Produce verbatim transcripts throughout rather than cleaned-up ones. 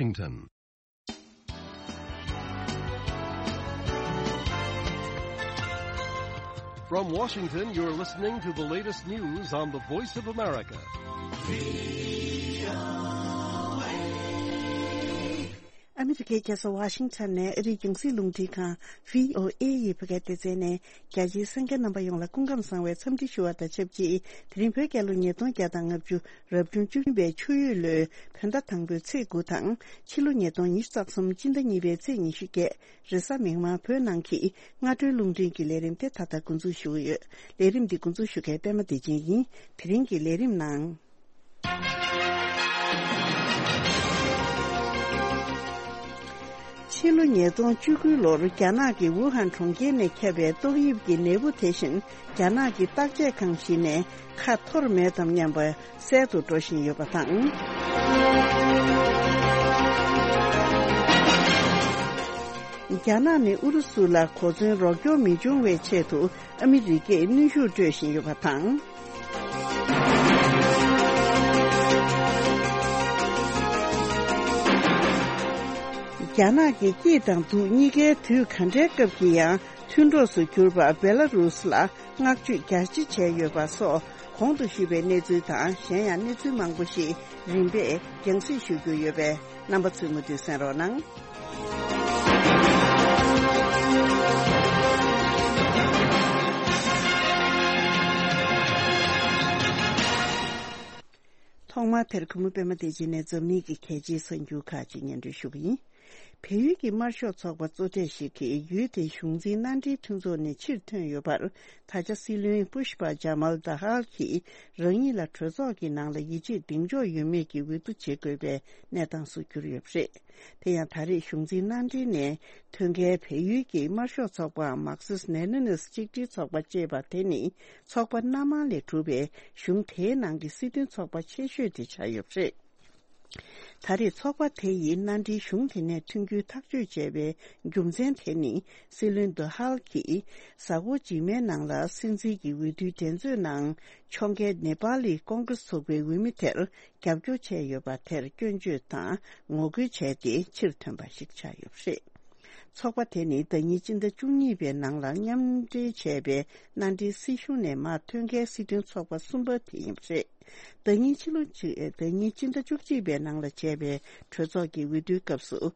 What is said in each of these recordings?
Washington. From Washington, you're listening to the latest news on the Voice of America. ཨ་མི་རི་ཀའི་རྒྱལ་ས་ཝ་ཤིང་ཊོན་ནས་ཨ་རིའི་རྒྱང་སྲིང་རླུང་འཕྲིན་ཁང་བྷི་ཨོ་ཨེ་ཡི་བོད་སྐད་སྡེ་ཚན་ནས་རྒྱ་ཆེའི་གསན་མཁན་རྣམ་པ་ཡོངས་ལ་སྐུ་ཁམས་བཟང་བའི་འཚམས་འདྲི་ཞུ་བ་དང་ཆབས་ཅིག་དེ་རིང་བོད་རྒྱལ་ལོ་ཉིས་སྟོང་བརྒྱ་དང་ལྔ་བཅུ་རབ་བྱུང་བཅུ་བདུན་པའི་ཆུ་ཡོས་ལོའི་བོད་ཟླ་དང་པོའི་ཚེས་དགུ་དང་ཕྱི་ལོ་ཉིས་སྟོང་ཉི་ཤུ་རྩ་གསུམ་སྤྱི་ཟླ་གཉིས་པའི་ཚེས་ཉི་ཤུ་བརྒྱད་རེས་གཟའ་མིག་དམར་བོད་ནང་གི་སྔ་དྲོའི་རླུང་འཕྲིན་གྱི་ལས་རིམ་དེ་ད་ལྟ་འགོ་འཛུགས་ཞུ་གི་ཡོད། ལས་རིམ་འདི་འགོ་འཛུགས་ཞུ་མཁན་པད་མ་བདེ་ཆེན་ཡིན། དེ་རིང་གི་ལས་རིམ་ནང་། ཕྱི་ལོ་ཉིས་སྟོང་བཅུ་དགུ་ལོར་རྒྱ་ནག་གི་ཝུ་ཧན་གྲོང་ཁྱེར་ནས་ཁྱབ་པའི་ཏོག་དབྱིབས་ཀྱི་ནད་འབུ་དེ་བཞིན་རྒྱ་ནག་གི་བརྟག་དཔྱད་ཁང་ཞིག་ནས་ཁ་འཐོར་མེད་དམ་སྙམ་པ་གསལ་དུ་འགྲོ་བཞིན་ཡོད་པ་དང་། རྒྱ་ནག་ནས་ཨུ་རུ་སུ་ལ་གོ་མཚོན་རོགས་སྐྱོར་མི་འབྱུང་བའི་ཆེད་དུ་ཨ་མི་རི་ཀས་གནོན་ཤུགས་སྤྲོད་བཞིན་ཡོད་པ་དང་། རྒྱ་ནག་གི་སྐྱིད་དང་སྡུག་གཉིས་ཀའི་དུས་ག་འདྲའི་སྐབས་ཀྱི་ཡང་མཐུན་གྲོགས་སུ་གྱུར་པ་བེ་ལ་རུས་ལ་བསྔགས་བརྗོད་རྒྱ་ཆེ་བྱས་ཡོད་པ་སོགས་གོང་དུ་ཞུས་པའི་གནས་ཚུལ་དང་གཞན་ཡང་གནས་ཚུལ་མང་པོ་ཞིག་རིམ་པས་རྒྱང་སྲིང་ཞུ་རྒྱུ་ཡོད་པས་རྣམ་པ་ཚོས་མུ་མཐུད་གསན་རོགས་གནང་། ཐོག་མར་དེར་གུས་མོ་པད་མ་བདེ་ཆེན་ནས་འཛམ་གླིང་གི་གལ་ཆེའི་གསར་འགྱུར་ཁག་ཅིག་སྙན་སྒྲོན་ཞུ་གི་ཡིན། བལ་ཡུལ་གྱི་དམར་ཤོག་ཚོགས་པ་གཙོ་གྲས་ཤིག་གིས་ཡུལ་དེའི་གཞུང་འཛིན་མནའ་འབྲེལ་མཐུན་ཚོགས་ནས་ཕྱིར་ཐོན་ཡོད་པར། ད་ཆ་སྲིད་བློན་པུཤ་པ་ཇ་མལ་དྷ་ཧལ་གྱིས་རང་ཉིད་ལ་གྲོས་ཚོགས་ཀྱི་ནང་ལ་ཡིད་ཆེས་གདེང་འཇོག་ཡོད་མེད་ཀྱི་འོས་བསྡུ་བྱེད་དགོས་པའི་གནས་སྟངས་སུ་གྱུར་ཡོད་པ་རེད། དེ་ཡང་ད་རེས་གཞུང་འཛིན་མནའ་འབྲེལ་ནས་ཐོན་མཁན་བལ་ཡུལ་གྱི་དམར་ཤོག་ཚོགས་པའམ་མར་ཁེ་སི་ལེ་ནིན་ཆིག་སྒྲིལ་ཚོགས་པ་ཅེས་པ་དེ་ནི་ཚོགས་པ་སྣ་མང་ལས་གྲུབ་པའི་གཞུང་དེའི་ནང་གི་སྲིད་དོན་ཚོགས་པ་ཆེ་ཤོས་དེ་ཆགས་ཡོད་པ་རེད། ད་རེས་ཚོགས་པ་དེ་ཡིས་མནའ་འབྲེལ་གཞུང་དེ་ནས་ཐོན་རྒྱུའི་ཐག་གཅོད་བྱས་པའི་རྒྱུ་མཚན་དེ་ནི་སྲིད་བློན་དྷ་ཧལ་གྱིས་གཟའ་འཁོར་རྗེས་མའི་ནང་ལ་སྲིད་འཛིན་གྱི་འོས་བསྡུའི་འགྲན་རྩོད་ནང་ཕྱོགས་འགལ་ནེ་པ་ལི་ཀོང་ཀྲེས་ཚོགས་པའི་འོས་མི་དེར་རྒྱབ་སྐྱོར་བྱས་ཡོད་པ་དེར་སྐྱོན་བརྗོད་དང་ངོ་རྒོལ་བྱས་ཏེ་ཕྱིར་ཐོན་པ་ཞིག་ཆགས་ཡོད་པ་རེད། ཚོགས་པ་དེ་ནི་ཟླ་ཉིན་སྤྱི་ཟླ་བཅུ་གཉིས་པའི་ནང་ལ་མཉམ་འབྲེལ་བྱས་པའི་མནའ་འབྲེལ་སྲིད་གཞུང་ནས་མར་ཐོན་མཁན་སྲིད་དོན་ཚོགས་པ་གསུམ་པ་དེ་ཡིན་པ་རེད། ཟླ་ཉིན་ཕྱི་ལོ་གཅིག་ཟླ་ཉིན་སྤྱི་ཟླ་བཅུ་གཅིག་པའི་ནང་ལ་བྱས་པའི་གྲོས་ཚོགས་ཀྱི་འོས་བསྡུའི་སྐབས་སུ།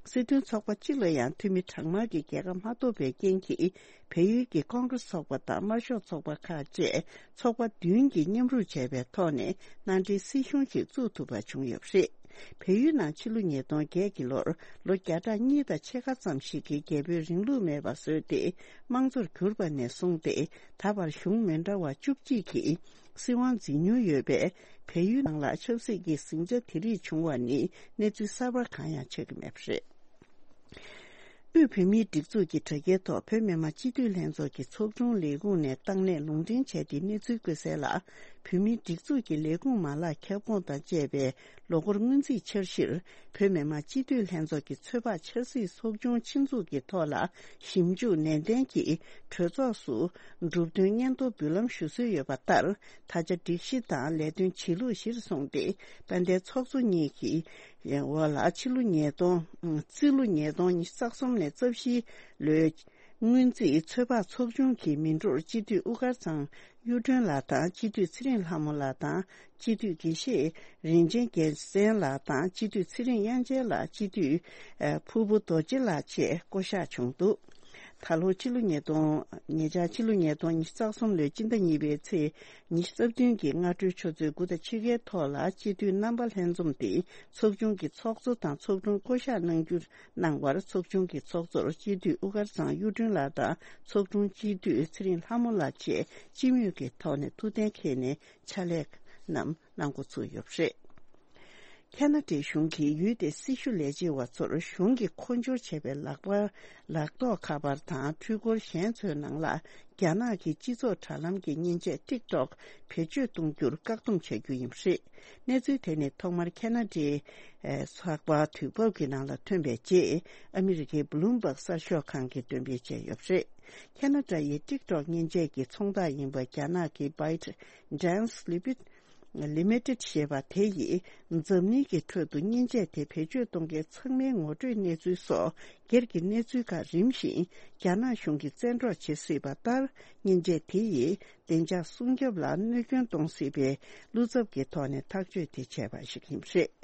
སྲིད་དོན་ཚོགས་པ་གཅིག་ལ་ཡང་འཐུས་མི་གྲངས་མང་གི་རྒྱལ་ཁ་མ་ཐོབ་པའི་རྐྱེན་གྱིས། བལ་ཡུལ་གྱི་ཀོང་ཀྲེས་ཚོགས་པ་དང་དམར་ཤོག་ཚོགས་པ་ཁག་བཅས་ཚོགས་པ་བདུན་གྱིས་མཉམ་རུབ་བྱས་པའི་ཐོག་ནས་མནའ་འབྲེལ་སྲིད་གཞུང་ཞིག་བཙུགས་ཐུབ་པ་བྱུང་ཡོད་པ་རེད། བལ་ཡུལ་ནང་ཕྱི་ལོ་ཉིས་སྟོང་བརྒྱད་ཀྱི་ལོར་ལོ་བརྒྱ་ཕྲག་གཉིས་དང་ཕྱེད་ཀ་ཙམ་ཞིག་གི་རྒྱལ་པོའི་རིང་ལུགས་མེད་པར་བཟོས་ཏེ་དམངས་གཙོར་གྱུར་པ་ནས་བཟུང་སྟེ་ད་བར་གཞུང་མི་འདྲ་བ་བཅུ་གཅིག་གིས་སྲིད་དབང་འཛིན་མྱོང་ཡོད་པས། བལ་ཡུལ་ནང་ལ་ཆབ་སྲིད་ཀྱི་ཟིང་ཆ་དེ་རིགས་བྱུང་བ་ནི་གནས་ཚུལ་གསར་པ་གང་ཡང་ཆགས་ཀྱི་མེད་པ་རེད། དབུས་བོད་མིའི་སྒྲིག་འཛུགས་ཀྱི་དྲ་རྒྱའི་ཐོག་བོད་མི་མང་སྤྱི་འཐུས་ལྷན་ཚོགས་ཀྱི་ཚོགས་དྲུང་ལས་ཁུངས་ནས་བཏང་གནས་ལུང་འདྲེན་བྱས་ཏེ་གནས་ཚུལ་བཀོད་གསལ་ལ། བོད་མིའི་སྒྲིག་འཛུགས་ཀྱི་ལས་ཁུངས་མ་ལག་ཁྱབ་ཁོངས་དང་བཅས་པའི་ལོ་འཁོར་སྔོན་རྩིས་འཆར་གཞིར། བོད་མི་མང་སྤྱི་འཐུས་ལྷན་ཚོགས་ཀྱི་ཚོད་དཔག་འཆར་རྩིས་ཚོགས་ཆུང་ཆེད་འཛུགས་ཀྱི་ཐོག་ལ་ཞིབ་འཇུག་ནན་ཏན་གྱིས་གྲོས་ཚོགས་སུ་གྲུབ་དོན་སྙན་ཐོ་འབུལ་ལམ་ཞུ་སྲོལ་ཡོད་པ་ལྟར། ད་ཆ་སྒྲིག་གཞི་དང་ལས་དོན་བྱེད་ལུགས་གཞིར་བཟུང་སྟེ། དཔལ་ལྡན་ཚོགས་གཙོ་གཉིས་ཀྱི་འོག་ལ་ཕྱི་ལོ་ཉིས་སྟོང་། རྩིས་ལོ་ཉིས་སྟོང་ཉི་ཤུ་རྩ་གསུམ་ནས་རྩ་བཞིའི་ལོའི་སྔོན་རྩིས་ཚོད་དཔག་ཚོགས་ཆུང་གི་མི་འགྲོར་སྤྱི་འཐུས་དབུ་དཀར་ཚང་གཡུ་སྒྲོན་ལགས་དང་། སྤྱི་འཐུས་ཚེ་རིང་ལྷ་མོ་ལགས་དང་། སྤྱི་འཐུས་དགེ་བཤེས་རིན་ཆེན་རྒྱལ་མཚན་ལགས་དང་། སྤྱི་འཐུས་ཚེ་རིང་དབྱངས་ཅན་ལགས། སྤྱི་འཐུས་ཨ་ཕུར་བུ་རྡོ་རྗེ་ལགས་བཅས་བསྐོ་གཞག་བྱུང་འདུག་ད་ལོ་ཕྱི་ལོ་ཉིས་སྟོང་། ཉེ་ཆར་ཕྱི་ལོ་ཉིས་སྟོང་ཉི་ཤུ་རྩ་གསུམ་ལོའི་སྤྱི་ཟླ་གཉིས་པའི་ཚེས་ཉི་ཤུ་རྩ་བདུན་གྱི་སྔ་དྲོའི་ཆུ་ཚོད་དགུ་དང་ཕྱེད་ཀའི་ཐོག་ལ་སྤྱི་འཐུས་རྣམ་པ་ལྷན་འཛོམས་ཏེ་ཚོགས་ཆུང་གི་ཚོགས་གཙོ་དང་ཚོགས་དྲུང་བསྐོ་གཞག་གནང་རྒྱུ་གནང་བར། ཚོགས་ཆུང་གི་ཚོགས་གཙོར་སྤྱི་འཐུས་དབུ་དཀར་ཚང་གཡུ་སྒྲོན་ལགས་དང་། ཚོགས་དྲུང་སྤྱི་འཐུས་ཚེ་རིང་ལྷ་མོ་ལགས་བཅས་སྤྱི་མོས་ཀྱི་ཐོག་ནས་ཐུགས་གཏན་འཁེལ་ནས་ཕྱག་ལས་རྣམས་གནང་འགོ་ཚུགས་ཡོད་པ་རེད། ཁ་ན་ཌའི་གཞུང་གིས་ཡུལ་དེའི་སྲི་ཞུ་ལས་བྱེད་པ་ཚོར་གཞུང་གིས་མཁོ་སྦྱོར་བྱས་པའི་ལག་པ། ལག་ཐོགས་ཁ་པར་དང་འཕྲུལ་འཁོར་གཞན་ཚོའི་ནང་ལ་རྒྱ་ནག་གི་སྤྱི་ཚོགས་དྲ་ལམ་གྱི་མཉེན་ཆས་ཊིག་ཊོག་བེད་སྤྱོད་གཏོང་རྒྱུར་བཀག་སྡོམ་བྱ་རྒྱུ་ཡིན་པ་རེད། གནས་ཚུལ་དེ་ནི་ཐོག་མར་ཁ་ན་ཌའི་ཚགས་པར་དུས་བབ་ཀྱི་ནང་ལ་ཐོན་པའི་རྗེས། ཨ་མི་རི་ཀའི་བྷི་ལུམ་བྷག་གསར་ཤོག་ཁང་གིས་འདོན་སྤེལ་བྱས་ཡོད་པ་རེད། ཁ་ན་ཌ་ཡི་ཊིག་ཊོག་མཉེན་ཆས་ཀྱི་ཚོང་བདག་ཡིན་པ་རྒྱ་ནག་གི་ByteDance Limited། Limited ཞེས་པ་དེ་ཡིས་འཛམ་གླིང་གི་ཁྲོད་དུ་མཉེན་ཆས་དེ་བེད་སྤྱོད་གཏོང་མཁན་ཚང་མའི་ངོ་སྤྲོད་གནས་ཚུལ་སོགས་སྒེར་གྱི་གནས་ཚུལ་ཁག་རིམ་བཞིན་རྒྱ་ནག་གཞུང་གིས་བཙན་འཕྲོག་བྱེད་སྲིད་པ་ལྟར། མཉེན་ཆས་དེ་ཡིས་བདེ་འཇགས་སྲུང་སྐྱོབ་ལ་གནོད་སྐྱོན་གཏོང་སྲིད་པའི་བློ་འཚབ་ཀྱི་ཐོག་ནས་ཐག་གཅོད་དེ་བྱས་པ་ཞིག་ཡིན་པ་རེད།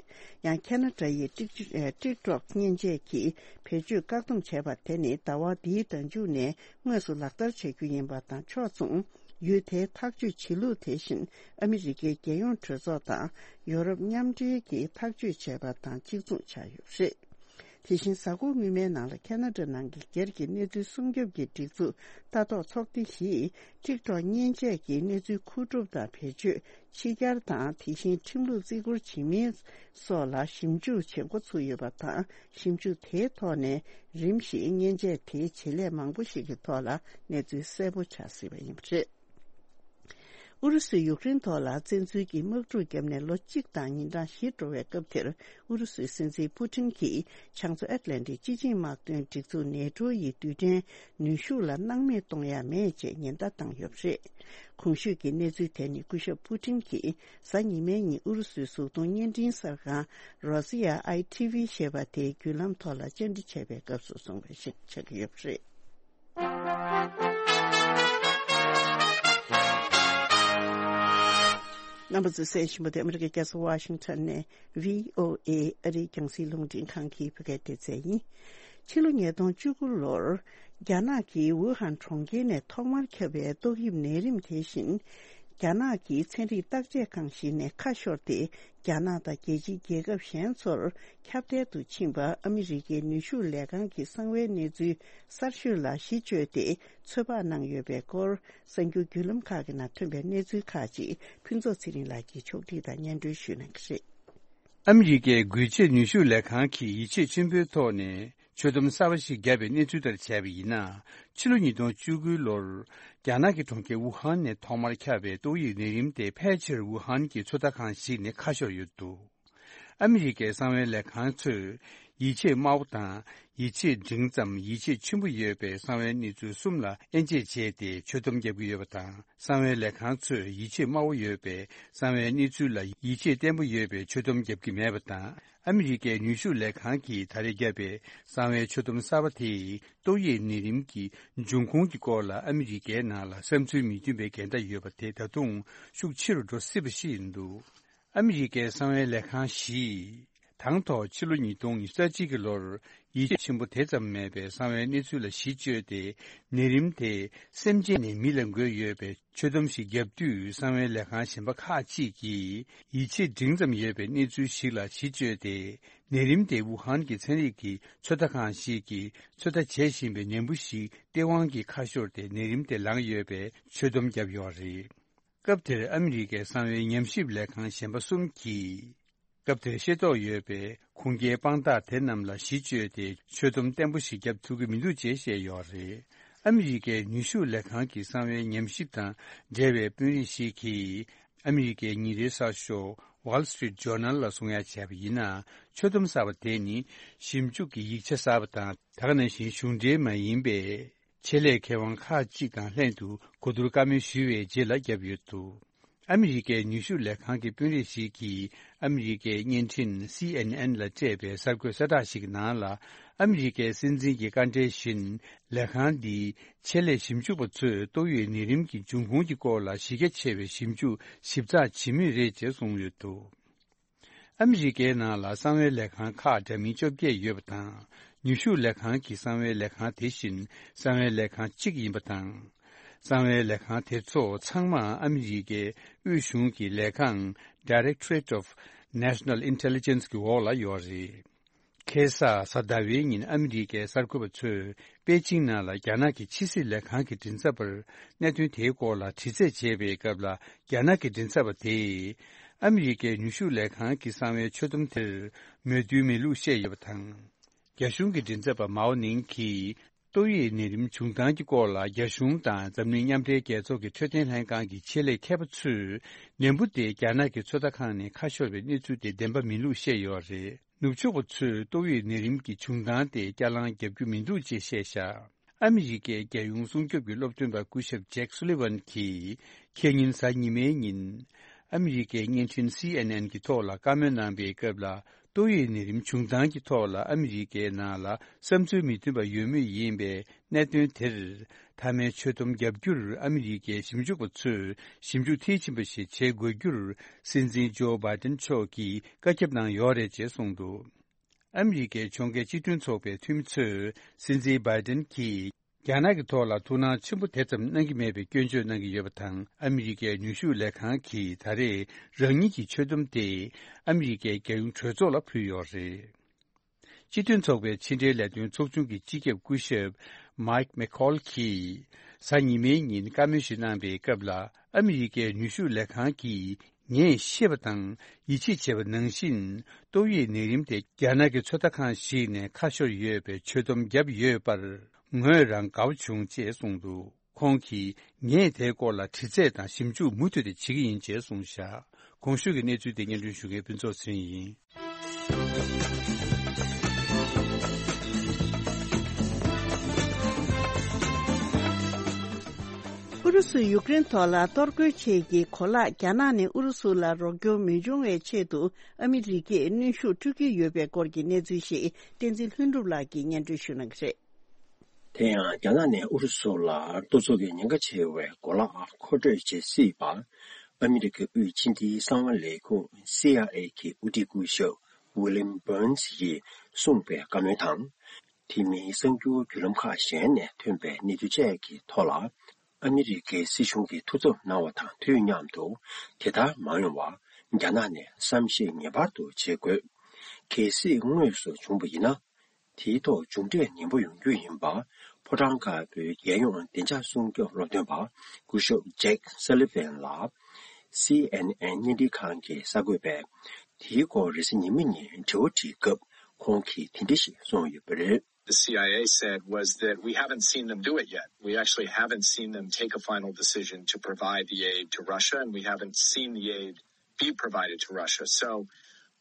ཡང་ཁེ་ན་ཌ་ཡི་ཀྲིག་ཀྲོག་ཀྲིག་ཀྲོག་མཉེན་ཆས་ཀྱིས་བེད་སྤྱོད་བཀག་སྡོམ་བྱས་པ་དེ་ནི་ཟླ་བ་འདིའི་ཟླ་མཇུག་ནས་དངོས་སུ་ལག་བསྟར་བྱ་རྒྱུ་ཡིན་པ་དང་ཕྱོགས་མཚུངས། ཡུལ་དེའི་ཐག་གཅོད་བྱེད་ལུགས་དེ་བཞིན་ཨ་མི་རི་ཀའི་རྒྱལ་ཡོངས་གྲོས་ཚོགས་དང་ཡོ་རོབ་མཉམ་འབྲེལ་གྱིས་ཐག་གཅོད་བྱས་པ་དང་གཅིག་མཚུངས་ཆགས་ཡོད་པ་རེད། དེ་བཞིན་གཟའ་འཁོར་སྔོན་མའི་ནང་ལ་ཁེ་ན་ཌ་ནང་གི་སྒེར་གྱི་གནས་ཚུལ་སྲུང་སྐྱོབ་ཀྱི་སྒྲིག་འཛུགས་ལྟ་རྟོག་ཚོགས་སྡེ་བཞིས་ཀྲིག་ཀྲོག་མཉེན་ཆས་ཀྱི་གནས་ཚུལ་མཁོ་སྒྲུབ་དང་བེད་སྤྱོད། ཕྱི་གྱར་དང་དེ་བཞིན་ཁྲིམས་ལུགས་བརྩི་བཀུར་བྱེད་མིན་སོགས་ལ་ཞིབ་འཇུག་བྱེད་འགོ་ཚུགས་ཡོད་པ་དང་། ཞིབ་འཇུག་དེའི་ཐོག་ནས་རིམ་བཞིན་མཉེན་ཆས་དེའི་བྱེད་ལས་མང་པོ་ཞིག་གི་ཐོག་ལ་གནས་ཚུལ་གསལ་པོ་ཆགས་སྲིད་པ་ཡིན་པ་རེད། ཨུ་རུ་སུས་ཡུཀ་རེན་ཐོག་ལ་བཙན་འཛུལ་གྱི་དམག་འཁྲུག་བརྒྱབ་ནས་ལོ་གཅིག་དང་ཉིན་གྲངས་བཞི་འགྲོ་བའི་སྐབས་དེར། ཨུ་རུ་སུའི་སྲིད་འཛིན་པུ་ཏིན་གྱིས་བྱང་མཚོ་ཨེཊ་ལན་ཊིག་སྤྱི་ཆིངས་དམག་དོན་སྒྲིག་འཛུགས་ནེ་ཊོ་ཡི་རྡུལ་ཕྲན་ནུས་ཤུགས་ལ་སྣང་མེད་གཏོང་ཡ་མེད་ཅེས་ཉེན་བརྡ་བཏང་ཡོད་པ་རེད། གོང་ཞུས་ཀྱི་གནས་ཚུལ་དེ་ནི་སྐུ་ཞབས་པུ་ཏིན་གྱིས་གཟའ་ཉི་མའི་ཉིན་ཨུ་རུ་སུའི་གཟུགས་མཐོང་བརྙན་འཕྲིན་གསར་ཁང་Rossiya I T V ཞེས་པ་དེའི་བརྒྱུད་ལམ་ཐོག་ལ་བཅར་འདྲི་བྱས་པའི་སྐབས་སུ་གསུངས་པ་ཞིག་ཆགས་ཀྱི་ཡོད་པ་རེད། རྣམ་པ་ཚོས་གསན་བཞིན་པ་དེ་ཨ་མི་རི་ཀའི་རྒྱལ་ས་ཝ་ཤིང་ཊོན་ནས་V O A ཨ་རིའི་རྒྱང་སྲིང་རླུང་འཕྲིན་ཁང་གི་བོད་སྐད་སྡེ་ཚན་ཡིན། ཕྱི་ལོ་ཉིས་སྟོང་བཅུ་དགུ་ལོར་རྒྱ་ནག་གི་ཝུ་ཧན་གྲོང་ཁྱེར་ནས་ཐོག་མར་ཁྱབ་པའི་ཏོག་དབྱིབས་ནད་རིམས་དེ་བཞིན། རྒྱ་ནག་གི་ཚན་རིག་བརྟག་དཔྱད་ཁང་ཞིག་ནས་ཁ་ཤོར་ཏེ། རྒྱ་ནག་དང་རྒྱལ་སྤྱིའི་རྒྱལ་ཁབ་གཞན་ཚོར་ཁྱབ་གདལ་དུ་ཕྱིན་པ་ཨ་མི་རི་ཀའི་ནུས་ཤུགས་ལས་ཁང་གི་གསང་བའི་གནས་ཚུལ་གསར་ཤོས་ལ་གཞི་བཅོལ་ཏེ་ཚོད་དཔག་གནང་ཡོད་པའི་སྐོར། གསར་འགྱུར་བརྒྱུད་ལམ་ཁག་གི་ནང་ཐོན་པའི་གནས་ཚུལ་ཁག་ཅིག་ཕུན་ཚོགས་ཚེ་རིང་ལགས་ཀྱིས་ཕྱོགས་སྒྲིག་དང་སྙན་སྒྲོན་ཞུ་གནང་གི་རེད། ཨ་མི་རི་ཀའི་འགུལ་སྐྱོད་ནུས་ཤུགས་ལས་ཁང་གིས་ཡིད་ཆེས་ཆེན་པོའི་ཐོག་ནས་ཆོད་སྡོམ་གསར་པ་ཞིག་བརྒྱབ་པའི་གནས་ཚུལ་ལྟར་བྱས་པ་ཡིན་ན། ཕྱི་ལོ་ཉིས་སྟོང་བཅུ་དགུ་ལོར་རྒྱ་ནག་གི་གྲོང་ཁྱེར་ཝུ་ཧན་ནས་ཐོག་མར་ཁྱབ་པའི་ཏོག་དབྱིབས་ནད་རིམས་དེ་ཕལ་ཆེར་ཝུ་ཧན་གྱི་ཚོད་ལྟ་ཁང་ཞིག་ནས་ཁ་ཤོར་ཡོད་འདུག་ཨ་མི་རི་ཀའི་གསང་བའི་ལས་ཁང་ཚོས་ཡིད་ཆེས་དམའ་བོ་དང་། ཡིད་ཆེས་འབྲིང་ཙམ། ཡིད་ཆེས་ཆེན་པོ་ཡོད་པའི་གསང་བའི་གནས་ཚུལ་གསུམ་ལ་དབྱེ་འབྱེད་བྱས་ཏེ་ཆོད་སྡོམ་བརྒྱབ་ཀྱི་ཡོད་པ་དང་། གསང་བའི་ལས་ཁང་ཚོས་ཡིད་ཆེས་དམའ་བོ་ཡོད་པའི་གསང་བའི་གནས་ཚུལ་ལ་ཡིད་ཆེས་བརྟན་པོ་ཡོད་པའི་ཆོད་སྡོམ་བརྒྱབ་ཀྱི་མེད་པ་དང་། ཨ་མི་རི་ཀའི་ནུས་ཤུགས་ལས་ཁང་གིས་ད་རེས་བརྒྱབ་པའི་གསང་བའི་ཆོད་སྡོམ་གསར་པ་དེས་ཏོག་དབྱིབས་ནད་རིམས་ཀྱི་འབྱུང་ཁུངས་ཀྱི་སྐོར་ལ་ཨ་མི་རི་ཀའི་ནང་ལ་བསམ་ཚུལ་མི་མཐུན་པའི་འགལ་ཟླ་ཡོད་པ་དེ་ད་དུང་ཤུགས་ཆེ་རུ་འགྲོ་སྲིད་པ་ཞིག་ཡིན་འདུག་ཨ་མི་རི་ཀའི་གསང་བའི་ལས་ཁང་བཞིས་དང་ཐོག་ཕྱི་ལོ་ཉིས་སྟོང་ཉི་ཤུ་རྩ་གཅིག་གི་ལོར་ཡིད་ཆེས་ཆེན་པོ་དེ་ཙམ་མེད་པའི་གསང་བའི་གནས་ཚུལ་ལ་གཞི་བཅོལ་ཏེ། ནད་རིམས་དེ་སེམས་ཅན་ནས་མི་ལ་འགོས་ཡོད་པའི་ཆོད་སྡོམ་ཞིག་བརྒྱབ་དུས། གསང་བའི་ལས་ཁང་གཞན་པ་ཁག་ཅིག་གིས་ཡིད་ཆེས་འབྲིང་ཙམ་ཡོད་པའི་གནས་ཚུལ་ཞིག་ལ་གཞི་བཅོལ་ཏེ། ནད་རིམས་དེ་ཝུ་ཧན་གྱི་ཚན་རིག་གི་ཚོད་ལྟ་ཁང་ཞིག་གིས་ཚོད་ལྟ་བྱེད་བཞིན་པའི་ནད་འབུ་ཞིག་སྟེས་དབང་གིས་ཁ་ཤོར་ཏེ་ནད་རིམས་དེ་ལངས་ཡོད་པའི་ཆོད་སྡོམ་བརྒྱབ་ཡོད་རེད། སྐབས་དེར་ཨ་མི་རི་ཀའི་གསང་བའི་ཉམས་ཞིབ་ལས་ཁང་གཞན་པ་གསུམ་གྱིས། སྐབས་དེར་ཤེས་རྟོགས་ཡོད་པའི་ཁུངས་སྐྱེལ་དཔང་རྟགས་དེ་རྣམས་ལ་གཞི་བཅོལ་ཏེ་ཆོད་སྡོམ་བརྟན་པོ་ཞིག་བརྒྱབ་ཐུབ་ཀྱི་མི་འདུག་ཅེས་བཤད་ཡོད་རེད། ཨ་མི་རི་ཀའི་ནུས་ཤུགས་ལས་ཁང་གི་གསང་བའི་ཉམས་ཞིབ་དང་འབྲེལ་བའི་དཔོན་རིགས་ཤིག་གིས། ཨ་མི་རི་ཀའི་ཉིན་རེའི་གསར་ཤོག་Wall Street Journal ལ་གསུང་ཡ་བྱས་པ་ཡིན་ན། ཆོད་སྡོམ་གསར་པ་དེ་ནི་ཞིབ་འཇུག་གི་ཡིག་ཆ་གསར་པ་དང་། ད་ག་ནང་བཞིན་གཞུང་འབྲེལ་མ་ཡིན་པའི་ཆེད་ལས་མཁས་དབང་ཁག་ཅིག་དང་ལྷན་དུ་གོ་བསྡུར་བཀའ་མོལ་ཞུས་པའི་རྗེས་ལ་བརྒྱབ་ཡོད་འདུག་ཨ་མི་རི་ཀའི་ནུས་ཤུགས་ལས་ཁང་གི་དཔོན་རིགས་ཤིག་གིས་ཨ་མི་རི་ཀའི་བརྙན་འཕྲིན་C N N ལ་སྤྲད་པའི་གསར་འགོད་གསལ་བསྒྲགས་ཤིག་གི་ནང་ལ། ཨ་མི་རི་ཀའི་སྲིད་འཛིན་གྱི་བཀའ་འབྲེལ་བཞིན། ལས་ཁང་འདིའི་ཆེད་ལས་ཞིབ་འཇུག་པ་ཚོས་ཏོག་དབྱིབས་ནད་རིམས་ཀྱི་འབྱུང་ཁུངས་ཀྱི་སྐོར་ལ་གཞི་རྒྱ་ཆེ་བའི་ཞིབ་འཇུག་ཞིབ་ཚགས་བྱེད་མུས་རེད་ཅེས་གསུངས་ཡོད་འདུག་ཨ་མི་རི་ཀའི་ནང་ལ་གསང་བའི་ལས་ཁང་ཁག་འདྲ་མིན་བཅོ་བརྒྱད་ཡོད་པ་དང་། ནུས་ཤུགས་ལས་ཁང་གི་གསང་བའི་ལས་ཁང་དེ་བཞིན་གསང་བའི་ལས་ཁང་གཅིག་ཡིན་པ་དང་། གསང་བའི་ལས་ཁང་དེ་ཚོ་ཚང་མ་ཨ་མི་རི་ཀའི་དབུས་གཞུང་གི་ལས་ཁང་Directorate of National Intelligence གི་འོག་ལ་ཡོད་རེད། ཁ་སང་གཟའ་ཟླ་བའི་ཉིན་ཨ་མི་རི་ཀའི་གསར་འགོད་པ་ཚོས་པེ་ཅིང་ནང་ལ་རྒྱ་ནག་གི་ཕྱི་སྲིད་ལས་ཁང་གི་མགྲིན་ཚབ་པར་གནད་དོན་དེའི་སྐོར་ལ་དྲི་རྩད་བྱས་པའི་སྐབས་ལ། རྒྱ་ནག་གི་མགྲིན་ཚབ་པ་དེས་ཨ་མི་རི་ཀའི་ནུས་ཤུགས་ལས་ཁང་གི་གསང་བའི་ཆོད་སྡོམ་དེར་མོས་མཐུན་མེད་ལུགས་བཤད་ཡོད་པ་དང་། རྒྱ་གཞུང་གི་མགྲིན་ཚབ་པ་མའོ་ནིང་གིས། ཏོག་དབྱིབས་ནད་རིམས་བྱུང་སྟངས་ཀྱི་སྐོར་ལ་རྒྱ་གཞུང་དང་འཛམ་གླིང་མཉམ་འབྲེལ་རྒྱལ་ཚོགས་ཀྱི་འཕྲོད་བསྟེན་ལྷན་ཁང་གི་ཆེད་ལས་མཁས་པ་ཚོས། ནད་འབུ་དེ་རྒྱ་ནག་གི་ཚོད་ལྟ་ཁང་ནས་ཁ་ཤོར་བའི་གནས་ཚུལ་དེ་བདེན་པ་མིན་ལུགས་བཤད་ཡོད་རེད། ནུབ་ཕྱོགས་པ་ཚོས་ཏོག་དབྱིབས་ནད་རིམས་ཀྱི་བྱུང་སྟངས་དེ་བསྐྱར་ལངས་རྒྱག་རྒྱུ་མི་འདུག་ཅེས་བཤད་བཞག་ཨ་མི་རི་ཀའི་རྒྱལ་ཡོངས་སྲུང་སྐྱོབ་ཀྱི་སློབ་སྟོན་པ་སྐུ་ཞབས་ཇེག་སུ་ལི་ཝན་གྱིས། ཁེ་ཉིན་གཟའ་ཉི་མའི་ཉིན། ཨ་མི་རི་ཀའི་བརྙན་འཕྲིན་སི་ཨེན་ཨེན་གྱི་ཐོག་ལ་བཀའ་མོལ་གནང་པའི་སྐབས་ལ། ཏོག་དབྱིབས་ནད་རིམས་བྱུང་སྟངས་ཀྱི་ཐོག་ལ་ཨ་མི་རི་ཀའི་ནང་ལ་བསམ་ཚུལ་མི་མཐུན་པ་ཡོད་མུས་ཡིན་པའི་གནད་དོན་དེར། མཐའ་མའི་ཆོད་སྡོམ་བརྒྱབ་རྒྱུར་ཨ་མི་རི་ཀའི་ཞིབ་འཇུག་པ་ཚོས་ཞིབ་འཇུག་མཐིལ་ཕྱིན་པ་ཞིག་བྱེད་དགོས་རྒྱུར། སྲིད་འཛིན་ཇོ་བྷའི་ཏན་མཆོག་གིས་བཀའ་ཁྱབ་གནང་ཡོད་རེད་ཅེས་གསུངས་འདུག་ཨ་མི་རི་ཀའི་ཕྱོགས་འགལ་སྤྱི་མཐུན་ཚོགས་པའི་འཐུས་མི་ཚོས། སྲིད་འཛིན་བྷའི་ཏན་གྱིས། རྒྱ་ནག་གི་ཐོག་ལ་ཐུགས་སྣང་ཆེན་པོ་དེ་ཙམ་གནང་གི་མེད་པའི་སྐྱོན་བརྗོད་གནང་གི་ཡོད་པ་དང་། ཨ་མི་རི་ཀའི་ནུས་ཤུགས་ལས་ཁང་གིས་ད་རེས་རང་ཉིད་ཀྱི་ཆོད་སྡོམ་དེ་ཨ་མི་རི་ཀའི་རྒྱལ་ཡོངས་གྲོས་ཚོགས་ལ་ཕུལ་ཡོད་རེད། སྤྱི་མཐུན་ཚོགས་པའི་ཕྱི་འབྲེལ་ལས་དོན་ཚོགས་ཆུང་གི་སྤྱི་ཁྱབ་སྐུ་ཞབས་མཱིག་མེ་ཁོལ་གྱིས་གཟའ་ཉི་མའི་ཉིན་བཀའ་མོལ་ཞིག་གནང་པའི་སྐབས་ལ། ཨ་མི་རི་ཀའི་ནུས་ཤུགས་ལས་ཁང་གིས། ངས་ཤེས་པ་དང་ཡིད་ཆེས་བྱས་པ་ནང་བཞིན། ཏོག་དབྱིབས་ནད་རིམས་དེ་རྒྱ་ནག་གི་ཚོད་ལྟ་ཁང་ཞིག་ནས་ཁ་ཤོར་ཡོད་པའི་ཆོད་སྡོམ་བརྒྱབ་ཡོད་པར། ངོས་རང་དགའ་བོ་བྱུང་ཅེས་གསུངས་འདུག་ཁོང་གིས། ངས་དེའི་སྐོར་ལ་དྲི་རྩད་དང་ཞིབ་འཇུག་མུ་མཐུད་དེ་བྱེད་ཀྱི་ཡིན་ཅེས་གསུངས་བཞག་གོང་ཞུས་ཀྱི་གནས་ཚུལ་དེ་སྙན་སྒྲོན་ཞུ་མཁན་ཕུན་ཚོགས་ཚེ་རིང་ཡིན། ཨུ་རུ་སུས་ཡུཀ་རེན་ཐོག་ལ་གཏོར་རྒོལ་ཆེད་ཀྱི་གོ་ལག་རྒྱ་ནག་ནས་ཨུ་རུ་སུ་ལ་རོགས་སྐྱོར་མི་འབྱུང་བའི་ཆེད་དུ་ཨ་མི་རི་ཀས་གནོན་ཤུགས་སྤྲོད་ཀྱི་ཡོད་པའི་སྐོར་གྱི་གནས་ཚུལ་ཞིག་བསྟན་འཛིན་ལྷུན་གྲུབ་ལགས་ཀྱིས་སྙན་སྒྲོན་ཞུ་གནང་གི་རེད། དེ་ཡང་རྒྱ་ནག་ནས་ཨུ་རུ་སུ་ལ་གཏོར་ཚོགས་ཀྱི་ཉེན་ཁ་ཆེ་བའི་གོ་ལག་མཁོ་སྤྲོད་བྱེད་སྲིད་པ། ཨ་མི་རི་ཀའི་དབུས་ཕྱི་འབྲེལ་གསང་བ་ལས་ཁུངས་སི་ཨའི་ཨེ་གི་དབུ་ཁྲིད་སྐུ་ཞབས་ཝི་ལིམ་བྷོན་སི་ཡིས་གསུངས་པའི་བཀའ་མོལ་དང་། དེ་མིན་གསར་འགྱུར་བརྒྱུད་ལམ་ཁག་གཞན་ནས་ཐོན་པའི་གནས་ཚུལ་བཅས་ཀྱི་ཐོག་ལ། ཨ་མི་རི་ཀའི་སྲིད་གཞུང་གིས་ཐུགས་འཚབ་གནང་བ་དང་དུས་མཉམ་དུ། དེ་ལྟར་མ་ཡོང་བར་རྒྱ་ནག་ནས་བསམ་ཤེས་ངེས་པར་དུ་བྱེད་དགོས། གལ་སྲིད་དངོས་སུ་བྱུང་བ་ཡིན་ན། དེའི་ཐོག་མཇུག་འབྲས་ངན་པ་ཡོང་རྒྱུ་ཡིན་པ། ཕོ་བྲང་དཀར་པོའི་རྒྱལ་ཡོངས་བདེ་འཇགས་སྲུང་སྐྱོབ་སློབ་སྟོན་པ་སྐུ་ཞབས་ཇེག་སཱ་ལི་ཝན་ལ། སི་ཨེན་ཨེན་བརྙན་འཕྲིན་ཁང་གི་གསར་འགོད་པས། དེའི་སྐོར་རེས་གཟའ་ཉི་མ་ཉིན་དྲི་བ་དྲིས་སྐབས། ཁོང་གིས་དེ་འདྲ་ཞིག་གསུངས་ཡོད་པ་རེད། The C I A said was that we haven't seen them do it yet. We actually haven't seen them take a final decision to provide the aid to Russia, and we haven't seen the aid be provided to Russia. So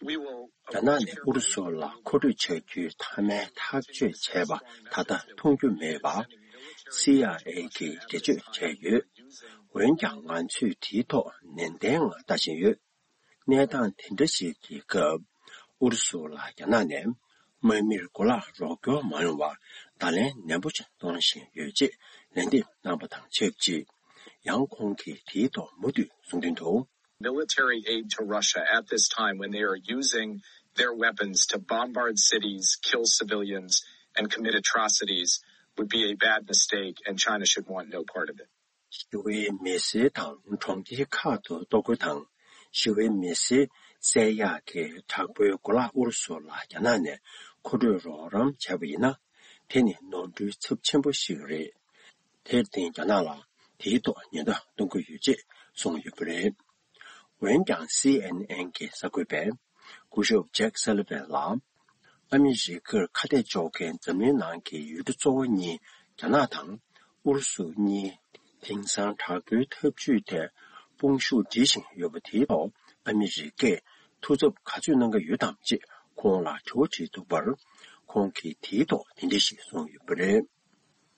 we will. རྒྱ་ནག་ནས་ཨུ་རུ་སུ་ལ་མཁོ་སྤྲོད་བྱ་རྒྱུའི་མཐའ་མའི་ཐག་གཅོད་བྱས་པ་ད་ལྟ་མཐོང་རྒྱུ་མེད་པ། སི་ཨའི་ཨེ་གིས་འགྲེལ་བརྗོད་བྱས་ཡོད། འོན་ཀྱང་ང་ཚོས་དེའི་ཐོག་ནན་ཏན་ངང་ལྟ་བཞིན་ཡོད། གནས་སྟངས་དེ་འདྲ་ཞིག་གི་སྐབས། ཨུ་རུ་སུ་ལ་རྒྱ་ནག་ནས་དམག་མིར་གོ་ལག་རོགས་སྐྱོར་མ་ཡོང་བར་བརྡ་ལན་ནན་པོ་ཞིག་གཏོང་བཞིན་ཡོད་ཅེས་ལན་འདེབས་གནང་བ་དང་ཆབས་ཅིག་ཡང་ཁོང་གིས་དེའི་ཐོག་མུ་མཐུད་གསུང་དོན་དུ། Military aid to Russia at this time when they are using their weapons to bombard cities, kill civilians, and commit atrocities would be a bad mistake, and China should want no part of it. ཞི་བའི་མི་སེར་དང་གྲོང་ཁྱེར་ཁག་ཏུ་གཏོར་རྒོལ་དང་། ཞི་བའི་མི་སེར་བསད་ཡག་གི་དྲག་པོའི་གོ་ལག་ཨུ་རུ་སུ་ལ་རྒྱ་ནག་ནས་མཁོ་སྤྲོད་རོགས་རམ་བྱས་པ་ཡིན་ན། དེ་ནི་ནོར་འཁྲུལ་ཚབས་ཆེན་པོ་ཞིག་རེད། དེར་བརྟེན་རྒྱ་ནག་ལ་དེའི་ཐོག་ཉེན་བརྡ་གཏོང་གི་ཡོད་ཅེས་གསུངས་ཡོད་པ་རེད། འོན་ཀྱང་སི་ཨེན་ཨེན་གྱི་གསར་འགོད་པས། སྐུ་ཞབས་ཇེག་སཱ་ལི་ཝན་ལ། ཨ་མི་རི་ཀར་ཁ་གཏད་གཅོག་མཁན་འཛམ་གླིང་ནང་གི་ཡུལ་གྲུ་གཙོ་བོ་གཉིས་རྒྱ་ནག་དང་ཨུ་རུ་སུ་གཉིས། དེང་སང་དྲག་པོའི་འཐབ་ཇུས་ཐད་དཔུང་ཤུགས་སྒྲིལ་བཞིན་ཡོད་པ་དེའི་ཐོག་ཨ་མི་རི་ཀས་ཐུགས་འཚབ་ག་ཚོད་གནང་གི་ཡོད་དམ་ཅེས་ཁོང་ལ་དྲི་བ་དྲིས་འདུག་པར། ཁོང་གིས་དེའི་ཐོག་དེ་འདྲ་ཞིག་གསུངས་ཡོད་པ་རེད།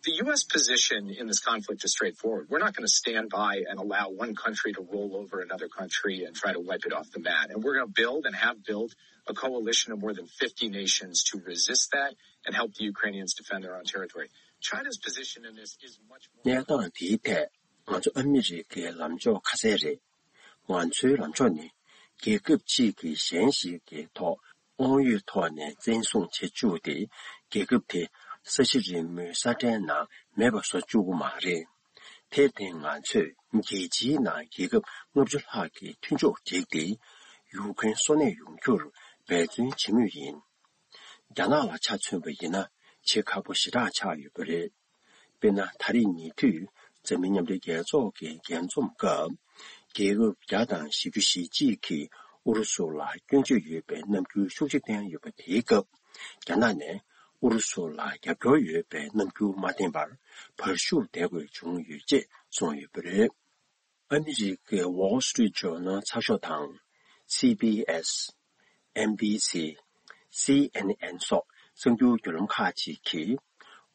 The U S position in this conflict is straightforward. We're not going to stand by and allow one country to roll over another country and try to wipe it off the mat. And we're going to build and have built a coalition of more than fifty nations to resist that and help the Ukrainians defend their own territory. China's position in this is much more. གནས་སྟངས་འདིའི་ཐད་ང་ཚོ་ཨ་མི་རི་ཀའི་ལམ་ཕྱོགས་ཁ་གསལ་རེད། ང་ཚོའི་ལངས་ཕྱོགས་ནི། རྒྱལ་ཁབ་གཅིག་གིས་གཞན་ཞིག་གི་ཐོག་དབང་ཡོད་ཐོག་ནས་བཙན་བཟུང་བྱེད་བཅུག་སྟེ། རྒྱལ་ཁབ་དེ་ས་གཞི་རིལ་མོའི་ས་ཁྲའི་ནང་མེད་པ་བཟོ་བཅུག་གི་མ་རེད། དེར་བརྟེན་ང་ཚོས་རྒྱལ་སྤྱིའི་ནང་རྒྱལ་ཁབ་ལྔ་བཅུ་ལྷག་གི་མཐུན་ཕྱོགས་བསྒྲིགས་ཏེ། ཡུཀ་རེན་སོ་ནད་ཡོང་རྒྱུར་འབད་བརྩོན་བྱེད་མུས་ཡིན། རྒྱ་ནག་ལ་ཆ་མཚོན་པ་ཡིན་ན་བྱེད་ཁག་པོ་ཞེ་དྲག་ཆགས་ཡོད་པ་རེད། དཔེར་ན། ད་རེས་ཉེ་དུས་འཛམ་གླིང་མཉམ་འབྲེལ་རྒྱལ་ཚོགས་ཀྱི་རྒྱས་འཛོམས་སྐབས། རྒྱལ་ཁབ་བརྒྱ་དང་བཞི་བཅུ་ཞེ་གཅིག་གིས་ཨུ་རུ་སུ་ལ་སྐྱོན་བརྗོད་ཡོད་པའི་རྣམ་འགྱུར་ཤུགས་ཆེ་བསྟན་ཡོད་པ་དེའི་སྐབས། རྒྱ་ནག་ནས་ཨུ་རུ་སུ་ལ་རྒྱབ་སྐྱོར་ཡོད་པའི་རྣམ་འགྱུར་མ་བསྟན་པར་བར་བཞུགས་བསྡད་དགོས་བྱུང་ཡོད་ཅེས་གསུངས་ཡོད་པ་རེད། ཨ་མི་རི་ཀའི་Wall Street Journal་ཚགས་ཤོག་དང་། སི་བི་ཨེས། ཨེན་བི་སི། སི་ཨེན་ཨེན་སོགས་གསར་འགྱུར་བརྒྱུད་ལམ་ཁག་ཅིག་གིས།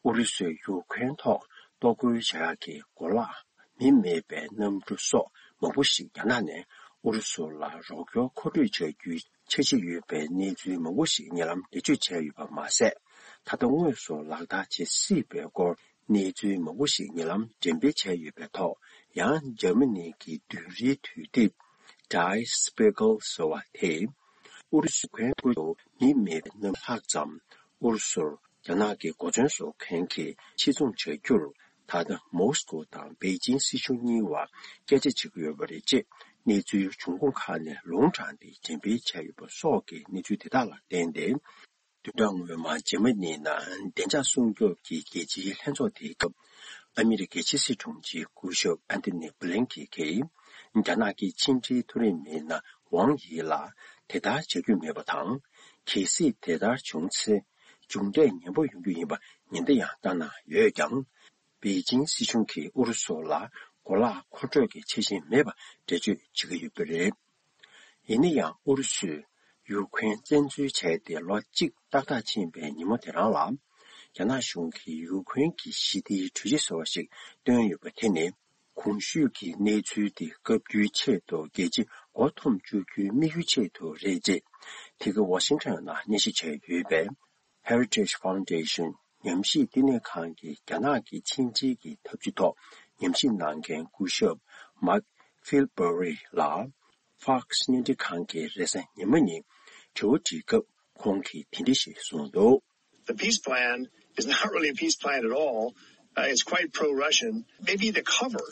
ཨུ་རུ་སུས་ཡུཀ་རེན་ཐོག་གཏོར་རྒོལ་བྱ་ཡག་གི་གོ་ལག་མི་མེད་པའི་གནམ་གྲུ་སོགས་མང་པོ་ཞིག་རྒྱ་ནག་ནས་ ཨུ་རུ་སུ་ལ་རོགས་སྐྱོར་མཁོ་སྤྲོད་བྱ་རྒྱུའི་འཆར་གཞི་ཡོད་པའི་གནས་ཚུལ་མང་པོ་ཞིག་ཉེ་ལམ་འགྲེལ་བརྗོད་བྱས་ཡོད་པ་མ་ཟད། ད་ལྟ་དངོས་སུ་ལག་བསྟར་བྱེད་སྲིད་པའི་སྐོར་གནས་ཚུལ་མང་པོ་ཞིག་ཉེ་ལམ་འགྲེམས་སྤེལ་བྱས་ཡོད་པའི་ཐོག་ཡང་འཇར་མ་ནི་གི་བདུན་རེའི་དུས་དེབ་Der Spiegel ཟེར་བ་དེས། ཨུ་རུ་སུ་ཁོན་ཁུལ་དུ་མི་མེད་པའི་གནམ་ལྷག་ཙམ་ཨུ་རུ་སུར་རྒྱ་ནག་གི་གོ་མཚོན་བཟོ་མཁན་གྱིས་ཕྱིར་ཚོང་བྱ་རྒྱུར། ད་ལྟ་མོ་སི་ཀོ་དང་པེ་ཅིང་སྲིད་གཞུང་གཉིས་བར་སྐད་ཆ་བྱེད་ཀྱི་ཡོད་པ་རེད་ཅེས་གནས་ཚུལ་འབྱུང་ཁུངས་ཁག་ནས་ལུང་དྲངས་ཏེ་འགྲེམས་སྤེལ་བྱས་ཡོད་པ་སོགས་ཀྱི་གནས་ཚུལ་དེ་དག་ལ་བརྟེན་ཏེ། བདུན་ཕྲག་སྔོན་མ་འཇར་མ་ནི་ནང་བདེ་འཇགས་སྲུང་སྐྱོབ་ཀྱི་རྒྱལ་སྤྱིའི་ལྷན་ཚོགས་དེའི་སྐབས། ཨ་མི་རི་ཀའི་ཕྱི་སྲིད་དྲུང་ཆེ་སྐུ་ཞབས་ཨན་ཐོ་ནི་བྷི་ལིན་ཀེན་གྱིས། རྒྱ་ནག་གི་ཕྱི་འབྲེལ་མཐོ་རིམ་མི་སྣ་ཝང་ཡི་ལ་དེ་ལྟར་བྱ་རྒྱུ་མེད་པ་དང་། གལ་སྲིད་དེ་ལྟར་བྱུང་ཚེ། མཇུག་འབྲས་ངན་པ་ཡོང་རྒྱུ་ཡིན་པ་ཉེན་བརྡ་ཡང་བཏང་གནང་ཡོད་ཀྱང་། པེ་ཅིང་སྲིད་གཞུང་གིས་ཨུ་རུ་སུ་ལ་གོ་ལག་མཁོ་སྤྲོད་ཀྱི་འཆར་གཞི་མེད་པ་འགྲེལ་བརྗོད་བྱེད་ཀྱི་ཡོད་པ་རེད། ཡིན་ན་ཡང་ཨུ་རུ་སུས་ཡུ་ཁུ་རེན་བཙན་འཛུལ་བྱས་ཏེ་ལོ་གཅིག་ཏག་ཏག་ཕྱིན་པའི་ཉིན་མོ་དེ་རང་ལ། རྒྱ་ནག་གཞུང་གིས་ཡུ་ཁུ་རེན་གྱི་ཞི་བདེའི་གྲོས་གཞི་ཟེར་བ་ཞིག་བཏོན་ཡོད་པ་དེ་ནི། གོང་ཞུས་ཀྱི་གནས་ཚུལ་དེ་སྐབས་བསྟུན་ཆེད་དུ་རྒྱལ་སྤྱི་མགོ་འཐོམ་བཅུག་རྒྱུའི་དམིགས་ཡུལ་ཆེད་དུ་རེད་ཅེས། དེ་ག་ཝ་ཤིང་ཊོན་ནང་སྙན་ཞུ་བྱས་ཡོད་པའི། Heritage Foundation ཉམས་ཞིབ་བསྟི་གནས་ཁང་གི་རྒྱ་ནག་གི་ཕྱི་འབྲེལ་གྱི་ཐབས་ཇུས་ཐོག་ཉམས་ཞིབ་གནང་མཁན་སྐུ་ཞབས་Mark Filbury ལགས་Fox བརྙན་འཕྲིན་ཁང་གི་རེས་གཟའ་ཉི་མ་ཉིན་དྲི་བ་དྲིས་སྐབས་ཁོང་གིས་དེ་འདྲ་ཞིག་གསུངས་འདུག། The peace plan is not really a peace plan at all. Uh, it's quite pro-Russian. Maybe the cover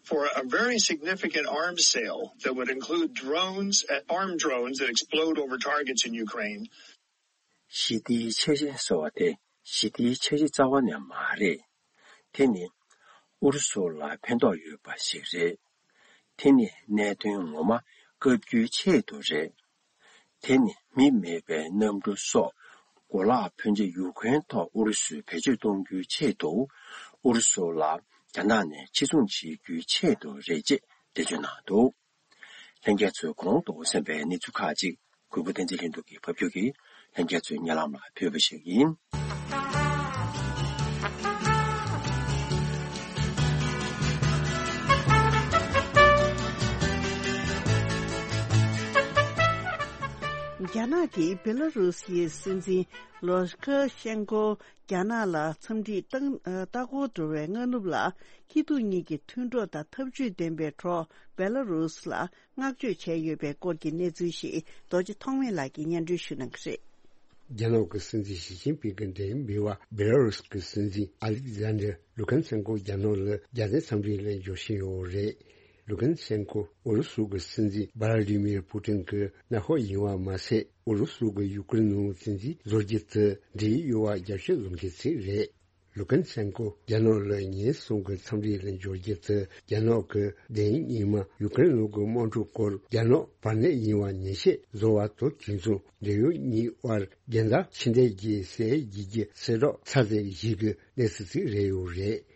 for a very significant arms sale that would include drones, uh, armed drones that explode over targets in Ukraine. ཞི་བདེའི་འཆར་གཞི་ཟེར་བ་དེ་ཞི་བདེའི་འཆར་གཞི་རྩ་བ་ནས་མ་རེད། དེ་ནི་ཨུ་རུ་སུ་ལ་ཕན་ཐོགས་ཡོད་པ་ཞིག་རེད། དེ་ནི་གནད་དོན་ངོ་མ་བཀའ་བཀྱོན་ཆེད་དུ་རེད། དེ་ནི་མི་མེད་པའི་གནམ་གྲུ་སོགས་གོ་ལག་ཕོན་ཆེ་ཡུ་ཁུ་རེན་ཐོག་ཨུ་རུ་སུས་བེད་སྤྱོད་གཏོང་རྒྱུའི་ཆེད་དུ་ཨུ་རུ་སུ་ལ་རྒྱ་ནག་ནས་ཕྱིར་ཚོང་བྱེད་རྒྱུའི་ཆེད་དུ་རེད་ཅེས་འགྲེལ་བརྗོད་གནང་འདུག། ལྷན་རྒྱས་ཚོས་གོང་དུ་གསན་པའི་གནས་ཚུལ་ཁག་ཅིག་གུས་པ་བསྟན་འཛིན་ལྷུན་གྲུབ་ཀྱིས་ཕབ་སྒྱུར་གྱིས་ལྷན་རྒྱས་ཚོའི་སྙན་ལམ་ལ་ཕུལ་བ་ཞིག་ཡིན། རྒྱ་ནག་གིས་བེ་ལ་རུ་སིའི་སྲིད་འཛིན་ལུ་ཁ་ཤན་ཀོ་རྒྱ་ནག་ལ་འཚམས་འདྲིར་ལྟ་ལྟ་སྐོར་འགྲོ་བའི་སྔ་ནུབ་ལ། སྐྱིད་སྡུག་གཉིས་ཀྱི་མཐུན་གྲོགས་དང་འཐབ་ཇུས་ལྡན་པའི་གྲོགས་བེ་ལ་རུ་སི་ལ་བསྔགས་བརྗོད་བྱས་ཡོད་པའི་སྐོར་གྱི་གནས་ཚུལ་ཞིག་རྡོ་རྗེ་ཐོགས་མེད་ལགས་ཀྱིས་སྙན་སྒྲོན་ཞུ་གནང་གི་རེད། རྒྱ་ནག་གི་སྲིད་འཛིན་ཞི་ཅིན་ཕིང་གིས་འབྲེལ་ཡོད་མི་བ་བེ་ལ་རུ་སི་གི་སྲིད་འཛིན་ཨ་ལིག་ཛན་ཌར་ལུ་ཁན་སན་ཀོ་རྒྱ་ནག་ལ་རྒྱལ་མཚན་འཚམས་འདྲིའི་ལན་འབྱོར་བཞིན་ཡོད་རེད། ལུ་ཁན་སན་ཀོ་ཨུ་རུ་སུ་གི་སྲིད་འཛིན་བྷ་ལ་ཏི་མིར་པུ་ཏིན་གྱི་མནའ་འཁོར་ཡིན་པ་མ་ཟད། ཨུ་རུ་སུ་གི་ཡུ་ཀེ་རེན་ནང་བཙན་འཛུལ་བཟོ་རྒྱུ་དེ་འབྲེལ་ཡོད་པ་རྒྱབ་སྐྱོར་བཟོ་མཁན་ཞིག་རེད། ལུ་ཁན་སན་ཀོ་རྒྱ་ནག་ལ་ཉིན་གསུམ་གྱི་འཚམས་འདྲིའི་ལན་འབྱོར་རྒྱུ་དེ་རྒྱ་ནག་གི་བདེན་རྙིང་མ་ཡུ་ཀེ་རེན་ནང་གི་དམག་འཁྲུག་སྐོར་རྒྱ་ནག་བར་གནས་ཡིན་པ་ཉེས་ཆད་བཟོ་བ་དང་དུས་མཚུངས་འབྲེལ་ཡོད་གཉིས་དབར་རྒྱལ་མཚམས་ཕྱི་འབྲེལ་གྱི་སའི་རྒྱལ་གྱི་གསལ་བསྒྲགས་ཚར་ཚད་ཞིག་གི་གནས་ཚུལ་ཞིག་རེད་ཡོད་རེད།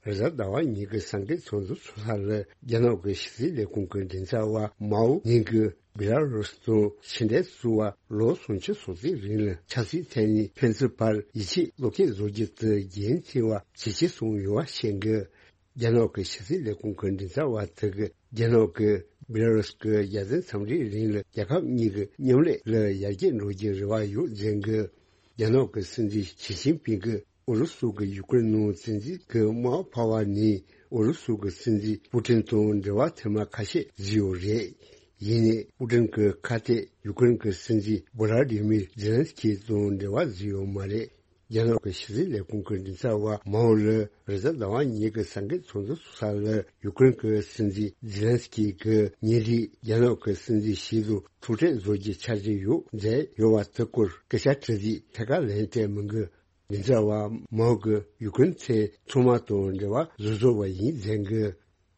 རེས་གཟའ་ཟླ་བ་ཉིན་གྱི་སང་སྐད་ཚོགས་འདུ་ཚོགས་ས་ལ་རྒྱ་ནག་གི་ཕྱི་སྲིད་ལས་ཁུངས་ཀྱི་མགྲིན་ཚབ་པ་མའོ་ཉིན་གྱིས་བེ་ལ་རུ་སི་དང་ཕྱི་འབྲེལ་བཟོ་བར་ལོ་སུམ་ཅུ་སོ་གཅིག་རིང་ལ་ཆབ་སྲིད་ཐད་ནས་ཕན་ཚུན་བར་ཡིད་ཆེས་བློ་སྐྱེད་བཟོ་རྒྱུ་དེ་རྒྱུན་ཆད་པ་ཇེ་ཆེར་སོང་ཡོད་པ་བཤད་འདུག། རྒྱ་ནག་གི་ཕྱི་སྲིད་ལས་ཁུངས་ཀྱི་མགྲིན་ཚབ་པ་དེ་གིས་རྒྱ་ནག་གིས་བེ་ལ་རུ་སི་གི་རྒྱལ་མཚན་འཚམས་འདྲིའི་རིང་ལ་རྒྱལ་ཁབ་གཉིས་ཀྱི་མཉམ་ལས་ལ་ཡར་རྒྱས་འགྲོ་རྒྱུའི་རེ་བ་ཡོད་ཟེར་འདུག། རྒྱ་ནག་གི་སྲིད་འཛིན་ཞི་ཅིན་ཕིང་གིས་ཨུ་རུ་སུ་གིས་ཡུ་ཀེ་རེན་ནང་བཙན་འཛུལ་གྱི་དམག་འཕར་བ་ནས་ཨུ་རུ་སུ་གི་སྲིད་འཛིན་པུ་ཏིན་དང་འབྲེལ་བ་ཐེངས་མ་ཁ་ཤས་བཟོས་ཡོད་རེད། ཡིན་ནའི་པུ་ཏིན་གྱིས་ཁ་གཏད་ཡུ་ཀེ་རེན་གྱི་སྲིད་འཛིན་བྷོ་ལ་ཏི་མིར་ཛེ་ལན་སི་ཀི་དང་འབྲེལ་བ་བཟོས་ཡོད་མ་རེད། རྒྱ་ནག་གི་ཕྱི་སྲིད་ལས་ཁུངས་ཀྱི་མགྲིན་ཚབ་པ་མའོ་ལ་རེས་གཟའ་ཟླ་བ་ཉིན་གྱི་སང་སྐད་ཚོགས་འདུ་ཚོགས་ས་ལ་ཡུ་ཀེ་རེན་གྱི་སྲིད་འཛིན་ཛེ་ལན་སི་ཀི་གིས་ཉེ་དུས་རྒྱ་ནག་གི་སྲིད་འཛིན་ཞིག་དང་ཐུག་འཕྲད་བཟོ་རྒྱུའི་འཆར་གཞི་ཡོད་མཛད་ཡོད་པ་དེ་སྐོར་སྐད་ཆ་དྲིས་དུས་ཐད་ཀར་ལན་སྤྲད་མི་འདུག། མགྲིན་ཚབ་པ་མའོ་གིས་ཡུ་ཀེ་རེན་ཚོས་ཚང་མ་དང་འབྲེལ་བ་བཟོ་བཟོ་བ་ཡིན་ཟེར་གི།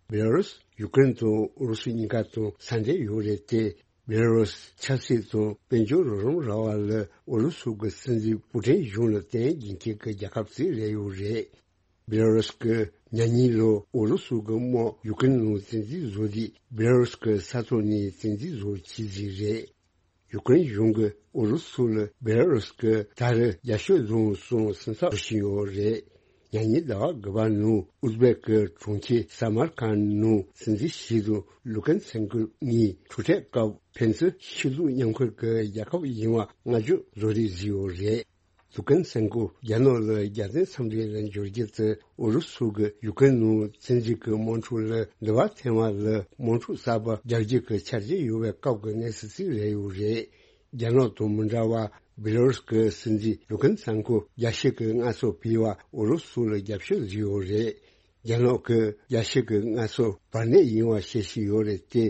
བེ་ལ་རུས་ཡུ་ཀེ་རེན་དང་ཨུ་རུ་སུ་གཉིས་ཀ་དང་ས་འབྲེལ་ཡོད་རེད་དེ། བེ་ལ་རུས་ཆབ་སྲིད་དང་དཔལ་འབྱོར་རོགས་རམ་རག་པ་ལ་ཨུ་རུ་སུ་གི་སྲིད་འཛིན་པུ་ཏིན་གཞུང་ལ་བརྟེན་དགོས་མཁན་གྱི་རྒྱལ་ཁབ་ཅིག་རེད་ཡོད་རེད། བེ་ལ་རུས་ཀྱིས་ཉེ་གནས་ལོ་ཨུ་རུ་སུ་གི་དམག་ཡུ་ཀེ་རེན་ནང་བཙན་འཛུལ་བཟོ་དུས་བེ་ལ་རུས་ཀྱི་ས་ཐོག་ནས་བཙན་འཛུལ་བཟོ་བྱས་ཟིག་རེད། ཡུ་ཀེ་རེན་གཞུང་གིས་ཨུ་རུ་སུ་ལ་བེ་ལ་རུས་ཀྱིས་ད་རེས་རྒྱབ་སྐྱོར་བཟུང་སོང་སེམས་འཚབ་བྱེད་བཞིན་ཡོད་རེད། ཉེ་ཉིན་ཟླ་བ་དགུ་པ་ནང་ཨུ་ཛི་བེག་གི་གྲོང་ཁྱེར་ས་མར་ཁན་ནང་སྲིད་འཛིན་ཞི་དང་ལུ་ཀན་སན་ཀོ་གཉིས་ཐུག་འཕྲད་སྐབས་ཕན་ཚུན་ཕྱི་ལུགས་མཉམ་འཁུར་གྱི་རྒྱལ་ཁབ་ཡིན་པ་བསྔགས་བརྗོད་བཟོ་རེས་བཟོས་ཡོད་རེད། ལུ་ཀན་སན་ཀོ་རྒྱ་ནག་ལ་རྒྱལ་བཙན་འཚམས་འདྲི་ལ་འབྱོར་རྒྱུ་དེ་ཨུ་རུ་སུ་གི་ཡུ་ཀེ་རེན་ནང་བཙན་འཛུལ་གྱི་དམག་འཁྲུག་ལ་འགྱུར་བ་ཐེབས་པ་ལ་དམག་འཁྲུག་གསར་པ་རྒྱག་རྒྱུ་གི་འཆར་གཞི་ཡོད་པའི་སྐབས་ཀྱི་གནས་ཚུལ་ཞིག་རེད་ཡོད་རེད། རྒྱ་ནག་དང་མི་འདྲ་བར་བེ་ལ་རུས་ཀྱི་སྲིད་འཛིན་ལུ་ཀན་སན་ཀོ་རྒྱལ་སྤྱི་གི་མངའ་གསོལ་ཕུལ་བ་ཨུ་རུ་སུ་ལ་རྒྱབ་སྐྱོར་བཟོས་ཡོད་རེད། རྒྱ་ནག་གི་རྒྱལ་སྤྱི་གི་མངའ་གསོལ་བར་གནས་ཡིན་པ་བཤད་བཞིན་ཡོད་རེད་དེ།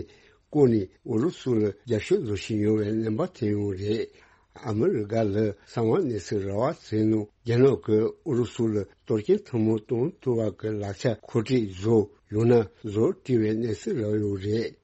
ཁོ་ནི་ཨུ་རུ་སུ་ལ་རྒྱབ་སྐྱོར་བཟོ་བཞིན་ཡོད་པའི་རྣམ་པ་ཐོན་ཡོད་རེད། ཨ་མི་རི་ཀ་ལ་གསང་བ་གནས་ཚུལ་ར་བ་ཚོའི་ནང་རྒྱ་ནག་གིས་ཨུ་རུ་སུ་ལ་གཏོར་སྐྱོན་ཐེངས་མང་གཏོང་ཐུབ་པ་གི་ལག་ཆ་མཁོ་སྤྲོད་བཟོ་ཡང་ན་བཟོ་བྲིས་པའི་གནས་ཚུལ་རག་ཡོད་རེད།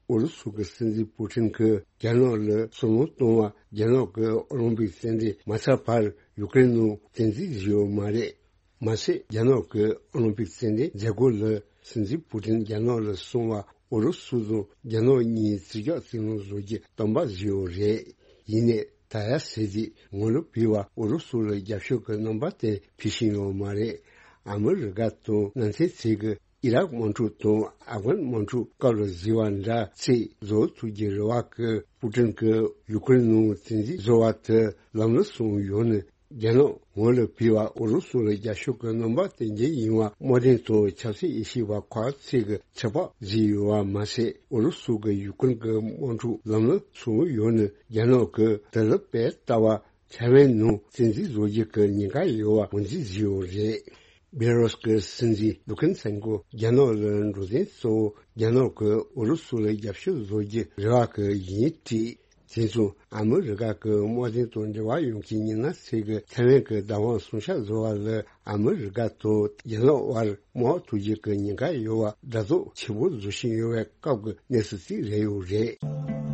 ཨུ་རུ་སུ་གི་སྲིད་འཛིན་པུ་ཏིན་གྱིས་རྒྱ་ནག་ལ་སོ་ནམ་གཏོང་བ་རྒྱ་ནག་གི་ཨོ་ལིམ་པིག་རྩེད་འགྲན་མ་ཚར་བར་ཡུ་ཀེ་རེན་ནང་བཙན་འཛུལ་བཟོས་ཡོད་མ་རེད། མ་ཟད་རྒྱ་ནག་གི་ཨོ་ལིམ་པིག་རྩེད་འགྲན་མཛད་སྒོ་ལ་སྲིད་འཛིན་པུ་ཏིན་རྒྱ་ནག་ལ་སོང་བ་ཨུ་རུ་སུ་དང་རྒྱ་ནག་གཉིས་རྩིས་རྒྱག་རྩིས་ལེན་བཟོ་རྒྱུ་གཏན་འབེབས་བཟོས་ཡོད་རེད། ཡིན་ནའི་ད་ཡ་ཟེར་དུས་ངོ་ལོག་བྱས་པ་ཨུ་རུ་སུ་ལ་རྒྱབ་སྐྱོར་གྱི་རྣམ་པ་དེ་ཕུལ་བཞིན་ཡོད་མ་རེད། ཨ་མི་རི་ཀ་དང་ནང་ཚན་ཚིག་གི་ཨི་རག་དམག་འཁྲུག་དང་ཨབ་གྷན་དམག་འཁྲུག་སྐབས་ལ་བཟོས་པ་འདྲ་ཚིག་བཟོ་ཐུབ་ཀྱི་རེད་བ། གི་པུ་ཏིན་གྱིས་ཡུ་ཀེ་རེན་ནང་བཙན་འཛུལ་བཟོ་བ་དེ་ལམ་ལྷོང་སོང་ཡོད་ནི། རྒྱ་ནག་ངོ་ལ་བོད་པ་ཨུ་རུ་སུ་ལ་རྒྱབ་སྐྱོར་གྱི་རྣམ་པ་དེ་འདྲ་ཡིན་པ་དམག་དོན་དང་ཆབ་སྲིད་དབྱེ་ཞིབ་པ་ཁག་ཅིག་གིས་ཚོད་དཔག་བཟོས་ཡོད་པ་མ་ཟད། ཨུ་རུ་སུ་གི་ཡུ་ཀེ་རེན་གྱི་དམག་འཁྲུག་ལམ་ལྷོང་སོང་ཡོད་ནི་རྒྱ་ནག་གིས་དེ་ལ་དཔེ་ལྟ་བ་ཐའེ་ཝན་ནང་བཙན་འཛུལ་བཟོ་རྒྱུ་གི་ཉེན་ཁ་ཡོད་པ་ངོས་འཛིན་བཟོས་ཡོད་རེད། བེ་ལ་རུས་ཀྱི་སྲིད་འཛིན་ལུ་ཀན་སན་ཀོ་རྒྱ་ནག་ལ་འགྲོ་དོན་གཙོ་བོ་རྒྱ་ནག་གིས་ཨུ་རུ་སུ་ལ་རྒྱབ་སྐྱོར་བཟོ་རྒྱུ་རེད་བ་གི་ཡིན་དྲིས། དེ་མཚུངས་ཨ་མི་རི་ཀ་གི་དམག་དོན་དང་འབྲེལ་བ་ཡོད་མཁན་ཉི་ན་ཚེ་གིས་ཐའེ་ཝན་གྱི་བདག་དབང་སྲུང་བྱ་བཟོ་བ་ལ་ཨ་མི་རི་ཀ་དང་རྒྱ་ནག་དབར་དམག་ཐུག་རྒྱུ་གི་ཉེན་ཁ་ཡོད་པ་འདྲ་བཟོ་ཆེ་པོ་བཟོ་བཞིན་ཡོད་པའི་སྐབས་ཀྱི་གནས་ཚུལ་ཞིག་རེད་ཡོད་རེད།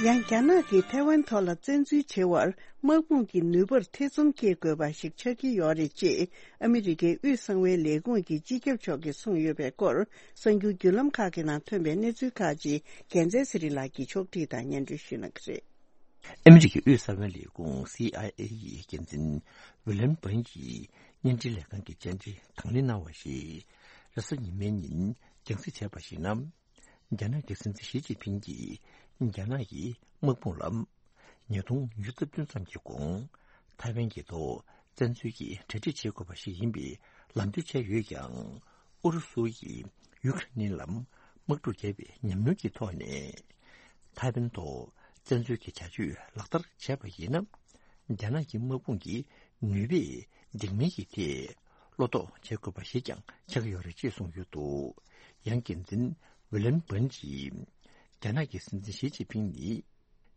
ཡང་རྒྱ་ནག་གིས་ཐའེ་ཝན་ཐོག་ལ་བཙན་འཛུལ་བྱེད་པར། དམག་དཔུང་གི་ནུས་པར་ཐེ་ཚོམ་སྐྱེ་དགོས་པ་ཞིག་ཆགས་ཀྱི་ཡོད་རེད་ཅེས་ཨ་མི་རི་ཀའི་དབུས་གསང་བའི་ལས་ཁུངས་ཀྱི་སྤྱི་ཁྱབ་མཆོག་གིས་གསུངས་ཡོད་པའི་སྐོར། གསར་འགྱུར་བརྒྱུད་ལམ་ཁག་གི་ནང་ཐོན་པའི་གནས་ཚུལ་ཁག་ཅིག་རྒྱལ་མཚན་ཚེ་རིང་ལགས་ཀྱིས་ཕྱོགས་སྒྲིག་དང་སྙན་སྒྲོན་ཞུ་གནང་གི་རེད། ཨ་མི་རི་ཀའི་དབུས་གསང་བའི་ལས་ཁུངས་སི་ཨའི་ཨེ་ཡི་འགན་འཛིན་ཝི་ལན་བན་གྱིས་བརྙན་འཕྲིན་ལས་ཁང་གི་བཅར་འདྲི་དང་ལེན་གནང་བ་ཞིག་རེས་གཟའ་ཉི་མའི་ཉིན་རྒྱང་སྲིང་བྱས་པར་གཞིགས་ན། རྒྱ་ནག་གི་སྲིད་འཛིན་ཞི་ཅིན་ཕིང་གིས་རྒྱ་ནག་གི་དམག་དཔུང་ལ་ཉིས་སྟོང་ཉི་ཤུ་རྩ་བདུན་ཙམ་གྱི་གོང་ཐའེ་ཝན་གྱི་ཐོག་བཙན་འཛུལ་གྱི་གྲ་སྒྲིག་བྱེད་དགོས་པ་ཞིག་ཡིན་པའི་ལམ་སྟོན་བྱས་ཡོད་ཀྱང་། ཨུ་རུ་སུ་ཡིས་ཡུ་ཁ་རེན་ལ་དམག་འཁྲུག་བརྒྱབ་པའི་ཉམས་མྱོང་གི་ཐོག་ནས། ཐའེ་ཝན་ཐོག་བཙན་འཛུལ་གྱི་བྱ་སྤྱོད་ལག་བསྟར་བྱས་པ་ཡིན་ན། རྒྱ་ནག་གི་དམག་དཔུང་གི་ནུས་པས་འགྲིག་མིན་གྱི་ཐད་བློ་དོགས་བྱེད་དགོས་པ་ཞིག་ཀྱང་ཆགས་ཀྱི་ཡོད་རེད་ཅེས་གསུངས་ཡོད་འདུག་ཡང་འགན་འཛིན་ཝི་ལན་བན་གྱིས། རྒྱ་ནག་གི་སྲིད་འཛིན་ཞི་ཅིན་ཕིང་ནི།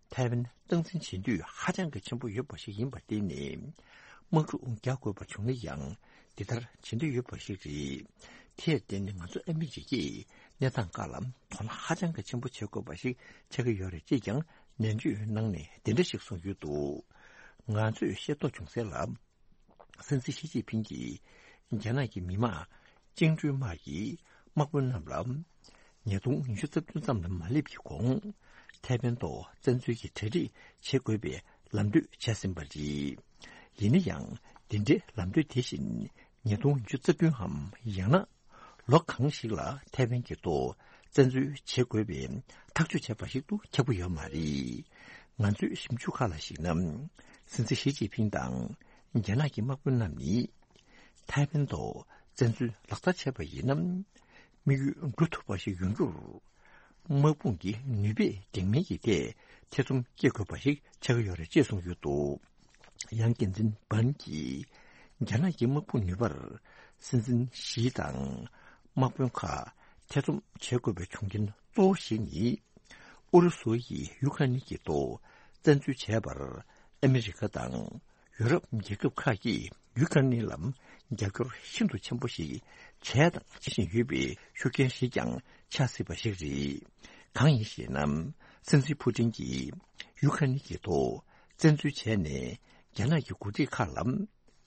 ཐའེ་ཝན་སྟངས་འཛིན་བྱེད་འདོད་ཧ་ཅང་གི་ཆེན་པོ་ཡོད་པ་ཞིག་ཡིན་པར་བརྟེན་ནས། དམག་འཁྲུག་རྒྱག་དགོས་པ་བྱུང་ན་ཡང་འདི་ལྟར་བྱེད་འདོད་ཡོད་པ་ཞིག་རེད། དེར་བརྟེན་ནས་ང་ཚོ་ཨ་མི་རི་ཀས་གནས་སྟངས་ཁག་ལ་དོ་སྣང་ཧ་ཅང་གི་ཆེན་པོ་བྱེད་དགོས་པ་ཞིག་ཆགས་ཀྱི་ཡོད་རེད་ཅེས་ཀྱང་ནན་བརྗོད་གནང་ནས་འདི་འདྲ་ཞིག་གསུངས་ཡོད་འདུག་ང་ཚོས་ཤེས་རྟོགས་བྱུང་གསལ་ལ། སྲིད་འཛིན་ཞི་ཅིན་ཕིང་གིས་རྒྱ་ནག་གི་མི་དམངས་བཅིངས་འགྲོལ་དམག་གི་དམག་དཔོན་རྣམས་ལ། ཉིས་སྟོང་ཉི་ཤུ་རྩ་བདུན་ཙམ་ལ་མ་སླེབས་ཀྱི་གོང་ཐའེ་ཝན་ཐོག་བཙན་འཛུལ་གྱི་གྲ་སྒྲིག་བྱེད་དགོས་པའི་ལམ་སྟོན་བྱས་ཟིན་པ་རེད། ཡིན་ན་ཡང་། འདི་འདྲའི་ལམ་སྟོན་དེ་བཞིན་ཉིས་སྟོང་ཉི་ཤུ་རྩ་བདུན་འམ་ཡང་ན། ལོ་གང་ཞིག་ལ་ཐའེ་ཝན་གྱི་ཐོག་བཙན་འཛུལ་བྱེད་དགོས་པའི་ཐག་གཅོད་བྱས་པ་ཞིག་ཏུ་ཁྱབ་ཀྱི་ཡོད་མ་རེད། ང་ཚོའི་ཞིབ་འཇུག་ཁག་ལ་གཞིགས་ན། སྲིད་འཛིན་ཞི་ཅིན་ཕིང་དང་རྒྱ་ནག་གི་དམག་དཔོན་རྣམས་ནི། ཐའེ་ཝན་ཐོག་བཙན་འཛུལ་ལག་བསྟར་བྱས་པ་ཡིན་ན། དམིགས་ཡུལ་འགྲུབ་ཐུབ་པ་ཞིག་ཡོང་རྒྱུར། དམག་དཔུང་གི་ནུས་པས་འགྲིག་མིན་གྱི་ཐད་ཐེ་ཚོམ་སྐྱེ་དགོས་པ་ཞིག་ཆགས་ཀྱི་ཡོད་རེད་ཅེས་གསུངས་ཡོད་འདུག་ཡང་འགན་འཛིན་བན་གྱིས། རྒྱ་ནག་གི་དམག་དཔུང་ནུས་པར་སྲིད་འཛིན་ཞི་དང་དམག་དཔོན་ཁག་ཐེ་ཚོམ་བྱེད་དགོས་པའི་བྱུང་རྐྱེན་གཙོ་བོ་ཞིག་ནི། ཨུ་རུ་སུ་ཡིས་ཡུ་ཁ་ནི་གི་ཐོག་བཙན་འཛུལ་བྱས་པར་ཨ་མི་རི་ཀ་དང་། ཡུ་རོབ་རྒྱལ་ཁབ་ཁག་གིས་ཡུ་ཁ་ནི་ལ་རྒྱབ་སྐྱོར་ཤིན་ཏུ་ཆེན་པོ་ཞིག་བྱས་དང་བྱེད་བཞིན་ཡོད་པའི་ཤུགས་རྐྱེན་ཞིག་ཀྱང་ཆགས་སྲིད་པ་ཞིག་རེད། གང་ཡིན་ཞེ་ན། སྲིད་འཛིན་ཕུ་ཏིན་གྱིས་ཡུ་ཁ་ནི་གི་ཐོག་བཙན་འཛུལ་བྱས་ནས་རྒྱ་ནག་གི་འགོ་ཁྲིད་ཁག་ལ།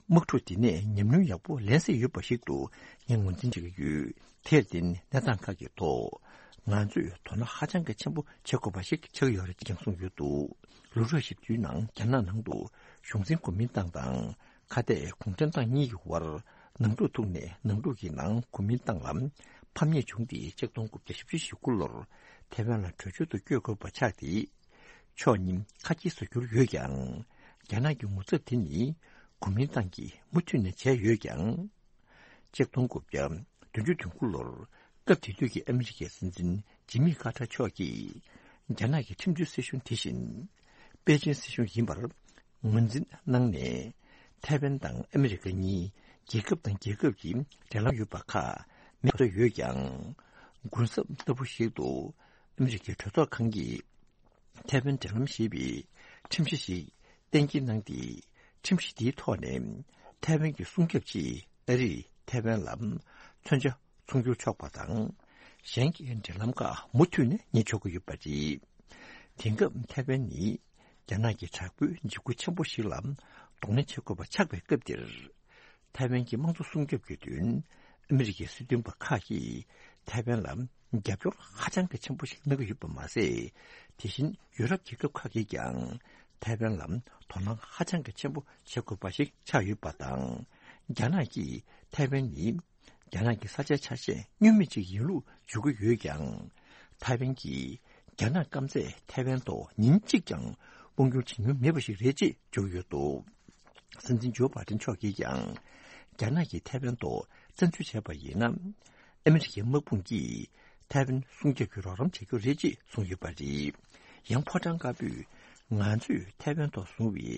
དམག་འཁྲུག་འདི་ནས་ཉམས་མྱོང་ཡག་པོ་ལེན་སྲིད་ཡོད་པ་ཞིག་ཏུ་ངས་ངོས་འཛིན་བྱེད་ཀྱི་ཡོད། དེར་བརྟེན་གནས་སྟངས་ཁག་གི་ཐོག་ང་ཚོས་དོ་སྣང་ཧ་ཅང་གི་ཆེན་པོ་བྱེད་དགོས་པ་ཞིག་ཆགས་ཀྱི་ཡོད་རེད་ཅེས་ཀྱང་གསུངས་ཡོད་འདུག་ལོ་རབས་བཞི་བཅུའི་ནང་རྒྱ་ནག་ནང་དུ་གཞུང་འཛིན་གོ་མིན་ཏང་དང་ཁ་གཏད་གུང་ཁྲན་ཏང་གཉིས་ཀྱི་དབར་ནང་འཁྲུག་ཐུག་ནས་ནང་འཁྲུག་གི་ནང་གོ་མིན་ཏང་ལ་ཕམ་ཉེས་བྱུང་སྟེ་གཅིག་སྟོང་དགུ་བརྒྱ་བཞི་བཅུ་ཞེ་དགུ་ལོར་ཐའེ་ཝན་ལ་བྲོས་བྱོལ་དུ་བསྐྱོད་དགོས་པ་ཆགས་ཏེ། ཕྱོགས་གཉིས་ཁ་གྱེས་སུ་གྱུར་ཡོད་ཀྱང་། རྒྱ་ནག་གི་ངོ་ཚབ་དེ་ནི་གོ་མིན་ཏང་གིས་མུ་མཐུད་ནས་བྱས་ཡོད་ཀྱང་། གཅིག་སྟོང་དགུ་བརྒྱ་བདུན་ཅུ་དོན་དགུ་ལོར་སྐབས་དེ་དུས་ཀྱི་ཨ་མི་རི་ཀའི་སྲིད་འཛིན་ཇི་མི་ཀར་ཏར་མཆོག་གིས་རྒྱ་ནག་གི་ཁྲིམས་མཐུན་སྲིད་གཞུང་དེ་བཞིན་པེ་ཅིན་སྲིད་གཞུང་ཡིན་པར་ངོས་འཛིན་གནང་ནས། ཐའེ་ཝན་དང་ཨ་མི་རི་ཀ་གཉིས་རྒྱལ་ཁབ་དང་རྒྱལ་ཁབ་ཀྱི་འབྲེལ་ལམ་ཡོད་པ་ཁག་མེད་པ་ཡོད་ཀྱང་། གུན་གསབ་ལྟ་བུ་ཞིག་ཏུ་ཨ་མི་རི་ཀའི་གྲོས་ཚོགས་ཁང་གིས། ཐའེ་ཝན་འབྲེལ་ལམ་ཞེས་པའི་ཁྲིམས་གཞི་ཞིག་གཏན་འཁེལ་གནང་སྟེ། ཁྲིམས་གཞི་དེའི་ཐོག་ནས་ཐའེ་ཝན་གྱི་སྲུང་སྐྱོབ་ཆེད་ཨ་རིས་ཐའེ་ཝན་ལ་མཚོན་ཆ་ཚོང་སྒྱུར་ཆོག་པ་དང་། གཞན་གྱི་འབྲེལ་ལམ་ཁག་མུ་མཐུད་ནས་གཉེར་ཆོག་གི་ཡོད་པ་རེད། དེང་སྐབས་ཐའེ་ཝན་ནི་རྒྱ་ནག་གི་དྲག་པོའི་འཇིགས་སྐུལ་ཆེན་པོ་ཞིག་ལ་གདོང་ལེན་བྱེད་དགོས་པ་ཆགས་པའི་སྐབས་འདིར། ཐའེ་ཝན་གྱི་དམངས་གཙོ་སྲུང་སྐྱོབ་ཀྱི་དོན། ཨ་མི་རི་ཀའི་སྲིད་དོན་པ་ཁག་གིས་ཐའེ་ཝན་ལ་རྒྱབ་སྐྱོར་ཧ་ཅང་གི་ཆེན་པོ་ཞིག་གནང་གི་ཡོད་པ་མ་ཟད། དེ་བཞིན་ཡུ་རོབ་རྒྱལ་ཁབ་ཁག་གིས་ཀྱང་ཐའེ་ཝན་ལ་དོ་སྣང་ཧ་ཅང་གི་ཆེན་པོ་བྱེད་དགོས་པ་ཞིག་ཆགས་ཡོད་པ་དང་། རྒྱ་ནག་གིས་ཐའེ་ཝན་ནི་རྒྱ་ནག་གི་ས་ཆའི་ཆ་ཤས་བསྙོན་མེད་ཅིག་ཡིན་ལུགས་བརྗོད་ཀྱི་ཡོད་ཀྱང་། ཐའེ་ཝན་གྱིས་རྒྱ་ནག་སྐམ་སས་ཐའེ་ཝན་ཐོག་ཉིན་གཅིག་ཀྱང་དབང་སྒྱུར་བྱེད་མྱོང་མེད་པ་ཞིག་རེད་ཅེས་བརྗོད་ཀྱི་ཡོད་འདུག་སྲིད་འཛིན་ཇོ་བྷའི་ཏིན་མཆོག་གིས་ཀྱང་། རྒྱ་ནག་གིས་ཐའེ་ཝན་ཐོག་བཙན་འཛུལ་བྱས་པ་ཡིན་ན། ཨ་མི་རི་ཀའི་དམག་དཔུང་གིས་ཐའེ་ཝན་སྲུང་སྐྱོབ་ཀྱི་རོགས་རམ་བྱེད་རྒྱུ་རེད་ཅེས་གསུངས་ཡོད་པ་རེད། ཡང་ཕོ་བྲང་དཀར་པོས་ང་ཚོས་ཐའེ་ཝན་ཐོག་བཟུང་བའི་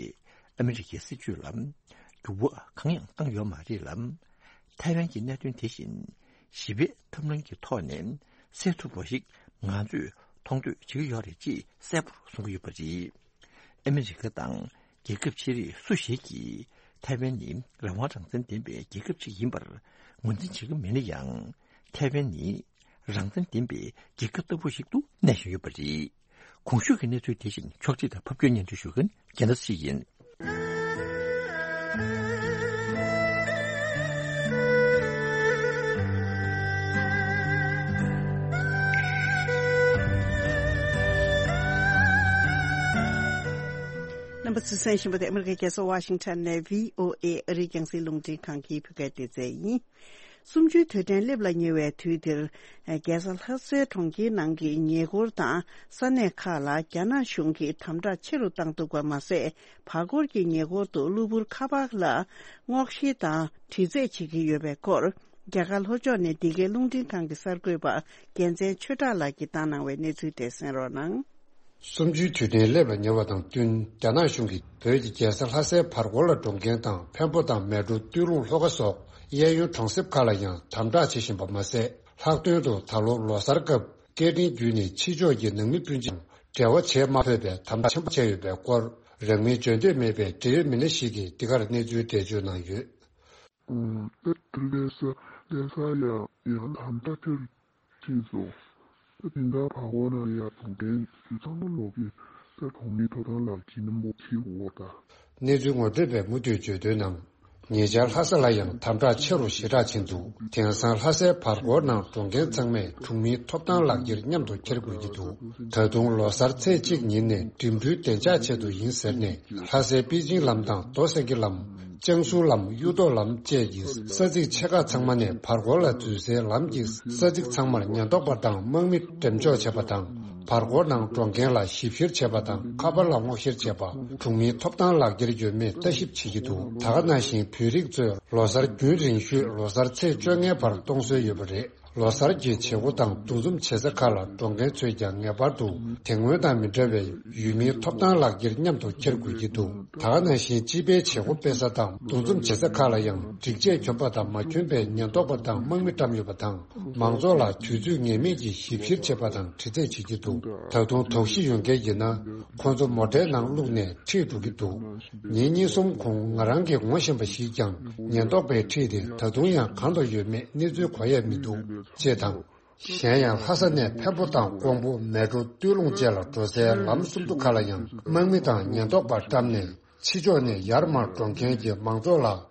ཨ་མི་རི་ཀའི་སྲིད་བྱུས་ལ་འགྱུར་བ་གང་ཡང་བཏང་ཡོད་མ་རེད་ལ། ཐའེ་ཝན་གྱི་གནད་དོན་དེ་བཞིན་ཞི་བའི་ཐབས་ལམ་གྱི་ཐོག་ནས་སེལ་ཐུབ་པ་ཞིག་ང་ཚོས་མཐོང་འདོད་བྱེད་ཀྱི་ཡོད་རེད་ཅེས་གསལ་པོར་གསུང་གི་ཡོད་པ་རེད། ཨ་མི་རི་ཀ་དང་རྒྱལ་ཁབ་ཆེ་རིགས་སུ་ཞིག་གིས་ཐའེ་ཝན་ནི་རང་དབང་རང་བཙན་ལྡན་པའི་རྒྱལ་ཁབ་ཅིག་ཡིན་པར་ངོས་འཛིན་བྱེད་ཀྱི་མེད་ན་ཡང་། ཐའེ་ཝན་ནི་རང་བཙན་ལྡན་པའི་རྒྱལ་ཁབ་ལྟ་བུ་ཞིག་ཏུ་གནས་བཞིན་ཡོད་པ་རེད། གོང་ཞུས་ཀྱི་གནས་ཚུལ་དེ་བཞིན་ཕྱོགས་སྒྲིག་དང་ཕབ་སྒྱུར་སྙན་སྒྲོན་ཞུ་མཁན་རྒྱལ་མཚན་ཞིག་ཡིན། རྣམ་པ་ཚོས་གསན་བཞིན་པ་དེ་ཨ་མི་རི་ཀའི་རྒྱལ་ས་ཝ་ཤིང་ཊོན་ནས་བྷི་ཨོ་ཨེ་ཨ་རིའི་རྒྱང་སྲིང་རླུང་འཕྲིན་ཁང་གི་བོད་སྐད་སྡེ་ཚན་ཡིན། གསུམ་བཅུའི་དུས་དྲན་སླེབས་ལ་ཉེ་བའི་དུས་འདིར། རྒྱལ་ས་ལྷ་སའི་གྲོང་ཁྱེར་ནང་གི་ཉེ་འཁོར་དང་ས་གནས་ཁག་ལ་རྒྱ་ནག་གཞུང་གིས་དམ་དྲག་ཆེ་རུ་བཏང་འདུག་པ་མ་ཟད། བར་སྐོར་གྱི་ཉེ་འཁོར་དུ་གློ་བུར་ཁ་པར་ལ་སྔོག་བཤེར་དང་དྲི་རྩད་བྱེད་ཀྱི་ཡོད་པའི་སྐོར། རྒྱ་གར་ལྷོ་ཕྱོགས་ནས་འདི་གའི་རླུང་འཕྲིན་ཁང་གི་གསར་འགོད་པ་རྒྱལ་མཚན་ཆོས་གྲགས་ལགས་ཀྱིས་བཏང་གནང་བའི་གནས་ཚུལ་དེ་གསན་རོགས་གནང་། གསུམ་བཅུའི་དུས་དྲན་སླེབས་ལ་ཉེ་བ་དང་བསྟུན། རྒྱ་ནག་གཞུང་གིས་བོད་ཀྱི་རྒྱལ་ས་ལྷ་སའི་བར་སྐོར་ལ་འགྲོ་མཁན་དང་། འཕན་པོ་དང་མལ་གྲོ། སྟོད་ལུང་། ལྷོ་ཁ་སོགས་གཡས་གཡོན་གྲོང་གསེབ་ཁག་ལ་ཡང་དམ་དྲག་བྱེད་བཞིན་པ་མ་ཟད། ལྷག་དོན་དུ་ད་ལོ་ལོ་གསར་སྐབས་སྐད་འཕྲིན་བརྒྱུད་ནས་ཕྱི་ཕྱོགས་ཀྱི་ནང་མི་སྤུན་མཆེད་འབྲེལ་བ་བྱེད་མ་ཕོད་པའི་དམ་དྲག་ཆེན་པོ་བྱས་ཡོད་པའི་སྐོར། རང་མིང་བརྗོད་འདོད་མེད་པའི་འབྲེལ་ཡོད་མི་སྣ་ཞིག་གིས་འདི་གར་གནས་ཚུལ་འགྲེལ་བརྗོད་གནང་ཡོད། ཨ་ད་ལྷ་ས་ལྷ་ས་ཡ་ཡང་དམ་དྲག་ཆེ་རུ་ཕྱིན་སོང་། ད་དེ་འདྲ་བར་སྐོར་ན་ཡ་འགྲོ་མཁན་ཚང་མ་ལོག་གི་ད་གྲོང་མི་ཐོབ་ཐང་ལག་ཁྱེར་རྣམ་པ་ཁྱེར་དགོས་ད། གནས་ཚུལ་ངོ་སྤྲོད་པས་མུ་མཐུད་བརྗོད་དོན་ནང་། ཉེ་ཆར་ལྷ་ས་ལ་ཡང་དམ་དྲག་ཆེ་རུ་ཞེ་དྲག་ཕྱིན་འདུག་དེང་སང་ལྷ་སའི་བར་སྐོར་ནང་འགྲོ་མཁན་ཚང་མས་གྲོང་མིའི་ཐོབ་ཐང་ལག་ཁྱེར་མཉམ་དུ་འཁྱེར་དགོས་ཀྱི་འདུག་ད་དུང་ལོ་གསར་ཚེས་གཅིག་ཉིན་ནས་འགྲིམ་འགྲུལ་བདེ་འཇགས་ཆེད་དུ་ཡིན་ཟེར་ནས། ལྷ་སའི་པེ་ཅིང་ལམ་དང་རྡོ་སེང་གེ་ལམ། ལྕང་ཟུར་ལམ། གཡུ་ཐོག་ལམ་བཅས་ཀྱི་ས་ཚིགས་ཆེ་ཁག་ཚང་མ་ནས་བར་སྐོར་ལ་འཛུལ་སའི་ལམ་གྱི་ས་ཚིགས་ཚང་མར་ཉེན་རྟོག་པ་དང་དམག་མི་འགྲེམས་འཇོག་བྱས་པ་དང་། བར་སྐོར་ནང་འགྲོ་མཁན་ལ་ཞིབ་བཤེར་བྱས་པ་དང་། ཁ་པར་ལ་སྔོག་བཤེར་བྱས་པ། གྲོང་མིའི་ཐོབ་ཐང་ལག་འཁྱེར་ཡོད་མེད་ལྟ་ཞིབ་བྱེད་ཀྱི་འདུག་ད་ག་ནང་བཞིན་བོད་རིགས་ཚོས་ལོ་གསར་རྒྱུན་རིང་ཤོས་ལོ་གསར་ཚེས་བཅོ་ལྔའི་བར་གཏོང་སྲོལ་ཡོད་པ་རེད། ལོ་གསར་གྱི་བྱེད་སྒོ་དང་འདུ་འཛོམས་བྱེད་ས་ཁག་ལ་འགྲོ་མཁན་ཚོས་ཀྱང་ངེས་པར་དུ་དེ་སྔོན་དང་མི་འདྲ་བའི་ཡུལ་མིའི་ཐོབ་ཐང་ལག་འཁྱེར་མཉམ་དུ་འཁྱེར་དགོས་ཀྱི་འདུག་ད་ག་ནང་བཞིན་སྤྱི་པའི་བྱེད་སྒོ་སྤེལ་ས་དང་འདུ་འཛོམས་བྱེད་ས་ཁག་ལ་ཡང་སྒྲིག་ཆས་གྱོན་པ་དང་མ་གྱོན་པའི་ཉེན་རྟོག་པ་དང་དམག་མི་བཀྲམ་ཡོད་པ་དང་། མང་ཚོགས་ལ་དུས་ཚོད་ངེས་མེད་ཀྱི་ཞིབ་བཤེར་བྱེད་པ་དང་དྲི་རྩད་བྱེད་ཀྱི་འདུག་ད་དུང་དོགས་གཞི་ཡོད་མཁན་ཡིན་ན། ཁོ་ཚོ་མོ་ཊའི་ནང་བླུགས་ནས་ཁྲིད་འགྲོ་གི་འདུག་ཉིན་གཉིས་གསུམ་གོང་ང་རང་གིས་ངོ་ཤེས་པ་ཞིག་ཀྱང་ཉེན་རྟོག་པས་ཁྲིད་དེ་ད་དུང་ཡང་གང་དུ་ཡོད་མེད་གནས་ཚུལ་གོ་ཡ་མི་འདུག་ཅེས་དང་། གཞན་ཡང་ལྷ་ས་ནས་འཕན་པོ་དང་ཀོང་པོ། མལ་གྲོ། སྟོད་ལུང་བཅས་ལ་འགྲོ་སའི་ལམ་གསུམ་མདོ་ཁག་ལ་ཡང་དམག་མི་དང་ཉེན་རྟོག་པ་བཀྲམ་ནས་ཕྱི་ཕྱོགས་ནས་ཡར་མར་འགྲོ་མཁན་གྱི་མང་ཚོགས་ལ་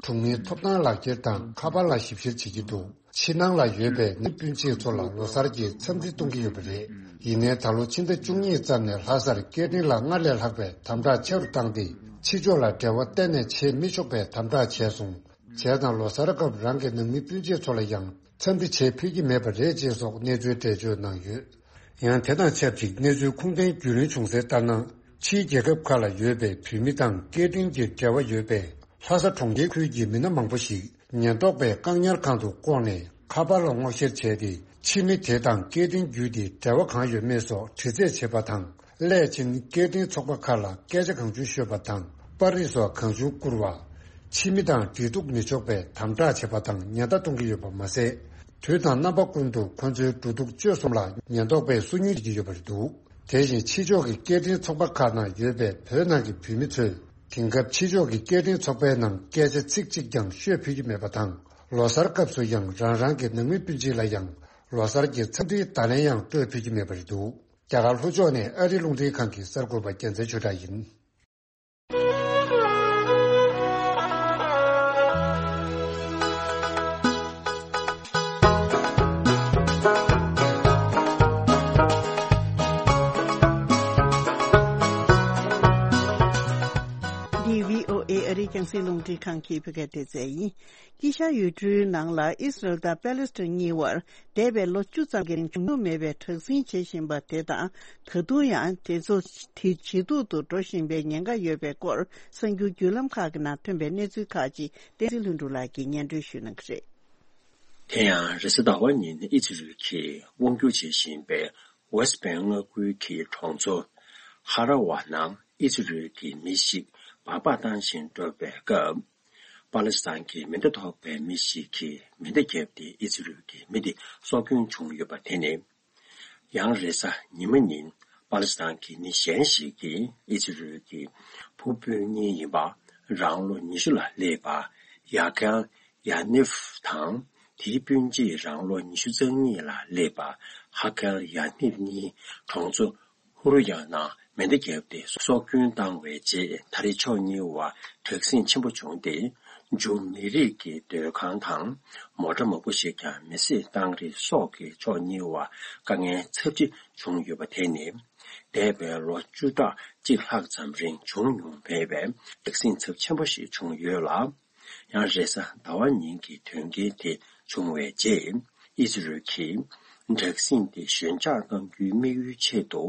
གྲོང་མིའི་ཐོབ་ཐང་ལག་འཁྱེར་དང་ཁ་པར་ལ་ཞིབ་བཤེར་བྱེད་ཀྱི་འདུག་ཕྱི་ནང་ལ་ཡོད་པའི་ནང་མི་སྤུན་མཆེད་ཚོ་ལ་ལོ་གསར་གྱི་འཚམས་འདྲི་གཏོང་གི་ཡོད་པ་རེད། ཡིན་ནའི་ད་ལོ་ཕྱི་ཟླ་བཅུ་གཉིས་ཙམ་ནས་ལྷ་སར་སྐད་འཕྲིན་ལ་སྔར་ལས་ལྷག་པའི་དམ་དྲག་ཆེ་རུ་བཏང་སྟེ། ཕྱི་ཕྱོགས་ལ་འབྲེལ་བ་གཏན་ནས་བྱེད་མི་ཆོག་པའི་དམ་དྲག་བྱས་སོང་། བྱས་ཙང་ལོ་གསར་སྐབས་རང་གི་ནང་མི་སྤུན་མཆེད་ཚོ་ལ་ཡང་འཚམས་འདྲི་བྱེད་ཕོད་ཀྱི་མེད་པ་རེད་ཅེས་སོགས་གནས་ཚུལ་འགྲེལ་བརྗོད་གནང་ཡོད། ཡང་དེ་དང་ཆབས་ཅིག་གནས་ཚུལ་ཁུངས་ལྡན་བརྒྱུད་ལམ་བྱུང་གསལ་ལྟར་ན། ཕྱིའི་རྒྱལ་ཁབ་ཁག་ལ་ཡོད་པའི་བོད་མི་དང་སྐད་འཕྲིན་གྱི་འབྲེལ་བ་ཡོད་པའི་ལྷ་ས་གྲོང་ཁྱེར་ཁུལ་གྱི་མི་སྣ་མང་པོ་ཞིག་ཉེན་རྟོག་པས་བཀག་ཉར་ཁང་དུ་བསྐོར་ནས་ཁ་པར་ལ་སྔོག་བཤེར་བྱས་ཏེ། ཕྱི་མི་དེ་དང་སྐད་འཕྲིན་བརྒྱུད་དེ་འབྲེལ་བ་གང་ཡོད་མེད་སོགས་དྲི་རྩད་བྱེད་པ་དང་། སླད་ཕྱིན་སྐད་འཕྲིན་ཚོགས་པ་ཁག་ལ་སྐད་ཆ་གང་བྱུང་ཤོད་པ་དང་། པར་རིས་སོགས་གང་བྱུང་བསྐུར་བ། ཕྱི་མི་དང་འབྲེལ་གཏུག་མི་ཆོག་པའི་དམ་དྲག་བྱེད་པ་དང་ཉེན་བརྡ་གཏོང་གི་ཡོད་པ་མ་ཟད། དུས་དང་རྣམ་པ་ཀུན་ཏུ་ཁོ་ཚོའི་འགྲོ་འདུག་སྤྱོད་གསུམ་ལ་ཉེན་རྟོག་པས་སོ་ཉུལ་བྱེད་ཀྱི་ཡོད་པ་རེད་འདུག་དེ་བཞིན་ཕྱི་ཕྱོགས་ཀྱི་སྐད་འཕྲིན་ཚོགས་པ་ཁག་ནང་ཡོད་པའི་བོད་ནང་གི་བོད་མི་ཚོས་དེང་སྐབས་ཕྱི་ཕྱོགས་ཀྱི་སྐད་འཕྲིན་ཚོགས་པའི་ནང་སྐད་ཆ་ཚིག་གཅིག་ཀྱང་ཤོད་ཕོད་ཀྱི་མེད་པ་དང་། ལོ་གསར་སྐབས་སུ་ཡང་རང་རང་གི་ནང་མི་སྤུན་མཆེད་ལ་ཡང་ལོ་གསར་གྱི་འཚམས་འདྲིའི་བརྡ་ལན་ཡང་སྤྲོད་ཕོད་ཀྱི་མེད་པ་རེད་འདུག་རྒྱ་གར་ལྷོ་ཕྱོགས་ནས་ཨ་རི་རླུང་འཕྲིན་ཁང་གི་གསར་འགོད་པ་རྒྱལ་མཚན་ཆོས་གྲགས་ཡིན། འདི་བྷི་ཨོ་ཨེ་ཨ་རིའི་རྒྱང་སྲིང་རླུང་འཕྲིན་ཁང་གི་བོད་སྐད་སྡེ་ཚན་ཡིན། དཀྱིལ་ཤར་ཡུལ་གྲུའི་ནང་ལ་ཨི་སི་རལ་དང་པེ་ལེ་སི་ཐན་གཉིས་བར་འདས་པའི་ལོ་བཅུ་ཙམ་གྱི་རིང་བྱུང་མྱོང་མེད་པའི་དྲག་ཟིང་བྱེད་བཞིན་པ་དེ་དང་། ད་དུང་ཡང་དེ་ཚོ་དེ་ཇེ་སྡུག་ཏུ་འགྲོ་བཞིན་པའི་ཉེན་ཁ་ཡོད་པའི་སྐོར་གསར་འགྱུར་བརྒྱུད་ལམ་ཁག་གི་ནང་ཐོན་པའི་གནས་ཚུལ་ཁག་ཅིག་བསྟན་འཛིན་ལྷུན་གྲུབ་ལགས་ཀྱིས་སྙན་སྒྲོན་ཞུ་གནང་གི་རེད། དེ་ཡང་རེས་གཟའ་ཟླ་བ་ཉིན་ཨི་ཛི་རལ་གྱིས་དབང་སྒྱུར་བྱེད་བཞིན་པའི་ཝེ་སི་ཊི་བྷེང་མངའ་ཁུལ་གྱི་གྲོང་ཚོ་ཧ་ར་ཝ་ནང་ཨི་ཛི་རལ་གྱི་མི་ཞིག་སྦག་སྦག་བཏང་བཞིན་འགྲོ་བའི་སྐབས། པ་ལི་སི་ཐན་གྱི་མེ་མདའ་ཐོགས་པའི་མི་ཞིག་གིས་མེ་མདའ་བརྒྱབ་སྟེ་ཨི་ཛི་རལ་གྱི་མི་དེ་སྲོག་སྐྱོན་བྱུང་ཡོད་པ་དེ་ནི། ཡང་རེས་གཟའ་ཉི་མ་ཉིན་པ་ལི་སི་ཐན་གྱི་མི་གཞན་ཞིག་གིས་ཨི་ཛི་རལ་གྱི་བུ་སྤུན་གཉིས་ཡིན་པ་རང་ལོ་ཉི་ཤུ་ལ་སླེབས་པ་ཡ་ཀལ་ཡ་ནིབ་དང་། དེའི་སྤུན་མཆེད་རང་ལོ་ཉི་ཤུ་རྩ་གཉིས་ལ་སླེབས་པ་ཧ་ཀལ་ཡ་ནིབ་གཉིས་གྲོང་ཚོ་ཧུ་རུ་ཡ་ནང་མེ་མདའ་བརྒྱབ་སྟེ་སྲོག་སྐྱོན་བཏང་བའི་རྗེས། ད་རེས་ཕྱོགས་གཉིས་བར་དྲག་ཟིང་ཆེན་པོ་བྱུང་སྟེ། ཇུ་མི་རིགས་ཀྱི་སྡོད་ཁང་དང་མོ་ཊ་མང་པོ་ཞིག་ཀྱང་མེ་བསྲེགས་བཏང་རིགས་སོགས་ཀྱིས་ཕྱོགས་གཉིས་བར་དཀའ་ངལ་ཚབས་ཆེ་བྱུང་ཡོད་པ་དེ་ནི། འདས་པའི་ལོ་བཅུ་ཕྲག་གཅིག་ལྷག་ཙམ་རིང་བྱུང་མྱོང་མེད་པའི་དྲག་ཟིང་ཚབས་ཆེན་པོ་ཞིག་བྱུང་ཡོད་ལ། ཡང་རེས་གཟའ་ཟླ་བ་ཉིན་གྱི་དོན་རྐྱེན་དེ་བྱུང་བའི་རྗེས། ཨི་ཛི་རལ་གྱིས་དྲག་ཟིང་དེ་ཞོད་འཇགས་གཏང་རྒྱུའི་དམིགས་ཡུལ་ཆེད་དུ་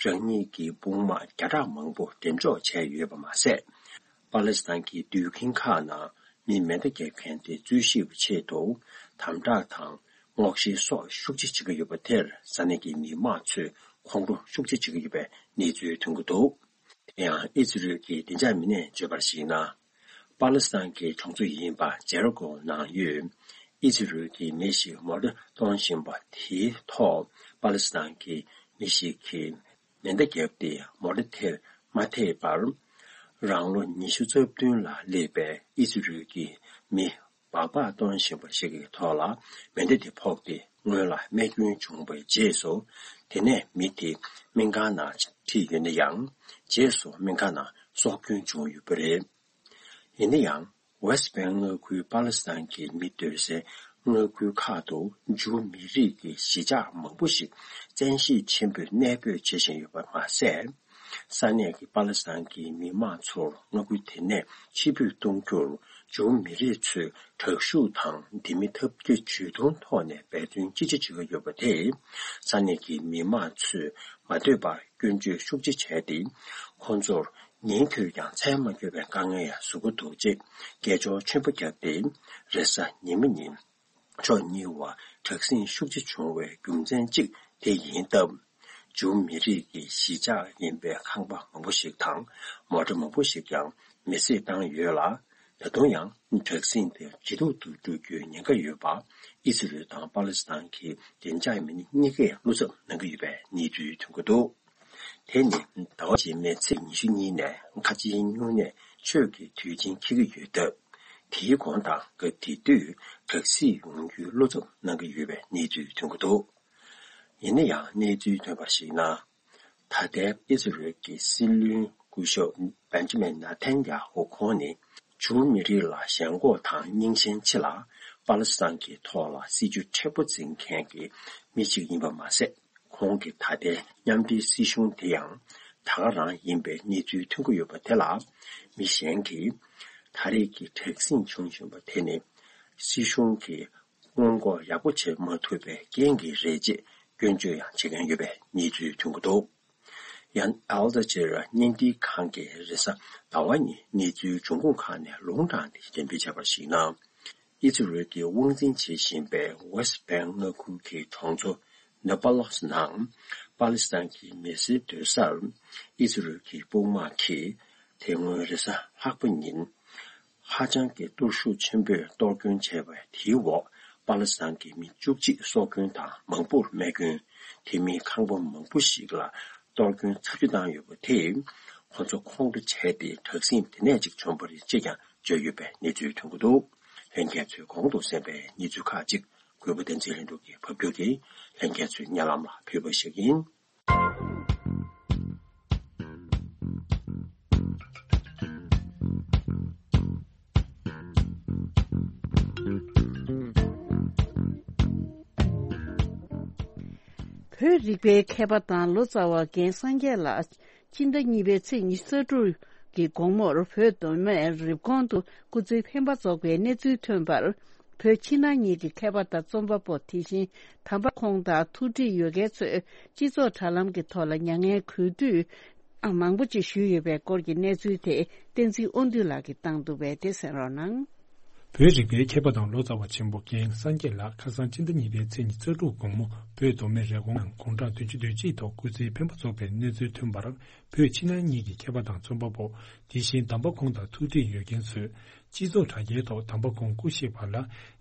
རང་ཉིད་ཀྱི་དཔུང་དམག་བརྒྱ་ཕྲག་མང་པོ་འགྲེམས་འཇོག་བྱས་ཡོད་པ་མ་ཟད། པ་ལི་སི་ཐན་གྱི་དུད་ཁྱིམ་ཁག་ནང་མི་མེ་མདའ་རྒྱབ་མཁན་དེ་འཛུལ་ཤེས་པའི་ཆེད་དུ་དམ་དྲག་དང་སྔོག་བཤེར་སོགས་ཤུགས་ཆེ་བྱེད་ཀྱི་ཡོད་པ་དེར་ས་གནས་ཀྱི་མི་མང་ཚོས་ཁོང་ཁྲོ་ཤུགས་ཆེ་བྱེད་ཀྱི་ཡོད་པའི་གནས་ཚུལ་ཐོན་གྱི་འདུག་དེ་ཡང་ཨི་ཛི་རལ་གྱི་བདེ་འཇགས་མི་སྣས་བརྗོད་པར་གཞིགས་ན། པ་ལི་སི་ཐན་གྱི་གྲོང་ཚོ་ཡིན་པ་ཇེ་རི་ཀོ་ནང་ཡོད་ཨི་ཛི་རལ་གྱི་མི་ཞིག་མོ་ཊ་གཏོང་བཞིན་པ་དེའི་ཐོག་པ་ལི་སི་ཐན་གྱི་མི་ཞིག་གིས་མེ་མདའ་བརྒྱབ་སྟེ་མོ་ཊ་དེར་མ་ཐེག་པར། རང་ལོ་ཉི་ཤུ་རྩ་བདུན་ལ་སླེབས་པའི་ཨི་ཛི་རལ་གྱི་མི་སྦག་སྦག་གཏོང་བཞིན་པ་ཞིག་གི་ཐོག་ལ་མེ་མདའ་དེ་ཕོག་སྟེ་སྔོན་ལ་རྨས་སྐྱོན་བྱུང་བའི་རྗེས་སུ། དེ་ནས་མི་དེ་སྨན་ཁང་ནང་ཁྲིད་ཡོད་ན་ཡང་། རྗེས་སུ་སྨན་ཁང་ནང་སྲོག་སྐྱོན་བྱུང་ཡོད་པ་རེད། ཡིན་ན་ཡང་། ཝེ་སི་ཊི་བྷེང་མངའ་ཁུལ་པ་ལི་སི་ཐན་གྱི་མི་སྡོད་སའི་མངའ་ཁུལ་ཁག་ཏུ་ཇུའུ་མི་རིགས་ཀྱི་གཞིས་ཆགས་མང་པོ་ཞིག་བཙན་ཤེད་ཆེན་པོས་གནས་སྤོས་བྱེད་བཞིན་ཡོད་པ་མ་ཟད། ས་གནས་ཀྱི་པ་ལི་སི་ཐན་གྱི་མི་མང་ཚོར་མངའ་ཁུལ་དེ་ནས་ཕྱིར་འབུད་གཏོང་རྒྱུར་ཇུའུ་མི་རིགས་ཚོས་དྲག་ཤུགས་དང་ལྡན་མིན་ཐབས་བརྒྱ་ཇུས་གཏོང་ཐོག་ནས་འབད་བརྩོན་ཅི་ཆེ་བྱེད་ཀྱི་ཡོད་པ་དེས། ས་གནས་ཀྱི་མི་མང་ཚོས་མ་འདོད་པར་སྐྱོན་བརྗོད་ཤུགས་ཆེ་བྱས་ཏེ། ཁོང་ཚོར་ཉིན་དུས་ཀྱང་མཚན་མ་འཁྱོལ་བའི་དཀའ་ངལ་ཡང་བཟོ་གི་འདུག་ཅེས་སྐད་ཅོར་ཆེན་པོ་བརྒྱབ་སྟེ། རེས་གཟའ་ཉི་མ་ཉིན་ཕྱོགས་གཉིས་བར་དྲག་ཟིང་ཤུགས་ཆེ་བྱུང་བའི་རྒྱུ་མཚན་གཅིག་དེ་ཡིན་སྟབས། ཇུའུ་མི་རིགས་ཀྱི་གཞིས་ཆགས་ཡིན་པའི་ཁང་པ་མང་པོ་ཞིག་དང་མོ་ཊ་མང་པོ་ཞིག་ཀྱང་མེ་བསྲེགས་བཏང་ཡོད་ལ། ད་དུང་ཡང་དྲག་ཟིང་དེ་ཇེ་སྡུག་ཏུ་འགྲོ་རྒྱུའི་ཉེན་ཁ་ཡོད་པ། ཨི་སི་རེལ་དང་པ་ལི་སི་ཐན་གྱི་བདེ་འཇགས་མི་སྣ་གཉིས་ཀས་བློ་འཚབ་གནང་གི་ཡོད་པའི་གནས་ཚུལ་ཐོན་གྱི་འདུག་དེ་ནི་ཟླ་བ་རྗེས་མའི་ཚེས་ཉི་ཤུ་གཉིས་ནས་ཁ་ཆེའི་སྨྱུང་གནས་ཆོས་ཀྱི་དུས་ཆེན་འཁེལ་གྱི་ཡོད་སྟབས། དེའི་གོང་དང་སྐབས་དེ་དུས་དྲག་ཟིང་ཡོང་རྒྱུའི་བློ་འཚབ་གནང་གི་ཡོད་པའི་གནས་ཚུལ་ཐོན་གྱི་འདུག་ཡིན་ན་ཡང་གནས་ཚུལ་ཐོན་པར་གཞིགས་ན། ད་ལྟའི་ཨི་སི་རེལ་གྱི་སྲིད་བློན་སྐུ་ཞབས་བེན་ཇི་མིན་ནཱ་ཐན་ཡ་ཧུ་ཁོང་ནི། ཇུའུ་མི་རིགས་ལ་ཞེན་ཁོག་དང་རྙིང་ཞེན་ཆེ་ལ། པ་ལི་སི་ཐན་གྱི་ཐོག་ལ་སྲིད་ཇུས་མཁྲེགས་པོ་འཛིན་མཁན་གྱི་མི་ཞིག་ཡིན་པ་མ་ཟད། ཁོང་གིས་ད་ལྟའི་མཉམ་འབྲེལ་སྲིད་གཞུང་དེ་ཡང་ད་ག་རང་ཡིན་པའི་གནས་ཚུལ་ཐོན་གྱི་ཡོད་པ་དེ་ལ། མི་གཞན་གྱིས་ད་རེས་ཀྱི་དྲག་ཟིང་བྱུང་བཞིན་པ་དེ་ནི་སྲིད་གཞུང་གིས་སྔོན་འགོག་ཡག་པོ་བྱེད་མ་ཐུབ་པའི་རྐྱེན་གྱིས་རེད་ཅེས་སྐྱོན་བརྗོད་ཡང་བྱེད་མཁན་ཡོད་པའི་གནས་ཚུལ་ཐོན་གྱི་འདུག། ཡང་ཨལ་ཇ་ཛི་ར་བརྙན་འཕྲིན་ཁང་གིས་རེས་གཟའ་ཟླ་བ་ཉིན་གནས་ཚུལ་འབྱུང་ཁུངས་ཁག་ནས་ལུང་དྲངས་ཏེ་འགྲེམས་སྤེལ་བྱས་པར་གཞིགས་ན། ཨི་ཛི་རལ་གྱིས་དབང་འཛིན་བྱེད་བཞིན་པའི་ཝེ་སི་ཊི་བྷེང་མངའ་ཁུལ་གྱི་གྲོང་ཚོ་ནེ་པ་ལོ་སི་ནང་པ་ལི་སི་ཐན་གྱི་མི་སེར་སྡོད་སར་ཨི་ཛི་རལ་གྱི་དཔུང་དམག་གིས་དེ་སྔོན་རེས་གཟའ་ལྷག་པ་ཉིན་ཧ་ཅང་གི་གཏོར་ཤུགས་ཆེན་པོས་གཏོར་སྐྱོན་བྱས་པའི་དེའི་འོག་པ་ལི་སི་ཐན་གྱི་མི་བཅུ་གཅིག་སྲོག་སྐྱོན་དང་མང་པོར་རྨས་སྐྱོན། དེ་མིན་ཁང་པ་མང་པོ་ཞིག་ལ་གཏོར་སྐྱོན་ཚབས་ཆེ་བཏང་ཡོད་པ་དེས་ཁོ་ཚོ་ཁོང་ཁྲོ་བྱས་ཏེ་དྲག་ཟིང་དེ་ནས་ཅིག་བྱུང་བ་རེད་ཅེས་ཀྱང་བརྗོད་ཡོད་པའི་གནས་ཚུལ་ཐོན་གྱི་འདུག། ལྷན་རྒྱས་ཚོས་གོང་དུ་གསན་པའི་གནས་ཚུལ་ཁག་ཅིག་གུས་པ་བསྟན་འཛིན་ལྷུན་གྲུབ་ཀྱིས་ཕབ་སྒྱུར་གྱིས་ལྷན་རྒྱས་ཚོའི་སྙན་ལམ་ལ་ཕུལ་བ་ཞིག་ཡིན། བོད་རིག་པའི་མཁས་པ་དང་ལོ་ཙཱ་བ་རྒན་སངས་རྒྱས་ལགས། སྤྱི་ཟླ་གཉིས་པའི་ཚེས་ཉི་ཤུ་རྩ་དྲུག་གི་དགོང་མོར་བོད་མདོ་སྨད་རེབ་གོང་དུ་སྐུ་ཚེ་འཕེན་པ་རྫོགས་པའི་གནས་ཚུལ་ཐོན་པར། བོད་ཕྱི་ནང་གཉིས་ཀྱི་མཁས་པ་དང་རྩོམ་པ་པོ། དེ་བཞིན་དམ་པ་ཁོང་དང་ཐུགས་འདྲིས་ཡོད་མཁན་ཚོས་སྤྱི་ཚོགས་དྲ་ལམ་གྱི་ཐོག་ལ་མྱ་ངན་གུས་འདུད་མང་པོ་ཅིག་ཞུས་ཡོད་པའི་སྐོར་གྱི་གནས་ཚུལ་དེ་བསྟན་འཛིན་དབང་འདུས་ལགས་ཀྱིས་བཏང་འདུག་པས། དེ་གསན་རོགས་གནང་། བོད་རིག་པའི་མཁས་པ་དང་ལོ་ཙཱ་བ་ཆེན་པོ་རྒན་སངས་རྒྱས་ལགས་ཁ་སང་སྤྱི་ཟླ་གཉིས་པའི་ཚེས་ཉི་ཤུ་རྩ་དྲུག་དགོང་མོ་བོད་མདོ་སྨད་རེབ་གོང་ནང་དགུང་གྲངས་བདུན་ཅུ་དོན་གཅིག་ཐོག་སྐུ་ཚེ་འཕེན་པ་རྫོགས་པའི་གནས་ཚུལ་ཐོན་པར། བོད་ཕྱི་ནང་གཉིས་ཀྱི་མཁས་པ་དང་རྩོམ་པ་པོ། དེ་བཞིན་དམ་པ་ཁོང་དང་ཐུགས་འདྲིས་ཡོད་མཁན་ཚོས་སྤྱི་ཚོགས་དྲ་རྒྱའི་ཐོག་དམ་པ་ཁོང་སྐུ་གཤེགས་པ་ལ་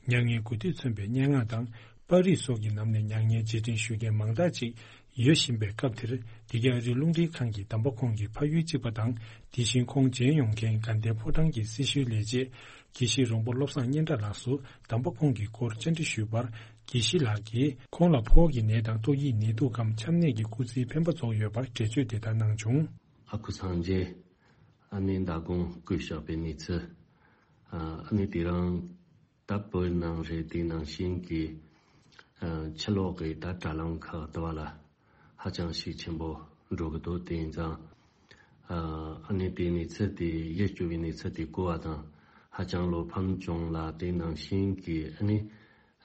མྱ་ངན་གུས་འདུད་མཚོན་པའི་སྙན་ངག་དང་། པར་རིས་སོགས་ཀྱི་ནང་ནས་མྱ་ངན་རྗེས་དྲན་ཞུ་མཁན་མང་དག་ཅིག་ཡོད་བཞིན་པའི་སྐབས་དེར། འདི་ག་རི་རླུང་འཕྲིན་ཁང་གིས་དམ་པ་ཁོང་གི་ཕ་ཡུལ་གཅིག་པ་དང་། དེ་བཞིན་ཁོང་མཇལ་ཡོང་མཁན་དགའ་ལྡན་ཕོ་བྲང་གི་སྲི་ཞུའི་ལས་བྱེད་དགེ་བཤེས་རོང་པོ་བློ་བཟང་སྙན་གྲགས་ལགས་སུ་དམ་པ་ཁོང་གི་སྐོར་བཅར་འདྲི་ཞུས་པར། དགེ་བཤེས་ལགས་ཀྱིས་ཁོང་ལ་ཕོ་བ་གི་ནད་དང་ཏོག་དབྱིབས་ནད་དུག་གམ་ཆམ་ནད་ཀྱི་སྐུ་ཚེའི་འཕེན་པ་རྫོགས་ཡོད་པར་འགྲེལ་བརྗོད་དེ་ལྟར་གནང་བྱུང་། ཨ་ཁུ་སངས་རྒྱས་ཨ་ནེ་མདང་དགོང་སྐུ་གཤེགས་པའི་གནས་ཚུལ། ཨ་ནེ་དེ་རིང་ད་བོད་ནང་རེད། དེ་ནང་བཞིན་གྱི་ཨ་ཕྱི་ལོགས་ཀྱི་ད་དྲ་ལམ་ཁག་དེ་བ་ལ་ཧ་ཅང་ཤུགས་ཆེན་པོ་འགྲོ་གི་འདུག། དེ་ཡིན་ཙང་ཨ་ཨ་ནེ་དེ་གནས་ཚུལ་དེ་ཡིད་སྐྱོ་བའི་གནས་ཚུལ་དེ་གོ་བ་དང་ཧ་ཅང་བློ་ཕམ་བྱུང་ལ། དེ་ནང་བཞིན་གྱི་ཨ་ནེ་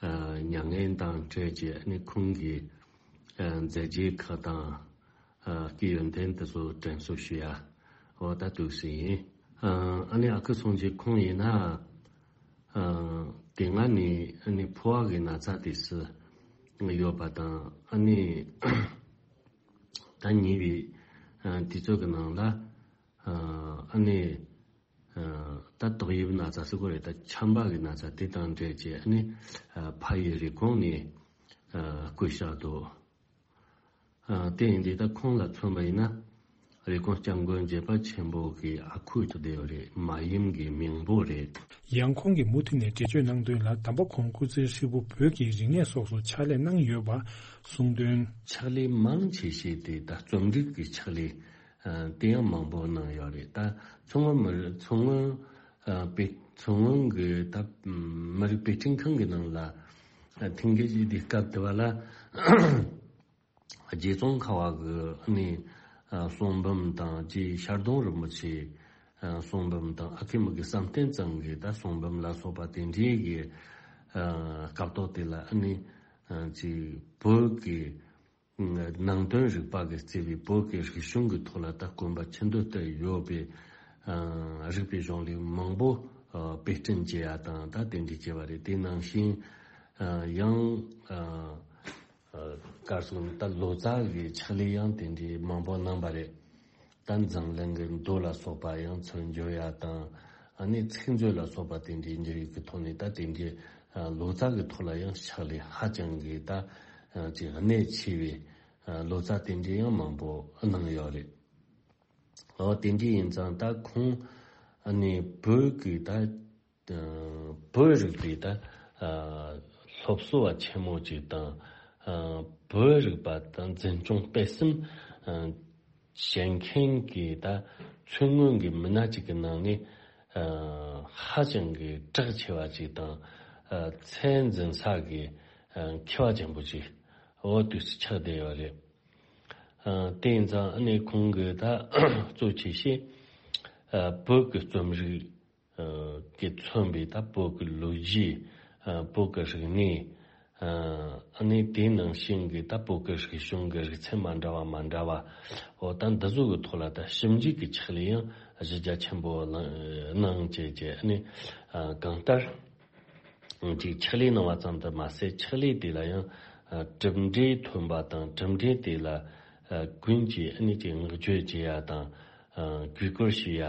ཨ་མྱ་ངན་དང་འཕྲད་ཀྱི་ཨ་ནེ་ཁོང་གི་ཨ་མཛད་རྗེས་ཁག་དང་། ཨ་སྐུའི་ཡོན་ཏན་དེ་ཚོ་དྲན་གསོ་ཞུ་ཡ་འོ་ད་འདུག་སེ་ཡིན། ཨ་ཨ་ནེ་ཨ་ཁུ་སངས་རྒྱས་ཁོང་ཡིན་ན་ཨ་དེ་སྔ་ནས་ཨ་ནེ་ཕོ་བ་གི་ན་ཚ་དེ་སུ་ཡོད་པ་དང་། ཨ་ནེ་ད་ཉེ་བའི་ཨ་དུས་ཚོད་ཀྱི་ནང་ལ་ཨ་ཨ་ནེ་ཨ་ད་ཏོག་དབྱིབས་ན་ཚ་ཟེར་གོ་རེད། ད་ཆམ་པ་གི་ན་ཚ་དེ་དང་འབྲེལ་བྱས་ཨ་ནེ་ཨ་ཕ་ཡུལ་རེབ་གོང་ནས་ཨ་སྐུ་གཤེགས་འདུག། ཨ་དེ་ཡིན་དུས་ད་ཁོང་ལ་མཚོན་པ་ཡིན་ན། རེབ་གོང་སྐྱབས་མགོན་བརྒྱད་པ་ཆེན་པོ་གི་ཨ་ཁུ་ཐུག་བསྡད་ཡོད་རེད། མ་ཡུམ་གི་མིང་པོ་རེད། ཡང་ཁོང་གིས་མུ་མཐུད་ནས་འགྲེལ་བརྗོད་གནང་དོན་ལ། དམ་པ་ཁོང་སྐུ་ཚེ་ཧྲིལ་པོ་བོད་ཀྱི་རིག་གནས་སོགས་སུ་ཕྱག་ལས་གནང་ཡོད་པ་གསུངས་དོན། ཕྱག་ལས་མང་ཆེ་ཤོས་དེ་ད་རྩོམ་རིག་གི་ཕྱག་ལས་ཨ་དེ་ཡང་མང་པོ་གནང་ཡོད་རེད། ད་མཚོ་སྔོན་མི་རིགས་མཚོ་སྔོན་ཨ་དཔེ་མཚོ་སྔོན་གྱི་ད་མི་རིགས་དཔེ་སྐྲུན་ཁང་གི་ནང་ལ་ཨ་ཐེངས་འགའ་ཞིག་དེ་སྐབས་དེ་བ་ལ། རྗེ་ཙོང་ཁ་བ་གི་ཨ་ནི་ཨ་གསུང་འབུམ་དང་། རྗེ་ཤར་གདོང་རིན་པོ་ཆེའི་ཨ་གསུང་འབུམ་དང་། ཨ་ཁུ་མི་དགེ་བསམ་གཏན་ཚང་གི་ད་གསུང་འབུམ་ལ་སོགས་པ་དེ་འདྲའི་གི་ཨ་སྐབས་ཐོག་དེ་ལ་ཨ་ནི་ཨ་ཅིག་བོད་ཀྱི་ནང་དོན་རིག་པ་གི་བརྩེ་བའི་བོད་ཀྱི་རིག་གཞུང་གི་ཐོག་ལ་ད་གོམ་པ་ཆེན་པོ་བཏོན་ཡོད་པའི་ཨ་རིག་པའི་གཞུང་ལུགས་མང་པོ་ཨ་དཔེ་སྐྲུན་བྱེད་ཡ་དང་ད་དེ་འདྲའི་བྱས་པ་རེད། དེ་ནང་བཞིན་ཨ་ཡང་ཨ། ཨ་གར་སོང་ད་ལོ་ཙཱ་གི་ཕྱག་ལས་ཡང་དེ་འདྲའི་མང་པོ་གནང་བ་རེད། ད་འཛམ་གླིང་གི་མདོ་ལ་སོགས་པ་ཡང་ཚུར་འབྱོར་ཡ་དང་། ཨ་ནི་ཚིག་མཛོད་ལ་སོགས་པ་དེ་འདྲའི་འབྱོར་ཡུལ་གྱི་ཐོག་ནས་ད་དེ་འདྲའི་ཨ་ལོ་ཙཱ་གི་ཐོག་ལ་ཡང་ཕྱག་ལས་ཧ་ཅང་གི་ད་ཨ་ཅིག་གནད་ཆེ་བའི་ཨ་ལོ་ཙཱ་དེ་འདྲའི་ཡང་མང་པོ་གནང་ཡོད་རེད། འོ་དེ་འདྲའི་ཡིན་ཙང་ད་ཁོང་ཨ་ནི་བོད་ཀྱི་ད། བོད་རིག་པའི་ད་སློབ་གསོ་བ་ཆེན་མོ་ཅིག་དང་། བོད་རིག་པ་དང་འཛིན་སྐྱོང་སྤེལ་གསུམ་བྱེད་མཁན་གྱི་ད་མཚོ་སྔོན་གྱི་མི་སྣ་ཅིག་གི་ནང་ནས་ ཨ་ཧ་ཅང་གི་གྲགས་ཆེ་བ་ཅིག་དང་། ཨ་ཚད་འཛིན་ས་གི་ཨ་མཁས་པ་ཆེན་པོ་ཅིག་འོ་དུས་སུ་ཆགས་བསྡད་ཡོད་རེད། ཨ་དེ་ཡིན་ཙང་ཨ་ནི་ཁོང་གིས་ད་གཙོ་ཆེ་ཤོས་ཨ་བོད་ཀྱི་རྩོམ་རིག་ཨ་གིས་མཚོན་པའི་ད་བོད་ཀྱི་ལོ་རྒྱུས། ཨ་བོད་ཀྱི་རིག་གནས། ཨ་ནི་དེའི་ནང་བཞིན་གྱི་ད་བོད་ཀྱི་རིག་གཞུང་གི་རིག་ཚན་མ་འདྲ་བ་མ་འདྲ་བ། འོ་ད་འདི་ཚོ་གི་ཐོག་ལ་ད་ཞིབ་འཇུག་གི་ཕྱག་ལས་ཡང་གཞི་རྒྱ་ཆེན་པོ་གནང་བྱས་བྱས། ཨ་ནི་ཨ་གང་ལྟར་ཅིག་ཕྱག་ལས་གནང་བ་ཙམ་དུ་མ་ཟད། ཕྱག་ལས་དེ་ལ་ཡང་ཨ་གྲུབ་འབྲས་ཐོན་པ་དང་། གྲུབ་འབྲས་དེ་ལ་ཨ་ཀུན་གྱིས་ཨ་ནི་ཅིག་བསྔགས་བརྗོད་བྱེད་ཡ་དང་། ཨ་གུས་བཀུར་ཞུ་ཡ།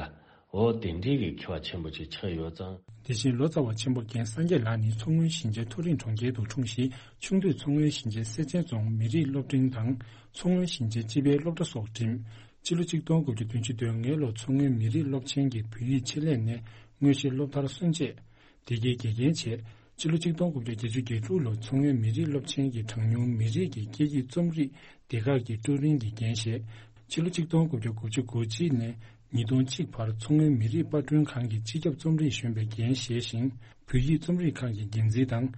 འོ་དེ་འདྲའི་གི་མཁས་པ་ཆེན་པོ་ཅིག་ཆགས་ཡོད་ཙང་། དེ་བཞིན་ལོ་ཙཱ་བ་ཆེན་པོ་རྒན་སངས་རྒྱས་ལགས་ནི་མཚོ་སྔོན་ཞིང་ཆེན་མཐོ་རིམ་གྲོང་ཁྱེར་དུ་འཁྲུངས་ཤིང་། ཆུང་དུས་མཚོ་སྔོན་ཞིང་ཆེན་སེར་ཆེན་རྫོང་མི་རིགས་སློབ་འབྲིང་དང་། མཚོ་སྔོན་ཞིང་ཆེན་སྤྱི་པའི་སློབ་གྲྭ་སོགས་འགྲིམས། སྤྱི་ལོ་གཅིག་སྟོང་དགུ་བརྒྱ་བདུན་ཅུ་དོན་ལྔ་ལོར་མཚོ་སྔོན་མི་རིགས་སློབ་ཆེན་གྱི་བོད་ཡིག་ཆེད་ལས་ནས་དངོས་གཞི་སློབ་མཐར་སོན་རྗེས། དེ་གའི་དགེ་རྒན་བྱས། སྤྱི་ལོ་གཅིག་སྟོང་དགུ་བརྒྱ་བརྒྱད་ཅུ་གྱ་དྲུག་ལོར་མཚོ་སྔོན་མི་རིགས་སློབ་ཆེན་གྱི་གྲངས་ཉུང་མི་རིགས་ཀྱི་སྐད་ཡིག་རྩོམ་རིག་སྡེ་ཁག་གི་ཀྲུའུ་རིན་གྱི་འགན་བཞེས། ཕྱི་ལོ་གཅིག་སྟོང་དགུ་བརྒྱ་དགུ་བཅུ་གོ་གཅིག་ནས་ཉིས་སྟོང་གཅིག་བར་མཚོ་སྔོན་མི་རིགས་པར་སྐྲུན་ཁང་གི་སྤྱི་ཁྱབ་རྩོམ་རིག་གཞོན་པའི་འགན་བཞེས་ཤིང་། བོད་ཡིག་རྩོམ་རིག་ཁང་གི་འགན་འཛིན་དང་།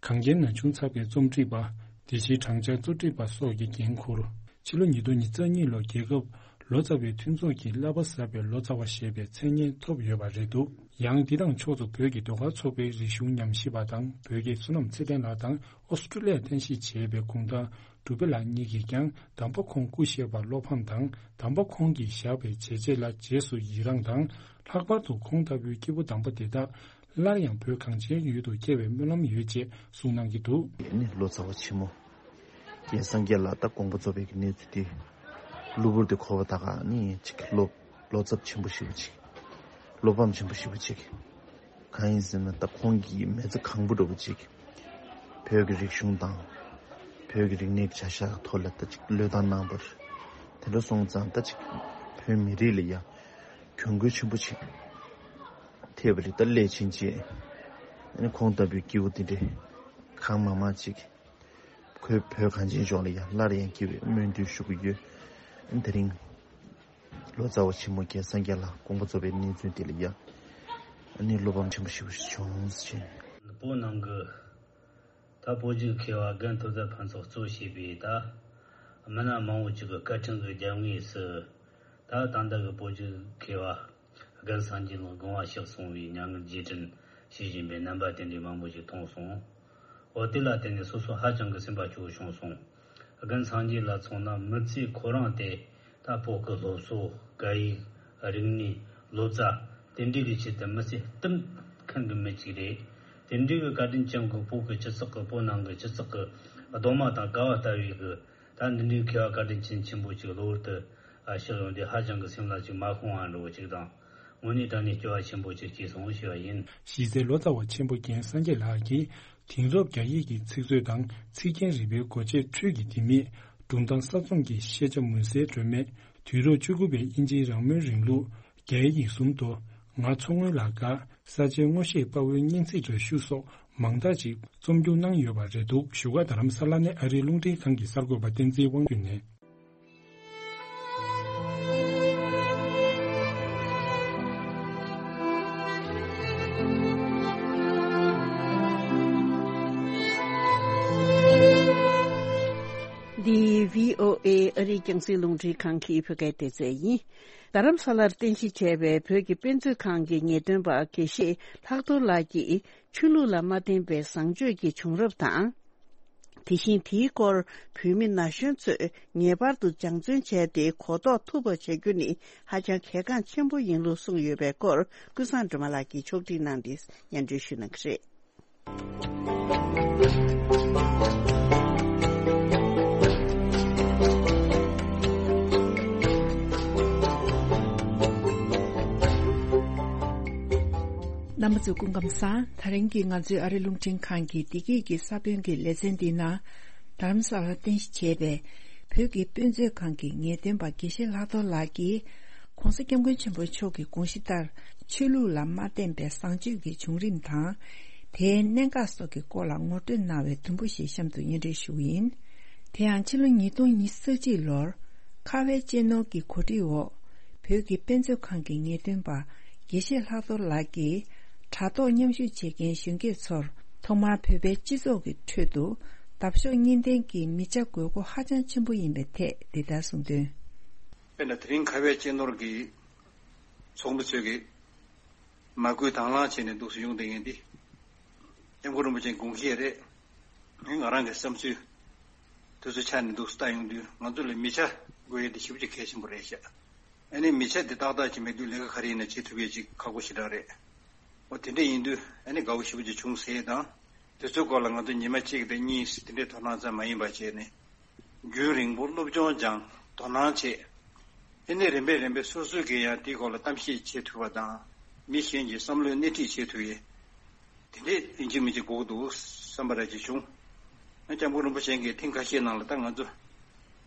གངས་རྒྱན་ན་ཆུང་ཚགས་པའི་རྩོམ་སྒྲིག་པ། དེ་བཞིན་བགྲང་བྱ་གཙོ་སྒྲིག་པ་སོགས་ཀྱི་འགན་འཁུར། ཕྱི་ལོ་ཉིས་སྟོང་ཉེར་གཉིས་ལོར་རྒྱལ་ཁབ་ལོ་ཙཱ་བའི་མཐུན་ཚོགས་ཀྱི་བསླབ་པ་གསར་པའི་ལོ་ཙཱ་བ་ཞེས་པའི་མཚན་སྙན་ཐོབ་ཡོད་པ་རེད་འདུག། ཡང་འདི་དང་ཕྱོགས་སུ་བོད་ཀྱི་ཟློས་གར་ཚོགས་པའི་རིག་གཞུང་ཉམས་ཞིབ་པ་དང་། བོད་ཀྱི་བསོད་ནམས་ཚེ་བརྟན་ལགས་དང་། ཨོ་སི་ཀྲུ་ལི་ཡར་རྟེན་གཞི་བྱས་པའི་གུང་ཐང་གྲུབ་པའི་ལགས་གཉིས་ཀྱིས་ཀྱང་། དམ་པ་ཁོང་སྐུ་གཤེགས་པར་བློ་ཕམ་དང་། དམ་པ་ཁོང་གིས་བཞག་པའི་བྱས་རྗེས་ལ་རྗེས་སུ་ཡི་རངས་དང་། ལྷག་པར་དུ་ཁོང་ལྟ་བུའི་སྐྱེས་བུ་དམ་པ་དེ་དག་སླར་ཡང་བོད་གངས་ཅན་ཡུལ་དུ་སྐྱེ་བའི་སྨོན་ལམ་ཡོད་ཅེས་གསུངས་གནང་གི་འདུག། ནི་ལོ་ཙཱ་བ་ཆེན་མོ་རྒན་སངས་རྒྱས་ལགས་ད་དགོངས་པ་རྫོགས་པའི་གནས་ཚུལ་དེ། གློ་བུར་དུ་གོ་བ་ད་ག་ནི་ཅིག་བློ་བློ་འཚབ་ཆེན་པོ་ཞེ་པོ་ཅིག། བློ་ཕམ་ཆེན་པོ་ཞེ་པོ་ཅིག། གང་ཡིན་ཟེར་ན་ད་ཁོང་གིས་མི་ཚེ་གང་པོ་འདྲ་པོ་ཅིག་བོད་ཀྱི་རིག་གཞུང་དང་། བོད་ཀྱི་རིག་གནས་ཀྱི་བྱ་གཞག་ཐོག་ལ་ད་ཅིག་བློས་བཏང་གནང་བར། དེ་འདྲ་སོང་ཙང་ད་ཅིག་བོད་མི་རིགས་ལ་ཡང་གྱོང་གུད་ཆེན་པོ་ཅིག་ཐེབས་པ་རེད། ད་སླད་ཕྱིན་ཆད་ཨ་ནི་ཁོང་ལྟ་བུའི་སྐྱེས་བུ་དེ་འདྲས་གང་མང་མང་ཅིག་ཁོས་བོད་གངས་ཅན་ལྗོངས་ལ་ཡང་སླར་ཡང་སྐྱེ་བའི་སྨོན་འདུན་ཞུ་གི་ཡོད། ཨ་ནི་དེ་རིང་ལོ་ཙཱ་བ་ཆེན་མོ་རྒན་སངས་རྒྱས་ལགས་དགོངས་པ་རྫོགས་པའི་གནས་ཚུལ་དེ་ལ་ཡང་ཨ་ནི་བློ་ཕམ་ཆེན་པོ་ཞིག་བྱུང་ཟེར། བོད་ནང་གི་ད་བོད་ཀྱི་མཁས་པ་རྒན་ཐུབ་བསྟན་ཕུན་ཚོགས་གཙོ་བྱས་པའི་ད་མི་སྣ་མང་བོ་ཅིག་གི་སྐད་འཕྲིན་གྱི་རྒྱབ་ངོས་སུ་ད་ད་ལྟ་གི་བོད་ཀྱི་མཁས་པ་རྒན་སངས་རྒྱས་ལགས་དགོངས་པ་གཤེགས་སོང་བའི་མྱ་ངན་རྗེས་དྲན་ཞུ་བཞིན་པའི་རྣམ་པ་དེ་འདྲའི་མང་པོ་ཞིག་མཐོང་སོང་། འོ་དེ་ལ་བརྟེན་ནས་སོ་སོ་ཧ་ཅང་གི་སེམས་པ་སྐྱོ་བོ་བྱུང་སོང་། རྒན་སངས་རྒྱས་ལ་མཚོན་ན་མི་ཚེ་ཁོ་རང་དེ་ད་བོད་ཀྱི་སློབ་གསོ། སྐད་ཡིག་རིག་གནས། ལོ་ཙཱ་དེ་འདྲའི་གི་ཆེད་དུ་མི་ཚེ་གཏིང་མཁན་གྱི་མི་གཅིག་རེད། དེ་འདྲའི་གི་བཀའ་དྲིན་ཅན་གྱི་བོད་ཀྱི་སྤྱི་ཚོགས་ཀྱི་བོད་ནང་གི་སྤྱི་ཚོགས་ཀྱི་གདོང་མ་དང་ཀ་བ་ལྟ་བུའི་གི་ད་འདི་འདྲའི་མཁས་པ་བཀའ་དྲིན་ཅན་ཆེན་པོ་ཅིག་གློ་བུར་དུ་ཨ་གཤེགས་ཡོང་དུས་ཧ་ཅང་གི་སེམས་ལ་ཅིག་མ་ཤོང་བ་འདྲ་བོ་ཅིག་དང་། དངོས་གནས་དྲང་གནས་སྐྱོ་བ་ཆེན་པོ་ཅིག་སྐྱེས་སོང་ཞུ་བ་ཡིན། གཞི་རྩའི་ལོ་ཙཱ་བ་ཆེན་པོ་རྒན་སངས་རྒྱས་ལགས་ཀྱིས་དེང་རབས་རྒྱ་ཡིག་གི་ཚིག་མཛོད་དང་ཚིག་རྒྱན་རིག་པའི་སྒོ་འབྱེད་འཕྲུལ་གྱི་ལྡེ་མིག། སྒྲུང་གཏམ་གསར་རྩོམ་གྱི་ཤེས་བྱ་མུན་སེལ་སྒྲོན་མེ། དུས་རབས་བཅུ་དགུ་པའི་དབྱིན་ཇིའི་རང་མོས་རིང་ལུགས། རྒྱའི་ཡིག་གསུམ་དོ། ང་མཚོ་སྔོན་ལ་དགའ། ས་ཆའི་ངོ་ཤེས་དཔའ་བོའི་སྙན་ཚིག་འདྲ་ཞུ་སོགས་མང་དག་ཅིག་རྩོམ་སྒྱུར་གནང་ཡོད་པ་རེད་འདུག། བཞུགས་སྒར་རྡ་རམ་ས་ལ་ནས་ཨ་རིའི་རླུང་འཕྲིན་ཁང་གི་གསར་འགོད་པ་བསྟན་འཛིན་དབང་འདུས་ནས། འདི་བྷི་ཨོ་ཨེ་ཨ་རིའི་རྒྱང་སྲིང་རླུང་འཕྲིན་ཁང་གི་བོད་སྐད་སྡེ་ཚན་ཡིན། རྡ་རམ་ས་ལར་རྟེན་གཞི་བྱས་པའི་བོད་ཀྱི་དཔེ་མཛོད་ཁང་གི་ངེས་སྟོན་པ་དགེ་བཤེས་ལྷག་རྡོར་ལགས་ཀྱིས། ཆོས་ལུགས་ལ་མ་བརྟེན་པའི་བཟང་སྤྱོད་ཀྱི་བྱུང་རབས་དང་། དེ་བཞིན་དེའི་སྐོར་བོད་མི་ན་གཞོན་ཚོས་ངེས་པར་དུ་སྦྱང་བརྩོན་བྱས་ཏེ་གོ་རྟོགས་ཐུབ་པ་བྱ་རྒྱུ་ནི་ཧ་ཅང་གལ་འགངས་ཆེན་པོ་ཡིན་ལུགས་གསུངས་ཡོད་པའི་སྐོར་ཀུན་བཟང་སྒྲོལ་མ་ལགས་ཀྱིས་ཕྱོགས་སྒྲིག་གནང་སྟེ་སྙན་སྒྲོན་ཞུ་གནང་གི་རེད། རྣམ་པ་ཚོ་སྐུ་ཁམས་བཟང་། ད་རིང་གི་ང་ཚོའི་ཨ་རི་རླུང་འཕྲིན་ཁང་གི་བདེ་སྐྱིད་ཀྱི་ས་བོན་གྱི་ལེ་ཚན་འདིའི་ནང་། རྡ་རམ་ས་ལར་རྟེན་གཞི་བྱས་པའི་བོད་ཀྱི་དཔེ་མཛོད་ཁང་གི་ངེས་སྟོན་པ་དགེ་བཤེས་ལྷག་རྡོར་ལགས་ཀྱིས། ྋགོང་ས་ྋསྐྱབས་མགོན་ཆེན་པོ་མཆོག་གི་དགོངས་གཞི་ལྟར། ཆོས་ལུགས་ལ་མ་བརྟེན་པའི་བཟང་སྤྱོད་ཀྱི་བྱུང་རིམ་དང་། དེའི་གནད་འགག་སོགས་ཀྱི་སྐོར་ལ་ངོ་སྤྲོད་གནང་བའི་དུམ་བུ་ཞིག་གཤམ་དུ་སྙན་སྒྲོན་ཞུ་གི་ཡིན། དེ་ཡང་ཕྱི་ལོ་ཉིས་སྟོང་ཉི་ཤུ་རྩ་གཅིག་ལོར། ཁ་བའི་གཅེས་ནོར་གྱི་གོ་སྒྲིག་འོག་བོད་ཀྱི་དཔེ་མཛོད་ཁང་གི་ངེས་སྟོན་པ། དགེ་བཤེས་ལྷག་རྡོར་ལགས་ཀྱིས་དྲ་ཐོག་མཉམ་ཞུགས་བྱེད་མཁན་གཞོན་སྐྱེས་ཚོར་ཐོག་མར་བོད་པའི་སྤྱི་ཚོགས་ཀྱི་ཁྲོད་དུ་འདབ་གཤོག་གཉིས་ལྡན་གྱི་མི་ཆ་དགོས་མཁོ་ཧ་ཅང་ཆེན་པོ་ཡིན་པའི་ཐད་འདི་ལྟར་གསུངས་དོན། དཔེར་ན་དེ་རིང་ཁ་བའི་གཅེས་ནོར་གྱི་ཚོགས་མི་ཚོས་ཀྱི་མ་བསྐུལ་དང་བླངས་བྱས་ནས་འདུག་སེ་ཡོང་བསྡད་མཁན་འདི། སྐྱབས་མགོན་རིན་པོ་ཆེའི་དགོངས་བཞེད་རེད། ང་རང་གི་བསམ་ཚུལ་དེ་ཚོ་ཆ་ནས་འདུག་སེ་ལྟ་ཡོང་དུས་ང་ཚོ་ལ་མི་ཆ་དགོས་ཡས་དེ་ཞེ་པོ་ཅིག་གལ་ཆེན་པོ་རེད་ཤག་ཨ་ནི་མི་ཆ་དེ་ཏག་ཏག་ཅིག་མེད་དུས་ལས་ཀ་ག་རེ་ཡིན་ན་བྱེད་ཐུབ་ཡས་ཅིག་ཁག་པོ་ཞེ་དྲག་རེད། འོ་དེ་འདྲ་ཡིན་དུས་ཨ་ནི་དགའ་བོ་ཞེ་པོ་ཅིག་བྱུང་ཟེར་དང་། དེ་ཚོའི་སྐོར་ལ་ང་ཚོ་ཉི་མ་གཅིག་དང་གཉིས་དེ་འདྲའི་དོ་སྣང་ཙམ་མ་ཡིན་པ་བྱས་ནས། རྒྱུན་རིང་པོ་སློབ་སྦྱོང་སྦྱངས་དོ་སྣང་བྱས། ཨ་ནི་རིམ་པས་རིམ་པས་སོ་སོས་ཀྱིས་ཡང་དེའི་སྐོར་ལ་གཏམ་བཤད་བྱེད་ཐུབ་པ་དང་། མི་གཞན་གྱི་བསམ་བློའི་སྣེ་ཁྲིད་བྱེད་ཐུབ་ཡས། དེ་འདྲས་ཡིན་གཅིག་མིན་གཅིག་དགོས་ཀྱི་འདུག་བསམ་པ་ར་ཅིག་བྱུང་། ཨ་སྐྱབས་མགོན་རིན་པོ་ཆེ་གིས་ཐེངས་ཁ་ཤས་ནང་ལ་ད་ང་ཚོ་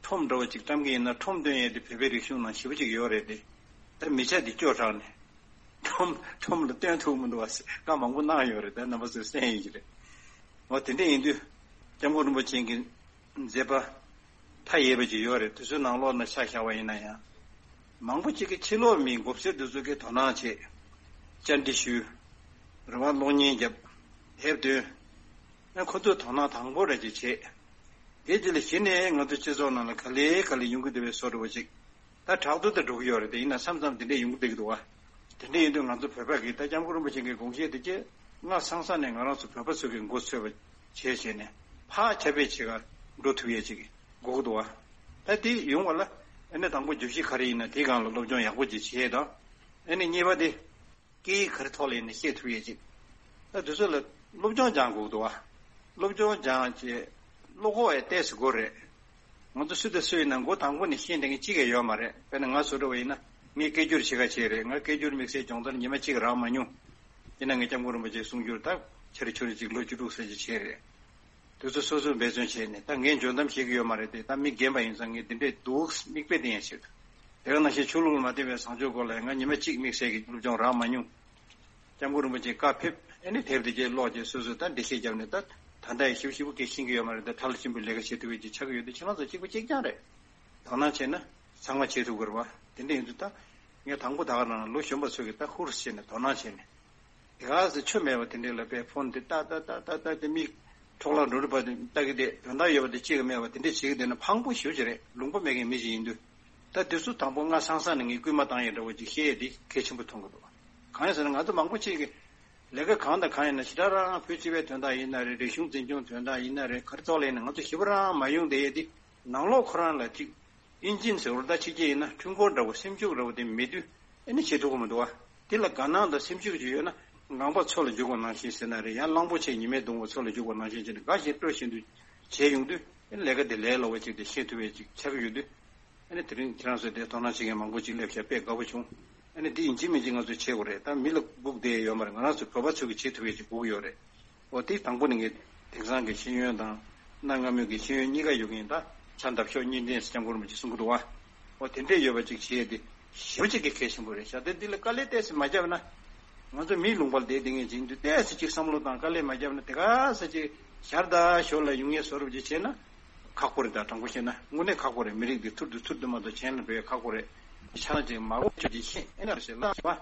ཁྲོམ་འདྲ་བོ་ཅིག་བཀྲམ་གྱི་ཡིན་ན་ཁྲོམ་སྟོན་ཡས་དེ་བོད་པའི་རིག་གཞུང་ནང་ཞེ་པོ་ཅིག་ཡོད་རེད་དེ། ད་མི་ཆ་དེ་སྐྱོ་དྲགས་ནས། ཁྲོམ་ཁྲོམ་ལ་སྟོན་ཐུབ་མི་འདུག་བ་བཀའ་མང་པོ་གནང་ཡོད་རེད། ད་རྣམ་པ་ཚོས་གསན་ཡིན་གྱི་རེད། འོ་དེ་འདྲས་ཡིན་དུས། སྐྱབས་མགོན་རིན་པོ་ཆེ་གི་མཛད་པ་མཐའ་ཡས་པ་ཅིག་ཡོད་རེད། དེ་ཚོའི་ནང་ལོགས་ན་ཆ་བཞག་པ་ཡིན་ན་ཡང་། མང་པོ་ཅིག་གིས་ཕྱི་ལོགས་མི་མགོ་སེར་དེ་ཚོ་གིས་དོ་སྣང་བྱེད། བཅར་འདྲི་ཞུས། རེ་བ་གློག་བརྙན་བརྒྱབ། དེབ་འདོན། ཨ་ཁོ་ཚོས་དོ་སྣང་དང་པོ་རེ་ཅིག་བྱེད། དེ་རྗེས་ལ་གཞི་ནས་ང་ཚོ་སྤྱི་ཚོགས་ནང་ལ་ག་ལེ་ག་ལེ་ཡོང་གི་འདུག་པའི་བཟོ་འདྲ་བོ་ཅིག་ད་དྲག་ཏུ་དེ་འགྲོ་གི་ཡོད་རེད་དེ། ཡིན་ན་མཚམས་མཚམས་དེ་འདྲས་ཡོང་གི་འདུག་གི་འདུག་བ། དེ་འདྲས་ཡིན་དུས་ང་ཚོ་བོད་པ་གིས་ད་སྐྱབས་མགོན་རིན་པོ་ཆེ་གི་དགོངས་བཞེད་དེ་ཅི། སྔ་སང་ས་ནས་ང་རང་ཚོ་བོད་པ་ཚོ་གི་མགོ་ཚོས་པ་བྱས་བྱས་ནས་ཕར་ཁྱབ་སྤེལ་བྱེད་ག་འགྲོ་ཐུབ་ཡས་ཅིག་དགོས་ཀྱི་འདུག་བ། ད་དེ་ཡོང་བ་ལ་ཨ་ནི་དང་པོ་བརྗོད་གཞི་ག་རེ་ཡིན་ན་དེའི་སྒང་ལ་སློབ་སྦྱོང་ཡག་པོ་ཅིག་བྱེད་དང་། ཨ་ནི་གཉིས་པ་དེ། སྐད་ཡིག་ག་རེ་ཐོག་ལ་ཡིན་ན་བཤད་ཐུབ་ཡས་ཅིག་ད་དེ་ཚོ་ལ་སློབ་སྦྱོང་སྦྱང་དགོས་ཀྱི་འདུག་བ། སློབ་སྦྱོང་སྦྱང་བྱས་བློ་ཁོག་ཡང་ཏོག་ཙམ་དགོས་རེད། ང་ཚོ་སུ་དང་སུ་ཡིན་ན་མགོ་དང་པོ་ནས་ཤེས་ལྡན་མཁན་གཅིག་ཀྱང་ཡོད་མ་རེད། དཔེར་ན་ང་བཟོ་འདྲ་བ་ཡིན་ན་ངས་སྐད་སྒྱུར་བྱེད་ག་བྱས་རེད། ང་སྐད་སྒྱུར་དམིགས་བསལ་སྦྱོང་བརྡར་ཉི་མ་གཅིག་རག་མ་མྱོང་། ཡིན་ན་ངས་སྐྱབས་མགོན་རིན་པོ་ཆེའི་གསུང་སྒྱུར་ད་ཆ་རེ་ཆུ་རེ་གཅིག་ལོ་བཅུ་དྲུག་ཙམ་ཅིག་བྱས་རེད། དེ་ཚོ་སོ་སོས་འབད་བརྩོན་བྱས་ནས་ད་ངས་འཇོན་གཏམ་བཤད་ཀྱི་ཡོད་མ་རེད་དེ། ད་མི་རྒན་པ་ཡིན་ཙང་ངས་འདི་འདྲས་འདུག་མིག་དཔེ་བསྟན་ཡ་བྱེད། དེ་ག་ནང་བཞིན་ཆོས་ལུགས་ལ་མ་བརྟེན་པའི་བཟང་སྤྱོད་སྐོར་ལ་ང་ཉི་མ་གཅིག་དམིགས་བསལ་གྱི་སློབ་སྦྱོང་རག་མ་མྱོང་། སྐྱབས་མགོན་རིན་པོ་ཆེའི་བཀའ་ཕེབས་ཨེ་ནི་དེབ་དེ་གྱད་ཀློག་བྱས་སོ་སོས་ད་འགྲེལ་བཤད་བརྒྱབ་ནས་ད་ད་ལྟ་ཡི་ཞིབ་ཞིབ་པོ་སྐད་ཤེས་ཀྱི་ཡོད་མ་རེད། ད་ཐལ་ཆེན་པོའི་ལས་ཀ་བྱེད་ཐུབ་ཡས་ཅིག་ཆགས་ཀྱི་ཡོད་དུས་ཁྱེད་རང་ཚོ་གཅིག་པ་གཅིག་རྐྱང་རེད། དོ་སྣང་བྱས་ན་ཚང་མ་བྱེད་ཐུབ་ཀྱི་རེད་བ། དེ་འདྲ་ཡིན་དུས་ད་ངས་དང་པོ་ད་ག་རང་ལོ་གཞོན་པ་ཚོས་ཀྱི་ད་ཧུར་བྱས་ནས་དོ་སྣང་བྱས་ནས། དེ་ག་ཚོད་ཆོ་མེད་པ་དེ་འདྲས་ལ་པའི་ཕོན་དེ་ཏག་ཏག་ཏག་ཏག་ཏག་དེ་མིག་འཕྲོག་ལ་འགྲོ་རུ་པ་དེ་ལྟ་གི་དེ་དོན་དག་ཡོད་པ་དེ་གཅིག་གི་མེད་པ་དེ་འདྲས་བྱེད་ཀྱི་བསྡད་ན་ཕངས་པོ་ཞེ་པོ་ཅིག་རེད། ལུང་པ་མེད་མཁན་མི་ཞིག་ཡིན་དུས། ད་དེ་ཚོ་དང་པོ་སྔ་སང་སང་ནས་ངས་སྐུལ་མ་བཏང་ཡས་འདྲ་བོ་ཅིག་བཤད་ཡས་དེ་གལ་ཆེན་པོ་མཐོང་གི་འདུག་གང་ཡིན་ཟེར་ན་ང་ཚོ་མང་པོ་ཅིག་གིས་ལས་ཀ་གང་དང་གང་ཡིན་ན་ཞེ་དྲག་རང་བོད་སྤྱི་པའི་དོན་དག་ཡིན་ན་རེད། རིག་གཞུང་འཛིན་སྐྱོང་དོན་དག་ཡིན་ན་རེད། ག་རེ་ཐོག་ལ་ཡིན་ན་ང་ཚོ་ཞེ་པོ་རང་མ་ཡོང་བསྡད་ཡས་དེ་ནང་ལོགས་ཁོ་རང་ལ་ཅིག་ཨིན་ཇིན་ཟེར་བ་ད་ཕྱི་རྒྱལ་ཡིན་ན་འཕྲུལ་འཁོར་འདྲ་བོ་སེམས་ཤུགས་འདྲ་བོ་དེ་མེད་དུས་ཨེ་ནི་བྱེད་ཐུབ་ཀྱི་མི་འདུག་བ། དེ་ལ་དགའ་སྣང་དང་སེམས་ཤུགས་ཅིག་ཡོད་ན་ངང་པ་མཚོ་ལ་འཇུག་པ་ནང་བཞིན་ཟེར་ན་རེད། ཡང་གླང་པོ་ཆེ་ཉི་མས་བརྡུངས་པ་མཚོ་ལ་འཇུག་པ་ནང་བཞིན་བྱས་ནས་དགའ་བཞིན་སྤྲོ་བཞིན་དུ་བྱས་ཡོང་དུས་ཨེ་ནི་ལས་ཀ་དེ་ལས་སླ་བ་ཅིག་དེ་ཤེས་ཐུབ་པའི་ཅིག་ཆགས་ཀྱི་ཡོད་དུས། ཨ་ནི་དེ་རིང་ཁྱེད་རང་ཚོས་དེ་དོ་སྣང་བྱེད་མཁན་མང་པོ་ཅིག་སླེབས་ཤག་དཔེ་དགའ་པོ་བྱུང་། ཨ་ནི་དེ་ཡིན་གཅིག་མིན་གཅིག་ང་ཚོས་བྱེད་དགོས་རེད། ད་མི་ལ་སྒུག་བསྡད་ཡོད་མ་རེད། ང་རང་ཚོ་བོད་པ་ཚོས་ཀྱི་བྱེད་ཐུབ་ཡས་ཅིག་དགོས་ཀྱི་ཡོད་རེད། འོ་དེ་དང་པོ་ནས་ངས་དེང་སང་གི་ཤེས་ཡོན་དང་གནའ་སྔ་མོའི་གི་ཤེས་ཡོན་གཉིས་ཀ་ཡོད་མཁན་ད་ཆ་འདབ་གཤོག་གཉིས་ལྡན་ཟེར་སྐྱབས་མགོན་རིན་པོ་ཆེས་གསུང་གི་འདུག་བ། འོ་དེ་འདྲས་ཡོད་པ་ཅིག་བྱེད་ཡས་དེ་ཞེ་པོ་ཅིག་གི་གལ་ཆེན་པོ་རེད་ཤག་དེ་འདི་ལ་དཀའ་ལས་ཏོག་ཙམ་མ་བརྒྱབ་ན། ང་ཚོ་མིའི་ལུང་པར་བསྡད་བསྡད་མཁན་ཅིག་ཡིན་དུས་ཏོག་ཙམ་ཅིག་བསམ་བློ་དང་དཀའ་ལས་མ་བརྒྱབ་ན་དེ་ག་ས་ཅིག་ཞར་དང་ཞོར་ལ་ཡོང་ངེས་བཟོ་འདྲ་ཅིག་བྱས་ན། ཁག་པོ་རེད། ད་དྲང་པོ་བཤད་ན་དངོས་གནས་ཁག་པོ་རེད། མི་རིགས་འདི་ཐུར་དུ་ཐུར་དུ་མ་གཏོགས་གཞན་ལ་འགྲོ་ཡ་ཁག་པོ་རེད། ཆ་ཅིག་མ་འོ་ཆོས་ཀྱི་ཤེས་ཨེ་ན་ཟེར་ལ་བ།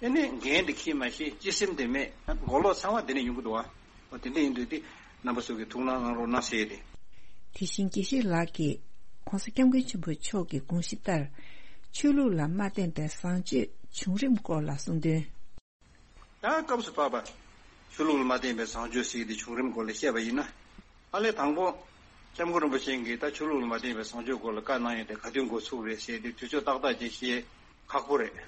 ཨེ་ནི་འགན་འདི་འཁྱེར་མ་ཤེས་སྤྱི་སེམས་དེ་མེད། མགོ་ལོག་ཚང་མ་དེ་ནས་ཡོང་གི་འདུག་བ། འོ་དེ་འདྲ་ཡིན་དུས་དེ་རྣམ་པ་ཚོ་གིས་ཐུགས་སྣང་གནང་རོགས་གནང་ཟེར་ཡས་དེ། དེ་བཞིན་དགེ་བཤེས་ལགས་ཀྱིས་༸གོང་ས་༸སྐྱབས་མགོན་ཆེན་པོ་མཆོག་གི་དགོངས་གཞི་ལྟར། ཆོས་ལུགས་ལ་མ་བརྟེན་པའི་བཟང་སྤྱོད་བྱུང་རིམ་སྐོར་ལ་གསུངས་དོན། ད་སྐབས་སུ་བབ་པ། ཆོས་ལུགས་ལ་མ་བརྟེན་པའི་བཟང་སྤྱོད་ཟེར་གྱི་དེ་བྱུང་རིམ་སྐོར་ལ་བཤད་པ་ཡིན་ན། ཨ་ལས་དང་པོ། སྐྱབས་མགོན་རིན་པོ་ཆེ་གིས་ད་ཆོས་ལུགས་ལ་མ་བརྟེན་པའི་བཟང་སྤྱོད་སྐོར་ལ་བཀའ་གནང་ཡོད་དེ་ག་དུས་འགོ་ཚུགས་རེད་ཟེར་དེ་དུས་ཚོད་ཏག་ཏག་ཅིག་ཤེས་ཁག་པོ་རེད།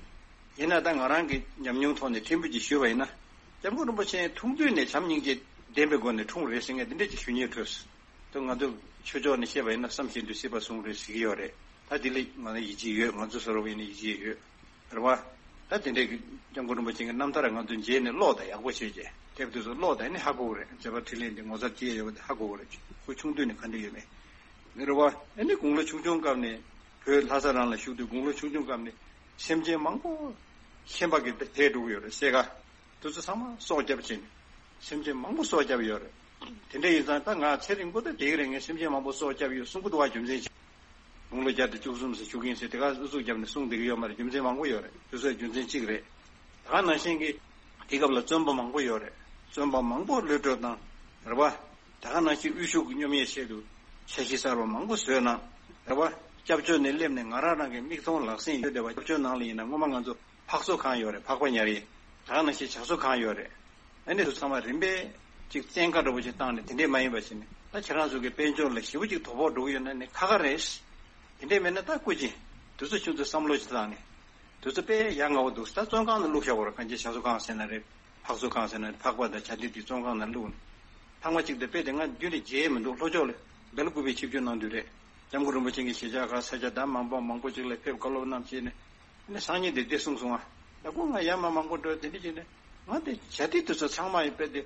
ཡིན་ན་ད་ང་རང་གི་ཉམས་མྱོང་ཐོག་ནས་ཕྲན་བུ་ཅིག་ཞུས་པ་ཡིན་ན། སྐྱབས་མགོན་རིན་པོ་ཆེ་ཐུང་དུས་ནས་བྱམས་སྙིང་རྗེ་ལྡན་པའི་སྒོ་ནས་འཁྲུངས་རེད་ཟེར་མཁན་དེ་འདྲ་ཅིག་ཞུ་སྙིང་འདོད། ད་ང་ཚོ་ཆོས་ཕྱོགས་ནས་བཤད་པ་ཡིན་ན་བསམ་བཞིན་དུ་སྲིད་པ་བཟུང་རེད་ཟེར་གྱི་ཡོད་རེད། ད་དེ་ལས་ང་ཚོ་ཡིད་ཆེས་ཡོད། ང་ཚོ་བཟོ་འདྲ་བོ་ཡིན་ན་ཡིད་ཆེས་ཡོད། རེད་བ། ད་དེ་འདྲའི་གི་སྐྱབས་མགོན་རིན་པོ་ཆེ་གི་རྣམ་ཐར་ང་ཚོ་མཇལ་ནས་ཀློག་དང་ཡག་པོ་བྱས་རྗེས་དེབ་དེ་ཚོ་ཀློག་དང་ནི་ཧ་གོ་གི་རེད། མཛད་པ་འཕྲིན་ལས་འདི་ངོ་མཚར་སྐྱེ་ཡོད་པ་དེ་ཧ་གོ་གི་རེད། ཁོ་ཆུང་དུས་ནས་ག་འདྲ་ཡོད་མེད། རེད་བ། ཨ་ནི་དགུང་ལོ་ཆུང་ཆུང་སྐབས་ནས་བོད་ལྷ་ས་རང་ལ་བཞུགས་དུས་དགུང་ལོ་ཆུང་ཆུང་སྐབས་ནས་སེམས་ཅན་མང་པོ་ཤན་པ་གིས་དེད་འགྲོ་གི་ཡོད་རེད་སེ་ག་དེ་ཚོ་ཚང་མ་སྲོག་བསྐྱབས་བྱས་ནས་སེམས་ཅན་མང་པོ་སྲོག་བསྐྱབས་ཡོད་རེད། དེ་འདྲ་ཡིན་ཙང་ད་ང་ཚེ་རིང་པོ་ད་བསྡད་ཀྱི་རེད། ངས་སེམས་ཅན་མང་པོ་སྲོག་བསྐྱབས་ཡོད་གསུང་གི་འདུག་བ། རྒྱུ་མཚན་ཅི། དགུང་ལོ་བརྒྱ་དང་བཅུ་གསུམ་ཙམ་བཞུགས་ཀྱིན་ཟེར་དེ་ག་ཨུ་ཚུགས་བརྒྱབ་ནས་གསུང་བསྡད་ཀྱི་ཡོད་མ་རེད། རྒྱུ་མཚན་མང་པོ་ཡོད་རེད། དེ་ཚོའི་རྒྱུ་མཚན་གཅིག་རེད། ད་ག་ནང་བཞིན་གྱི་དེ་སྐབས་ལ་བཙོན་པ་མང་པོ་ཡོད་རེད། བཙོན་པ་མང་པོ་གློད་གྲོལ་བཏང་། རེད་པ། ད་ག་ནང་བཞིན་དབུལ་ཕྱུག་གི་སྙོམས་ཡས་ཆེད་དུ་འཆར་གཞི་གསར་པ་མང་པོ་བཟོས་གནང་། རེད་པ། སྐྱབས་བཅོལ་ནས་སླེབས་ནས་ང་རང་རང་གི་མིག་མཐོང་ལག་ཟིན་ཡོད་བསྡད་པ། སྐྱབས་བཅོལ་ནང་ལ་ཡིན་ན་སྔོན་མ་ང་ཚོ་ཕག་གསོ་ཁང་ཡོད་རེད། ཕག་པ་ཉར་ཡས། ད་ག་ནང་བཞིན་བྱ་གསོ་ཁང་ཡོད་རེད། ཨ་ནི་དེ་ཚང་མ་རིམ་པས་ཅིག་བཙན་བཀའ་འདྲ་པོ་ཅིག་བཏང་ནས་དེ་འདྲས་མ་ཡིན་པ་བྱས་ནས། ད་ཁྱེད་རང་ཚོ་གི་དཔལ་འབྱོར་ལ་ཞེ་པོ་ཅིག་དོ་ཕོག་འགྲོ་གི་ཡོད་ན་ནི་ཁག་ཁག་རེད། དེ་འདྲས་མེད་ན་ད་སྐུ་མཁྱེན། དུས་ཚོད་ཆུང་ཚོད་བསམ་བློ་ཅིག་བཏང་ནས། དུས་ཚོད་དཔེ་ཡ་ང་བོ་འདུག་ད་བཙོན་ཁང་ནང་བླུགས་བཞག་པ་རེད། གང་ཅི་བྱ་གསོ་ཁང་ཟེར་ན་རེད། ཕག་གསོ་ཁང་ཟེར་ན་རེད། ཕག་པ་དང་བྱ་དེ་དེ་བཙོན་ཁང་ནང་བླུགས་ནས། ཐེངས་མ་གཅིག་དེ་དཔེ་དེ་ང་རྒྱུན་ནས་བརྗེད་མི་འདུག་ལྷོ་ཕྱོགས་ལ་སྦེལ་ཀུ་པེ་ཆིབས་བསྒྱུར་གནང་དུས་རེད། སྐྱབས་མགོན་རིན་པོ་ཆེ་གིས་གཞིས་ཆགས་ཁག་ས་ཆ་ད་མང་པོ་མང་པོ་ཅིག་ལ་ཕེབས་བཀའ་སློབ་གནང་བྱས་ནས། ནི་སང་ཉིན་དེ་འདི་གསུངས་སོང་ང་། ད་ཁོ་ང་ཡར་མར་མང་པོ་འགྲོ་དེ་འདྲ་བྱས་ནས། ང་དེ་བྱ་དེ་དུས་ཚོད་ཚང་མ་ཡིན་པས་དེ།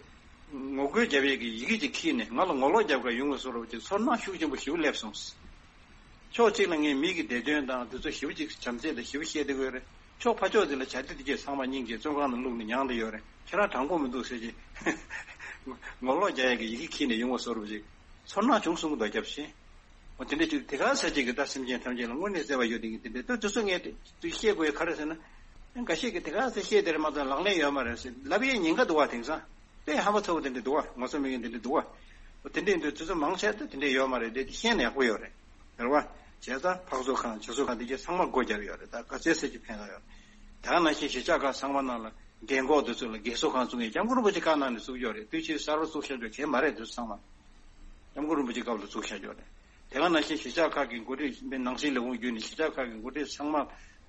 ངོ་རྒོལ་རྒྱབ་ཡས་ཀྱི་ཡི་གེ་ཅིག་ཁྱེར་ནས་ང་ལ་ངོ་ལོག་རྒྱབ་ག་ཡོང་གི་བཟོ་འདྲ་ཅིག་ཚོར་སྣང་ཤུགས་ཆེན་པོ་ཞེ་པོ་སླེབས་སོང་། ཕྱོགས་གཅིག་ལ་ངས་མི་གི་བདེ་དོན་དང་དུས་ཚོད་ཞེ་པོ་ཅིག་བྱམས་བརྩེ་དང་ཞེ་པོ་བཤད་བསྡད་ཀྱི་ཡོད་རེད། ཕྱོགས་ཕར་ཕྱོགས་དེ་ལ་བྱ་དེ་དེ་གས་ཚང་མ་སྙིང་རྗེ་བཙོན་ཁང་ནང་བླུགས་ནས་མྱངས་བསྡད་ཡོད་རེད། ཁྱེད་རང་དྲང་པོ་མི་འདུག་ཟེར་གྱི། ངོ་ལོག་རྒྱག་ཡས་ཀྱི་ཡི་གེ་ཁྱེར་ནས་ཡོང་བ་བཟོ་འདྲ་ཅིག་ཚོར་སྣང་བྱུང་སོང་གི་འདུག་སྐྱབས་ཆེན། འོ་དེ་འདྲ་ཅིག་དེ་ག་ས་ཅིག་གི་ད་སེམས་ཅན་ཐམས་ཅད་ལ་དངོས་གནས་བརྩེ་བ་ཡོད་དེ་གི་དེ་འདྲ་ད་དུས་ཚོད་ངས་དེ་བཤད་དགོས་ཡ་ག་རེ་ཟེར་ན། འགའ་ཤས་ཀྱིས་དེ་ག་ས་བཤད་དེ་རེད་མ་གཏོགས་ལག་ལེན་ཡོད་མ་རེད་ཟེར་ལབ་ཡས་ཉེན་ཁ་འདུག་བ། དེང་སང་དཔེ་ཧམ་པ་ཚ་བོ་དེ་འདྲ་འདུག་བ། ངོ་ཚ་མེད་མཁན་དེ་འདྲ་འདུག་བ། འོ་དེ་འདྲ་ཡིན་དུས་དུས་ཚོད་མང་ཆེ་ད་དེ་འདྲ་ཡོད་མ་རེད་དེ་དེ་ཤེས་ན་ཡག་པོ་ཡོད་རེད། རེད་བ། བྱས་ཙང་ཕག་གསོ་ཁང་བྱ་གསོ་ཁང་དེ་གས་ཚང་མ་སྒོ་རྒྱབ་ཡོད་རེད། ད་ག་ཚད་ས་ཅིག་ཕན་ཐོགས་ཡོད་རེད། དེ་ག་ནང་བཞིན་གཞིས་ཆགས་ཁག་ཚང་མ་ནང་ལ་རྒན་གོག་དེ་ཚོ་ལ་རྒས་གསོ་ཁང་བཙུགས་ཡས་སྐྱབས་མགོན་རིན་པོ་ཆེ་བཀའ་གནང་ནས་བཙུགས་ཡོད་རེད། དུས་ཕྱིས་གསར་པ་བཙུགས་བཞག་རྒྱུ་གལ་མ་རེད། དེ་ཚོ་ཚང་མ། སྐྱབས་མགོན་རིན་པོ་ཆེ་སྐབས་ལ་བཙུགས་བཞག་ཡོད་རེད། དེ་ག་ནང་བཞིན་གཞིས་ཆགས་ཁག་གི་འགོ་ཁྲིད་ནང་སྲིད་ལས་ཁུངས་བརྒྱུད་ནས་གཞིས་ཆགས་ཁག་གི་འགོ་ཁྲིད་ཚང་མ་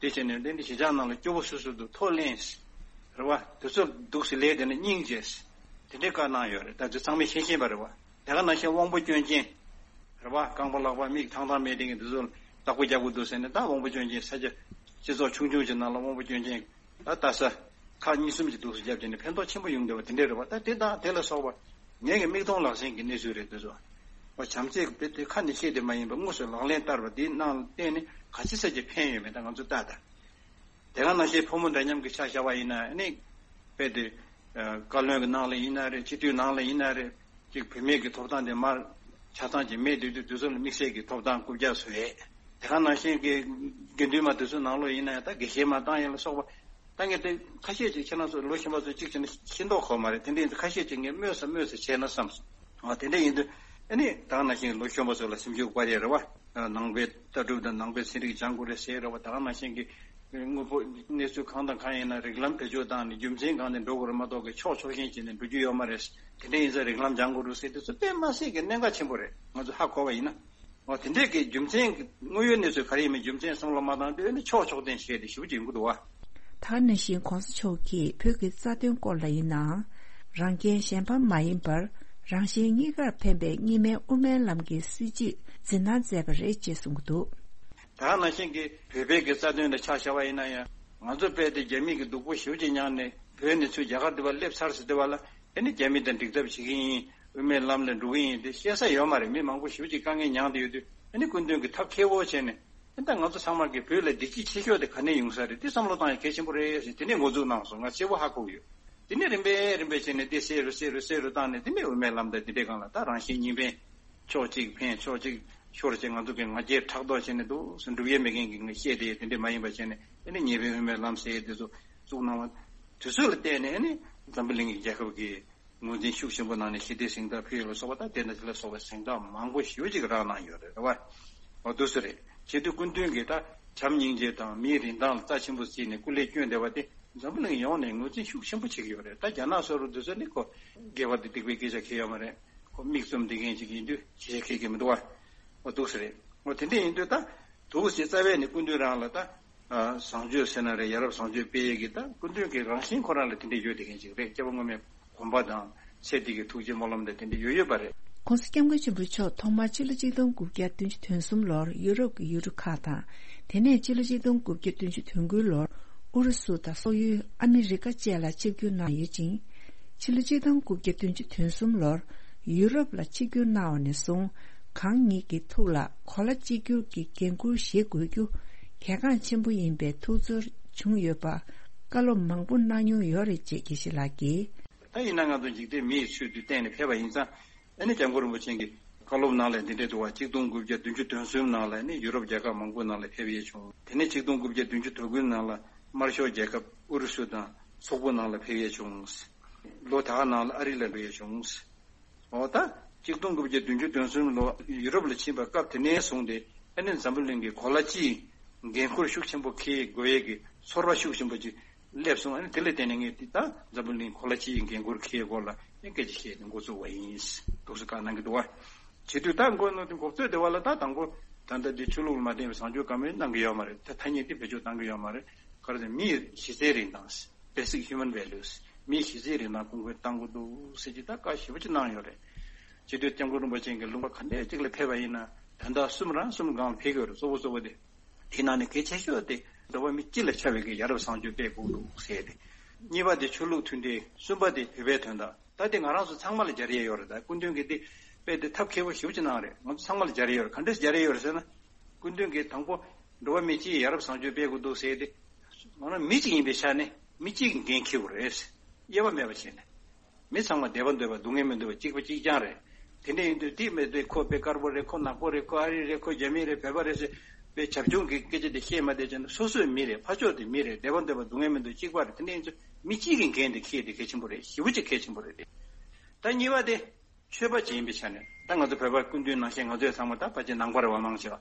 དེ་བྱས་ནས་འདི་འདི་གཞིས་ཆགས་ནང་ལ་སྐྱོ་པོ་སུ་སུ་འདུག་ཐོག་ལེན། རེད་བ། དུས་ཚོད་འདུག་སེ་ལས་དེ་ནས་སྙིང་རྗེ། དེ་འདྲའི་བཀའ་གནང་ཡོད་རེད། ད་དེ་ཚང་མས་ཤེས་ཤེས་པ་རེད་བ། དེ་ག་ནང་བཞིན་དབང་པོ་སྐྱོན་ཅན། རེད་བ། རྐང་པ་ལག་པ་མིག་ཐང་ཐང་མེད་དེ་གི་འདི་ཚོ་བདག་པོ་རྒྱག་དགོས་འདུག་ཟེར་ནས་ད་དབང་པོ་སྐྱོན་ཅན་ས་ཆ་སྤྱི་ཚོགས་ཆུང་ཆུང་ཅིག་ནང་ལ་དབང་པོ་སྐྱོན་ཅན། ད་ལྟ་ས་ཁག་གཉིས་གསུམ་གྱི་འདུག་སེ་བརྒྱབ་བྱས་ནས་ཕན་ཐོགས་ཆེན་པོ་ཡོང་བསྡད་པ་དེ་འདྲས་རེད་བ། ད་དེ་དང་དེ་ལ་སོགས་པ་ངེད་ཀྱི་མིག་མཐོང་ལག་ཟིན་གྱི་གནས་ཚུལ་རེད་འདུག་སོ། བ་བྱམས་བརྩེ་དཔེ་དེ་ཁ་ནས་བཤད་དེ་མ་ཡིན་པ་དངོས་སུ་ལག་ལེན་བསྟར་བ་དེའི་ནང་བརྟེན་ནས་ག་ཚོད་ཙམ་གྱི་ཕན་ཡོད་མེད་ད་ང་ཚོ་ལྟ་ད། དེ་ག་ནང་བཞིན་ཕོ་མོ་འདྲ་མཉམ་གྱི་ཆ་བཞག་པ་ཡིན་ན་ནི། དཔེ་དེ། བཀའ་བློན་གྱི་ནང་ལ་ཡིན་ན་རེད། སྤྱི་འཐུས་ནང་ལ་ཡིན་ན་རེད། ཅིག་བུད་མེད་ཀྱི་ཐོབ་ཐང་དེ་མར་ཆ་ཚང་ཅིག་མེད་དུས་དུས་དུས་ཚོད་ལ་དམིགས་བསལ་གྱི་ཐོབ་ཐང་རྐུབ་བཀྱག་བཟོ་ཡས། དེ་ག་ནང་བཞིན་གྱི་དགེ་འདུན་པ་དེ་ཚོའི་ནང་ལོགས་ཡིན་ན་ཡང་ད་དགེ་བཤེས་མ་བཏང་ཡས་ལ་སོགས་པ། ད་ངས་དེ་ཁ་ཤས་ཅིག་ཁྱེད་རང་ཚོ་ལོ་གཞོན་པ་ཚོ་གཅིག་བྱས་ན་ཤེས་མདོག་ཁོག་མ་རེད། དེ་འདྲ་ཡིན་ཙང་ཁ་ཤས་ཅིག་ངས་སྨོས་ས་སྨོས་ས་བྱས་ན་བསམ་སོང་། ཨ་དེ་འདྲ་ཡིན་དུས་ཨ་ནི་ད་ག་ནང་བཞིན་ལོ་གཞོན་པ་ཚོ་ལ་སེམས་ཤུགས་སྤར་ཡས་རེད་བ། ནང་པའི་ལྟ་གྲུབ་དང་ནང་པའི་ཚན་རིག་སྦྱང་དགོས་རེད་ཟེར་རེད་བ། ད་ག་ནང་བཞིན་གྱི་དངོས་པོ་གནས་ཚུལ་གང་དང་གང་ཡིན་ན་རིགས་ལམ་བེད་སྤྱོད་བཏང་ནས་རྒྱུ་མཚན་གང་ནས་འགྲོ་དགོས་རེད་མ་གཏོགས་ཀྱི་ཕྱོགས་ཕྱོགས་ཞེན་བྱས་ནས་འགྲོ་རྒྱུ་ཡོད་མ་རེད། དེ་འདྲ་ཡིན་ཙང་རིགས་ལམ་སྦྱང་དགོས་རེད་ཟེར་དུས་ཚོད་དཔེ་མ་སྲིད་ཀྱི་གནད་འགག་ཆེན་པོ་རེད། ང་ཚོ་ཧ་གོ་བ་ཡིན་ན། འོ་དེ་འདྲས་ཀྱི་རྒྱུ་མཚན་གྱི་དངོས་ཡོད་གནས་ཚུལ་ག་རེ་ཡིན་མིན་རྒྱུ་མཚན་བསམ་བློ་མ་བཏང་དུས་ཨ་ནི་ཕྱོགས་ཕྱོགས་འཐེན་བྱས་ཏེ་ཞེ་པོ་ཅིག་ཡོང་གི་འདུག་བ། ད་ག་ནང་བཞིན་༸གོང་ས་མཆོག་གིས་བོད་ཀྱི་རྩ་དོན་སྐོར་ལ་ཡིན་ནའང་། རང་རྒྱལ་གཞན་ཕམ་མ་ཡིན་པར་རང་གཞན་གཉིས་ཀར་ཕན་པའི་གཉིས་སྨན་དབུ་མའི་ལམ་གྱི་སྲིད་བྱུས་འཛིན་གནང་མཛད་པ་རེད་ཅེས་གསུངས་ཀྱི་འདུག། ད་ག་ནང་བཞིན་གྱི་བོད་པའི་གི་རྩ་དོན་ལ་ཆ་བཞག་པ་ཡིན་ན་ཡང་ང་ཚོ་དཔེ་དེ་རྒྱ་མི་གི་སྡུག་པོ་ཞེ་པོ་ཅིག་མྱངས་ནས་བོད་ནས་ཚུར་རྒྱ་གར་དུ་བ་སླེབས་ཚར་ཟེར་དུས་བ་ལ་ཨ་ནི་རྒྱ་མི་དང་འགྲིག་ཐབས་བྱེད་ཀྱི་ཡིན། དབུ་མའི་ལམ་ལ་འགྲོ་གི་ཡིན་དེ་བཤད་ས་ཡོད་མ་རེད། མི་མང་པོ་ཞེ་པོ་ཅིག་དཀའ་ངལ་མྱངས་བསྡད་ཡོད་དུས་ཨ་ནི་སྐུ་མདུན་གྱིས་ཐབས་མཁས་པོ་བྱས་ནས་ཨ་ད་ང་ཚོ་ཚང་མ་གི་བོད་ལ་བདེ་སྐྱིད་ཆེ་ཤོས་དེ་ག་ནས་ཡོང་ས་རེད། དེ་བསམ་བློ་བཏང་ཡ་གལ་ཆེན་པོ་རེད་ཟེར་དེ་ནས་འགོ་འཛུགས་གནང་སོང་། ང་གསལ་པོ་ཧ་གོ་གི་ཡོད། དེ་ནས་རིམ་པས་རིམ་པས་བྱས་ནས་དེ་གསལ་རུ་གསལ་རུ་གསལ་རུ་བཏང་ནས་དེ་ནས་དབུ་མའི་ལམ་དང་དེ་འདྲའི་སྒང་ལ་ད་རང་གཞན་གཉིས་ཕན། ཕྱོགས་གཅིག་ཕན་ཕྱོགས་གཅིག་ཤོར་བྱས་ང་ཚོ་གི་ང་རྒྱལ་ཕྲག་དོག་བྱས་ནས་འདུག་སེ་འགྲུབ་ཡས་མེད་མཁན་གྱི་ངས་བཤད་དེ་དེ་འདྲས་མ་ཡིན་པ་བྱས་ནས་ཨ་ནི་ཉེས་པའི་དབུ་མའི་ལམ་ཟེར་ཡས་དེ་ཚོ་བཙུགས་གནང་བ། དུས་ཚོད་ལ་བལྟས་ནས་ཨ་ནི་འཛམ་བུ་གླིང་གི་རྒྱལ་ཁབ་ཀྱི་ངོས་འཛིན་ཤུགས་ཆེན་པོ་གནང་ནས་ཞི་བདེ་གཟེངས་རྟགས་ཕུལ་ཡས་ལ་སོགས་པ་དང་དེ་དང་དེ་ལ་སོགས་པའི་གཟེངས་རྟགས་མང་པོ་ཞེ་པོ་ཅིག་རག་གནང་ཡོད་རེད། རེད་བ། འོ་འདུག་སེ་རེད། བྱེད་དུས་སྐུ་མདུན་གྱིས་ད་བྱམས་སྙིང་རྗེ་དང་མིའི་རིན་ཐང་ལ་རྩ་ཆེན་པོ་བརྩིས་ནས་སྐུ་ལས་བསྐྱོན་བསྡད་པ་དེ་འཛམ་བུ་གླིང་ཡོངས་ནས་ངོས་འཛིན་ཤུགས་ཆེན་པོ་བྱེད་ཀྱི་ཡོད་རེད། ད་རྒྱ་ནག་སོགས་རུ་འདུག་སེ་ནི་ཁོ་དགེ་བ་དེ་སྡིག་པའི་སྐད་ཆ་ཁེལ་ཡོད་མ་རེད། ཁོ་མིག་བཙུམ་བསྡད་མཁན་ཅིག་ཡིན་དུས་ཞེ་ཁེལ་གྱི་མི་འདུག་བ། འོ་འདུག་སེ་རེད། འོ་དེ་འདྲ་ཡིན་དུས་ད་འདུག་སེ་རྩ་བའི་ནས་སྐུ་མདུན་རང་ལ་ད་བཟང་སྤྱོད་ཟེར་ན་རེད། ཡ་རབས་བཟང་སྤྱོད་སྤེལ་ཡས་ཀྱི་ད་སྐུ་མདུན་གྱི་རང་བཞིན་ཁོ་རང་ལ་དེ་འདྲ་ཡོད་བསྡད་མཁན་ཅིག་རེད། སྐྱབས་མགོན་པའི་དགོངས་པ་དང་ཚེ་འདི་གི་ཐུགས་རྗེ་སྨོན་ལམ་དང་དེ་འདྲ་ཡོད་ཡོད་པ་རེད། ༸གོང་ས་༸སྐྱབས་མགོན་ཆེན་པོ་མཆོག་ཐོག་མར་ཕྱི་ལོ་ཆིག་སྟོང་དགུ་བརྒྱ་བདུན་ཅུ་དོན་གསུམ་ལོར་ཡུ་རོབ་ཀྱི་ཡུལ་གྲུ་ཁག་དང་། དེ་ནས་ཕྱི་ལོ་ཆིག་སྟོང་དགུ་བརྒྱ་བདུན་ཅུ་དོན་དགུ་ལོར་ཨུ་རུ་སུ་དང་སོག་ཡུལ་ཨ་མི་རི་ཀ་བཅས་ལ་ཆིབས་བསྒྱུར་གནང་ཡོད་ཅིང་། ཕྱི་ལོ་ཆིག་སྟོང་དགུ་བརྒྱ་བདུན་ཅུ་དོན་གསུམ་ལོར་ཡུ་རོབ་ལ་ཆིབས་བསྒྱུར་གནང་བ་ནས་བཟུང་། གང་ཉིད་ཀྱི་ཐུགས་ལ་གོ་ལ་གཅིག་གྱུར་གྱི་འགན་འཁུར་བཞེས་དགོས་རྒྱུ་གལ་འགངས་ཆེན་པོ་ཡིན་པའི་ཐུགས་ཚོར་བྱུང་ཡོད་པ་བཀའ་སློབ་མང་པོ་གནང་མྱོང་ཡོད་རེད་ཅེས་དགེ་བཤེས་ལགས་ཀྱིས། ད་ཡིན་ན་ང་ཚོ་འཇིག་རྟེན་མི་ཡི་ཚུལ་དུ་བསྟན་ནས་ཕེབས་པ་ཡིན་ཙང་། ཨ་ནི་སྐྱབས་མགོན་རིན་པོ་ཆེ་གི་བཀའ་སློབ་ནང་ལ་འདི་འདྲས་འདུག་བ། ཆིག་སྟོང་དགུ་བརྒྱ་བདུན་ཅུ་དོན་གསུམ་ནང་ལ་ནི་ཡུ་རོབ་རྒྱལ་ཁབ་མང་པོའི་ནང་ལ་ཕེབས་ཡས་བྱུང་། དེ་ནས་ཆིག་སྟོང་དགུ་བརྒྱ་བདུན་ཅུ་དོན་དགུའི་ནང་ལ་དམར་ཤོག་རྒྱལ་ཁབ་ཨུ་རུ་སུ་དང་ སོག་པོ་ནང་ལ་ཕེབས་ཡས་བྱུང་། ལོ་ད་ག་ནང་ལ་ཨ་རི་ལ་འགྲོ་ཡས་བྱུང་། འོ་ད་གཅིག་སྟོང་དགུ་བརྒྱ་བདུན་ཅུ་དོན་གསུམ་ལོ་ཡུ་རོབ་ལ་ཕྱིན་པའི་སྐབས་དེ་ནས་བཟུང་སྟེ་ཨ་ནི་འཛམ་བུ་གླིང་གི་གོ་ལ་སྤྱིའི་འགན་ཁུར་ཤུགས་ཆེན་པོ་འཁྱེར་དགོས་ཡས་ཀྱི་ཚོར་བ་ཤུགས་ཆེན་པོ་ཅིག་སླེབས་སོང་། ཨ་ནི་དེ་ལ་བརྟེན་ནས་ངས་འདི་ད་འཛམ་བུ་གླིང་གོ་ལ་སྤྱིའི་འགན་ཁུར་འཁྱེར་སྐོར་ལ་ཨ་ནི་སྐད་ཆ་བཤད་ནས་འགོ་བཙུགས་པ་ཡིན། འདུག་སེ་བཀའ་གནང་གི་འདུག་བ། བྱེད་དུས་ད་འགོ་ནོ་དེ་འགོ་གཙོས་དེ་བ་ལ་ད་དང་པོ་ད་ལྟ་འདི་ཆོས་ལུགས་ལ་མ་བརྟེན་པའི་བཟང་སྤྱོད་བཀའ་མོལ་གནང་གི་ཡོད་མ་རེད། ད་ཐ་སྙད་འདི་བེད་སྤྱོད་གཏང་གི་ཡོད་མ་རེད། ག་རེ་ཟེར་མི་ཡི་གཞི་རྩའི་རིན་ཐང་། Basic Human Values། མི་ཡི་གཞི་རྩའི་རིན་ཐང་གོང་འཕེལ་གཏང་དགོས་འདུག་ཟེར་གྱི་ད་བཀའ་ཞེ་པོ་ཅིག་གནང་ཡོད་རེད། བྱེད་དུས་སྐྱབས་མགོན་རིན་པོ་ཆེ་གི་ལུང་པ་ག་འདྲས་ཅིག་ལ་ཕེབས་པ་ཡིན་ན་དོན་དག་གསུམ་རང་གསུམ་སྒང་ལ་ཕེབས་ཀྱི་ཡོད་རེད། གཙོ་བོ་གཙོ་བོ་དེ། དེ་ནང་ནས་གལ་ཆེ་ཤོས་དེ་འགྲོ་བ་མི་སྤྱི་ལ་ཁྱབ་པའི་གི་ཡ་རབས་བཟང་སྤྱོད་སྤེལ་དགོས་འདུག་ཟེར་ཏེ། གཉིས་པ་དེ་ཆོས་ལུགས་མཐུན་སྒྲིལ། གསུམ་པ་དེ་བོད་པའི་དོན་དག་ད་དེ་ང་རང་ཚོ་ཚང་མ་ལ་སྦྱར་ཡས་ཡོད་རེད། ད་སྐུ་མདུན་གྱིས་དེ་དཔེ་དེ་ཐབས་མཁས་པོ་ཞེ་པོ་ཅིག་གནང་རེད། ང་ཚོ་ཚང་མ་ལ་སྦྱར་ཡས་ཡོད་རེད། ག་འདྲས་སྦྱར་ཡས་ཡོད་རེད་ཟེར་ན། སྐུ་མདུན་གྱིས་དང་པོ་འགྲོ་བ་མི་སྤྱིའི་ཡ་རབས་བཟང་སྤྱོད་སྤེལ་དགོས་འདུག་ཟེར་ཏེ། ང་རང་མི་གཅིག་ཡིན་པའི་ཆ་ནས་མི་གཅིག་གི་འགན་འཁྱེར་དགོས་རེད། དབྱེ་བ་མེད་པ་བྱས་ནས། མི་ཚང་མ་བདེ་བ་འདོད་པ་སྡུག་བསྔལ་མི་འདོད་པ་གཅིག་པ་གཅིག་རྐྱང་རེད། དེ་འདྲ་ཡིན་དུས་དེ་མི་འདོད་ཁོ་དཔེ་དཀར་པོ་རེད། ཁོ་ནག་པོ་རེད། ཁོ་ཨ་རི་རེད། ཁོ་རྒྱ་མི་རེད། བོད་པ་རེད་ཟེར་དཔེ་བྱབ་ཆུང་གི་སྐད་ཆ་དེ་བཤད་མ་བསྡད་བྱས་ན་སོ་སོའི་མི་རེད། ཕར་ཕྱོགས་དེ་མི་རེད། བདེ་བ་འདོད་པ་སྡུག་བསྔལ་མི་འདོད་གཅིག་པ་རེད། དེ་འདྲ་ཡིན་ཚུལ་མི་གཅིག་གི་འགན་དེ་འཁྱེར་དེ་གལ་ཆེན་པོ་རེད། ཞེ་པོ་ཅིག་གལ་ཆེན་པོ་རེད་དེ། ད་གཉིས་པ་དེ་ཆོས་པ་ཅིག་ཡིན་པའི་ཆ་ནས་ད་ང་ཚོ་བོད་པ་སྐུ་མདུན་ནང་བཞིན་ང་ཚོས་ཚང་མ་ད་ཕལ་ཆེར་ནང་པ་རེད་བ། མང་ཆེ་བ་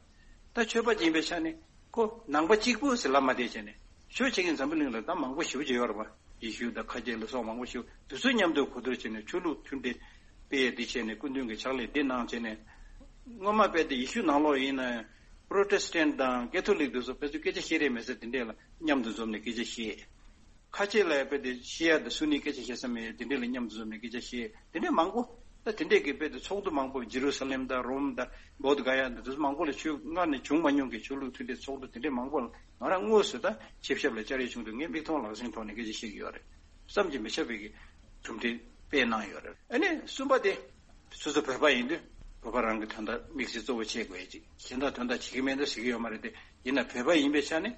ད་ཆོས་པ་ཅིག་ཡིན་པའི་ཆ་ནས་ཁོ་ནང་པ་གཅིག་པུ་ཟེར་ལབ་མ་བསྡད་བྱས་ནས་ཆོས་བྱེད་མཁན་འཛམ་བུ་གླིང་ལ་ད་མང་པོ་ཞེ་པོ་ཅིག་ཡོད་རེད་བ། ཡེ་ཤུ་དང་ཁ་ཆེ་ལ་སོགས་མང་པོ་ཞིག་དེ་ཚོ་མཉམ་དུ་གོ་བསྡུར་བྱས་ནས་ཆོས་ལུགས་མཐུན་སྒྲིལ་སྤེལ་ཡས་འདི་བྱས་ནས་སྐུ་མདུན་གྱི་ཕྱག་ལས་འདི་གནང་བྱས་ནས། སྔོན་མ་དཔེ་དེ་ཡེ་ཤུ་ནང་ལོགས་ཡིན་ན་ཡང་Protestant་དང་Catholic་དེ་ཚོ་ཕལ་ཆེར་སྐད་ཆ་བཤད་རེས་མེད་ས་དེ་འདྲས་ལ་མཉམ་དུ་འཛོམས་ནས་སྐད་ཆ་བཤད། ཁ་ཆེ་ལ་དཔེ་དེ་ཤི་ཡ་དང་སུ་ནི་སྐད་ཆ་བཤད་ས་མེད། དེ་འདྲས་ལ་མཉམ་དུ་འཛོམས་ནས་སྐད་ཆ་བཤད། དེ་འདྲས་མང་པོ། ད་དེ་འདྲས་ཀྱི་དཔེ་དེ་ཚོགས་འདུ་མང་པོ་ཇི་རུ་ས་ལེམ་དང་རོམ་དང་བོད་ག་ཡ་དང་དེ་ཚོ་མང་པོ་ལ་ཆོས་སྔར་ནས་བྱུང་མ་མྱོང་གི་ཆོས་ལུགས་མཐུན་སྒྲིལ་ཚོགས་འདུ་དེ་འདྲས་མང་པོ་ལ། ང་རང་དངོས་སུ་ད་ཆིབས་ཞབས་ལ་བཅར་ཡས་བྱུང་དུས་ངས་མིག་མཐོང་ལག་ཟིན་ཐོག་ནས་སྐད་ཆ་བཤད་ཀྱི་ཡོད་རེད། བསམ་གྱིས་མི་ཁྱབ་པའི་གི་གྲུབ་འབྲས་སྤེལ་གནང་ཡོད་རེད། ཨ་ནི་གསུམ་པ་དེ་སོ་སོ་བོད་པ་ཡིན་དུས་བོད་པ་རང་གི་དོན་དག་དམིགས་བསལ་གཙོ་བོ་བྱེད་དགོས་ཡ་ཅིག་གཞན་དག་དོན་དག་བྱེད་ཀྱི་མེད་འདུག་ཟེར་གྱི་ཡོད་མ་རེད་དེ། ཡིན་ན་བོད་པ་ཡིན་པའི་ཆ་ནས་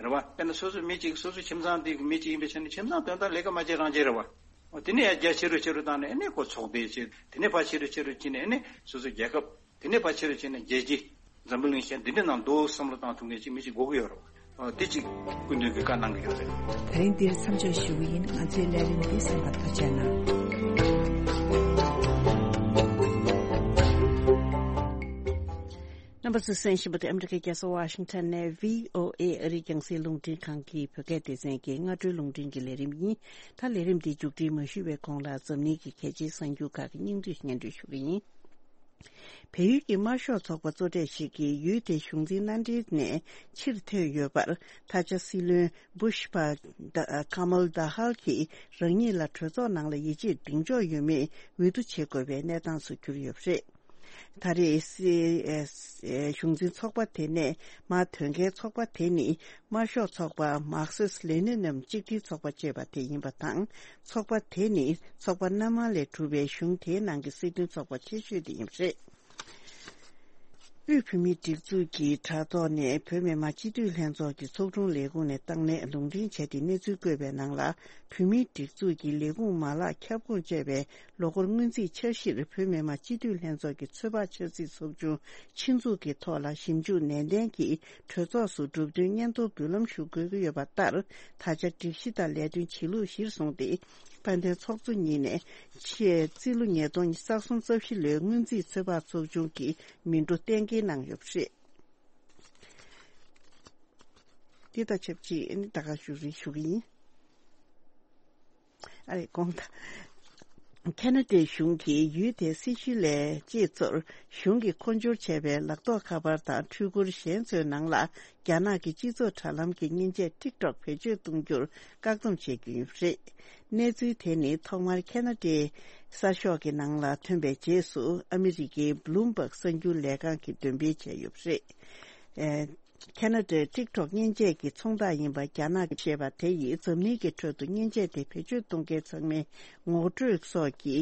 རེད་བ། དཔེར་ན་སོ་སོ་མི་གཅིག་སོ་སོ་ཁྱིམ་ཚང་དེ་གི་མི་གཅིག་ཡིན་པའི་ཆ་ནས་ཁྱིམ་ཚང་དོན་དག་ལས་ཀ་མ་བྱེད་རང་བྱེད་རེད་བ། འོ་དེ་ནས་ཡར་རྒྱ་ཆེ་རུ་ཆེ་རུ་བཏང་ནས་ཨ་ནི་ཁོ་ཚོགས་སྡེ་བྱེད། དེ་ནས་ཕར་ཆེ་རུ་ཆེ་རུ་ཕྱིན་ནས་ཨ་ནི་སོ་སོ་རྒྱལ་ཁབ། དེ་ནས་ཕར་ཆེ་རུ་ཕྱིན་ནས་རྒྱལ་སྤྱི། འཛམ་བུ་གླིང་གཞན་འདི་འདྲ་ནང་འདུག་བསམ་བློ་བཏང་ཐུབ་མཁན་ཅིག་མི་ཞིག་དགོས་ཀྱི་ཡོད་རེད། འོ་དེ་ཅིག་སྐུ་མདུན་གྱིས་བཀའ་གནང་གི་ཡོད་རེད། ད་རིང་འདིར་མཚམས་འཇོག་ཞུ་གི་ཡིན། ང་ཚོའི་ལས་རིམ་འདི་གསན་པར་ཐུགས་རྗེ་གནང་། རྣམ་པ་ཚོས་གསན་བཞིན་པ་དེ་ཨ་མི་རི་ཀའི་རྒྱལ་ས་ཝ་ཤིང་ཊོན་ནས་བྷི་ཨོ་ཨེ་ཨ་རིའི་རྒྱང་སྲིང་རླུང་འཕྲིན་ཁང་གི་བོད་སྐད་སྡེ་ཚན་གྱི་སྔ་དྲོའི་རླུང་འཕྲིན་གྱི་ལས་རིམ་ཡིན། ད་ལས་རིམ་འདི་མཇུག་སྒྲིལ་མ་ཞུས་པའི་གོང་ལ་འཛམ་གླིང་གི་གལ་ཆེའི་གསར་འགྱུར་ཁག་གི་སྙིང་བསྡུས་སྙན་སྒྲོན་ཞུ་གི་ཡིན། བལ་ཡུལ་གྱི་དམར་ཤོག་ཚོགས་པ་གཙོ་གྲས་ཤིག་གིས་ཡུལ་དེའི་གཞུང་འཛིན་མནའ་འབྲེལ་ནས་ཕྱིར་ཐོན་ཡོད་པར། ད་ཆ་སྲིད་བློན་བུ་ཤ་པ་ད་ཁ་མལ་ད་ཧལ་གྱིས་རང་ཉིད་ལ་གྲོས་ཚོགས་ནང་ལ་ཡིད་ཆེས་གདེང་འཇོག་ཡོད་མེད་འོས་བསྡུ་བྱེད་དགོས་པའི་གནས་སྟངས་སུ་གྱུར་ཡོད་པ་རེད། ད་རེས་སྲིད་ཨེ་ཨེ་གཞུང་འཛིན་ཚོགས་པ་དེ་ནས་མར་ཐོན་མཁན་ཚོགས་པ་དེ་ནི་དམར་ཤོག་ཚོགས་པ་མར་ཁེ་སི་ལེ་ནིན་གཅིག་སྒྲིལ་ཚོགས་པ་ཅེས་པ་དེ་ཡིན་པ་དང་། ཚོགས་པ་དེ་ནི་ཚོགས་པ་སྣ་མང་ལས་གྲུབ་པའི་གཞུང་དེའི་ནང་གི་སྲིད་དོན་ཚོགས་པ་ཆེ་ཤོས་དེ་ཡིན་པ་རེད། དབུས་བོད་མིའི་སྒྲིག་འཛུགས་ཀྱི་དྲ་ཐོག་ནས་བོད་མི་མང་སྤྱི་འཐུས་ལྷན་ཚོགས་ཀྱི་ཚོགས་དྲུང་ལས་ཁུངས་ནས་བཏང་གནས་ལུང་འདྲེན་བྱས་ཏེ་གནས་ཚུལ་བཀོད་པའི་ནང་ལ། བོད་མིའི་སྒྲིག་འཛུགས་ཀྱི་ལས་ཁུངས་མ་ལག་ཁྱབ་ཁོངས་བཅས་པའི་ལོ་འཁོར་སྔོན་རྩིས་འཆར་གཞིར་བོད་མི་མང་སྤྱི་འཐུས་ལྷན་ཚོགས་ཀྱི་ཚོད་དཔག་འཆར་རྩིས་ཚོགས་ཆུང་ཆེད་འཛུགས་ཀྱི་ཐོག་ལ་ཞིབ་འཇུག་ནན་ཏན་གྱིས་གྲོས་ཚོགས་སུ་གྲུབ་དོན་སྙན་ཐོ་འབུལ་ལམ་ཞུ་དགོས་ཀྱི་ཡོད་པ་ལྟར། ད་ཆ་སྒྲིག་གཞི་དང་ལས་དོན་བྱེད་ལུགས་གཞིར་བཟུང་སྟེ། དཔལ་ལྡན་ཚོགས་གཙོ་ཉིད་ནས་ཆེས་རྩིས་ལོ་ཉིས་སྟོང་ཉི་ཤུ་རྩ་གསུམ་རྩ་བཞི་ལོའི་སྔོན་རྩིས་ཚོད་དཔག་ཚོགས་ཆུང་གི་མི་འགྲོ་གཏན་འཁེལ་གནང་ཡོད་པ་རེད། འདི་དང་ཆབས་ཅིག་ཨ་ནི་ད་ག་ཞུ་རེ་ཞུ་གི་ཡིན། ཨ་རེ་དགོངས་དག་ཁེ་ན་ཌའི་གཞུང་གིས་ཡུལ་དེའི་སྲི་ཞུ་ལས་གཅེས་ཚོར་གཞུང་གིས་མཁོ་སྦྱོར་བྱས་པའི་ལག་ཐོགས་ཁ་པར་དང་འཕྲུལ་འཁོར་གཞན་ཚོའི་ནང་ལ་རྒྱ་ནག་གི་སྤྱི་ཚོགས་དྲ་ལམ་གྱི་མཉེན་ཆས་ཊིག་ཊོག་བེད་སྤྱོད་གཏོང་རྒྱུར་བཀག་སྡོམ་བྱེད་རྒྱུ་ཡིན་པ་རེད། གནས་ཚུལ་དེ་ནི་ཐོག་མར་ཁེ་ན་ཌའི་གསར་ཤོག་གི་ནང་ལ་ཐོན་པའི་རྗེས་སུ་ཨ་མི་རི་ཀའི་བྷི་ལུམ་བྷག་གསར་འགྱུར་ལས་ཁང་གིས་འདོན་སྤེལ་བྱས་ཡོད་པ་རེད། ཨེ། ཁེ་ན་ཌའི་ཊིག་ཊོག་མཉེན་ཆས་ཀྱི་ཚོང་རྟགས་ཡིན་པ་རྒྱ་ནག་གིས་བཤད་པ་དེ་ཡིས་འཛམ་གླིང་གི་ཁྲོད་དུ་མཉེན་ཆས་དེ་བེད་སྤྱོད་གཏོང་མཁན་ཚང་མའི་ངོ་སྤྲོད་སོགས་ཀྱི་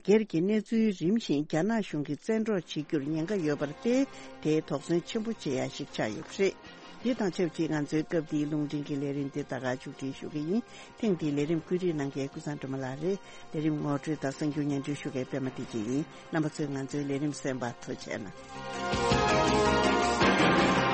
སྒེར་གྱི་གནས་ཚུལ་རིམ་བཞིན་རྒྱ་ནག་གཞུང་གིས་བཙན་འཕྲོག་བྱེད་རྒྱུར་ཉེན་ཁ་ཡོད་པར་བརྟེན། དེ་དོགས་ཟོན་ཆེན་པོ་བྱེད་ཡ་ཞིག་ཆགས་ཡོད་པ་རེད། དེ་དང་ཆབས་ཅིག་ང་ཚོའི་སྐབས་འདིའི་རླུང་འཕྲིན་གྱི་ལས་རིམ་དེ་ད་ག་མཇུག་སྒྲིལ་ཞུ་གི་ཡིན། ཐེངས་འདིའི་ལས་རིམ་བཀོད་སྒྲིག་གནང་མཁན་ཀུན་བཟང་སྒྲོལ་མ་ལགས་རེད། ལས་རིམ་ངོ་སྤྲོད་དང་གསར་འགྱུར་སྙན་སྒྲོན་ཞུ་མཁན་པད་མ་བདེ་ཆེན་ཡིན། རྣམ་པ་ཚོས་ང་ཚོའི་ལས་རིམ་གསན་པར་ཐུགས་རྗེ་གནང་།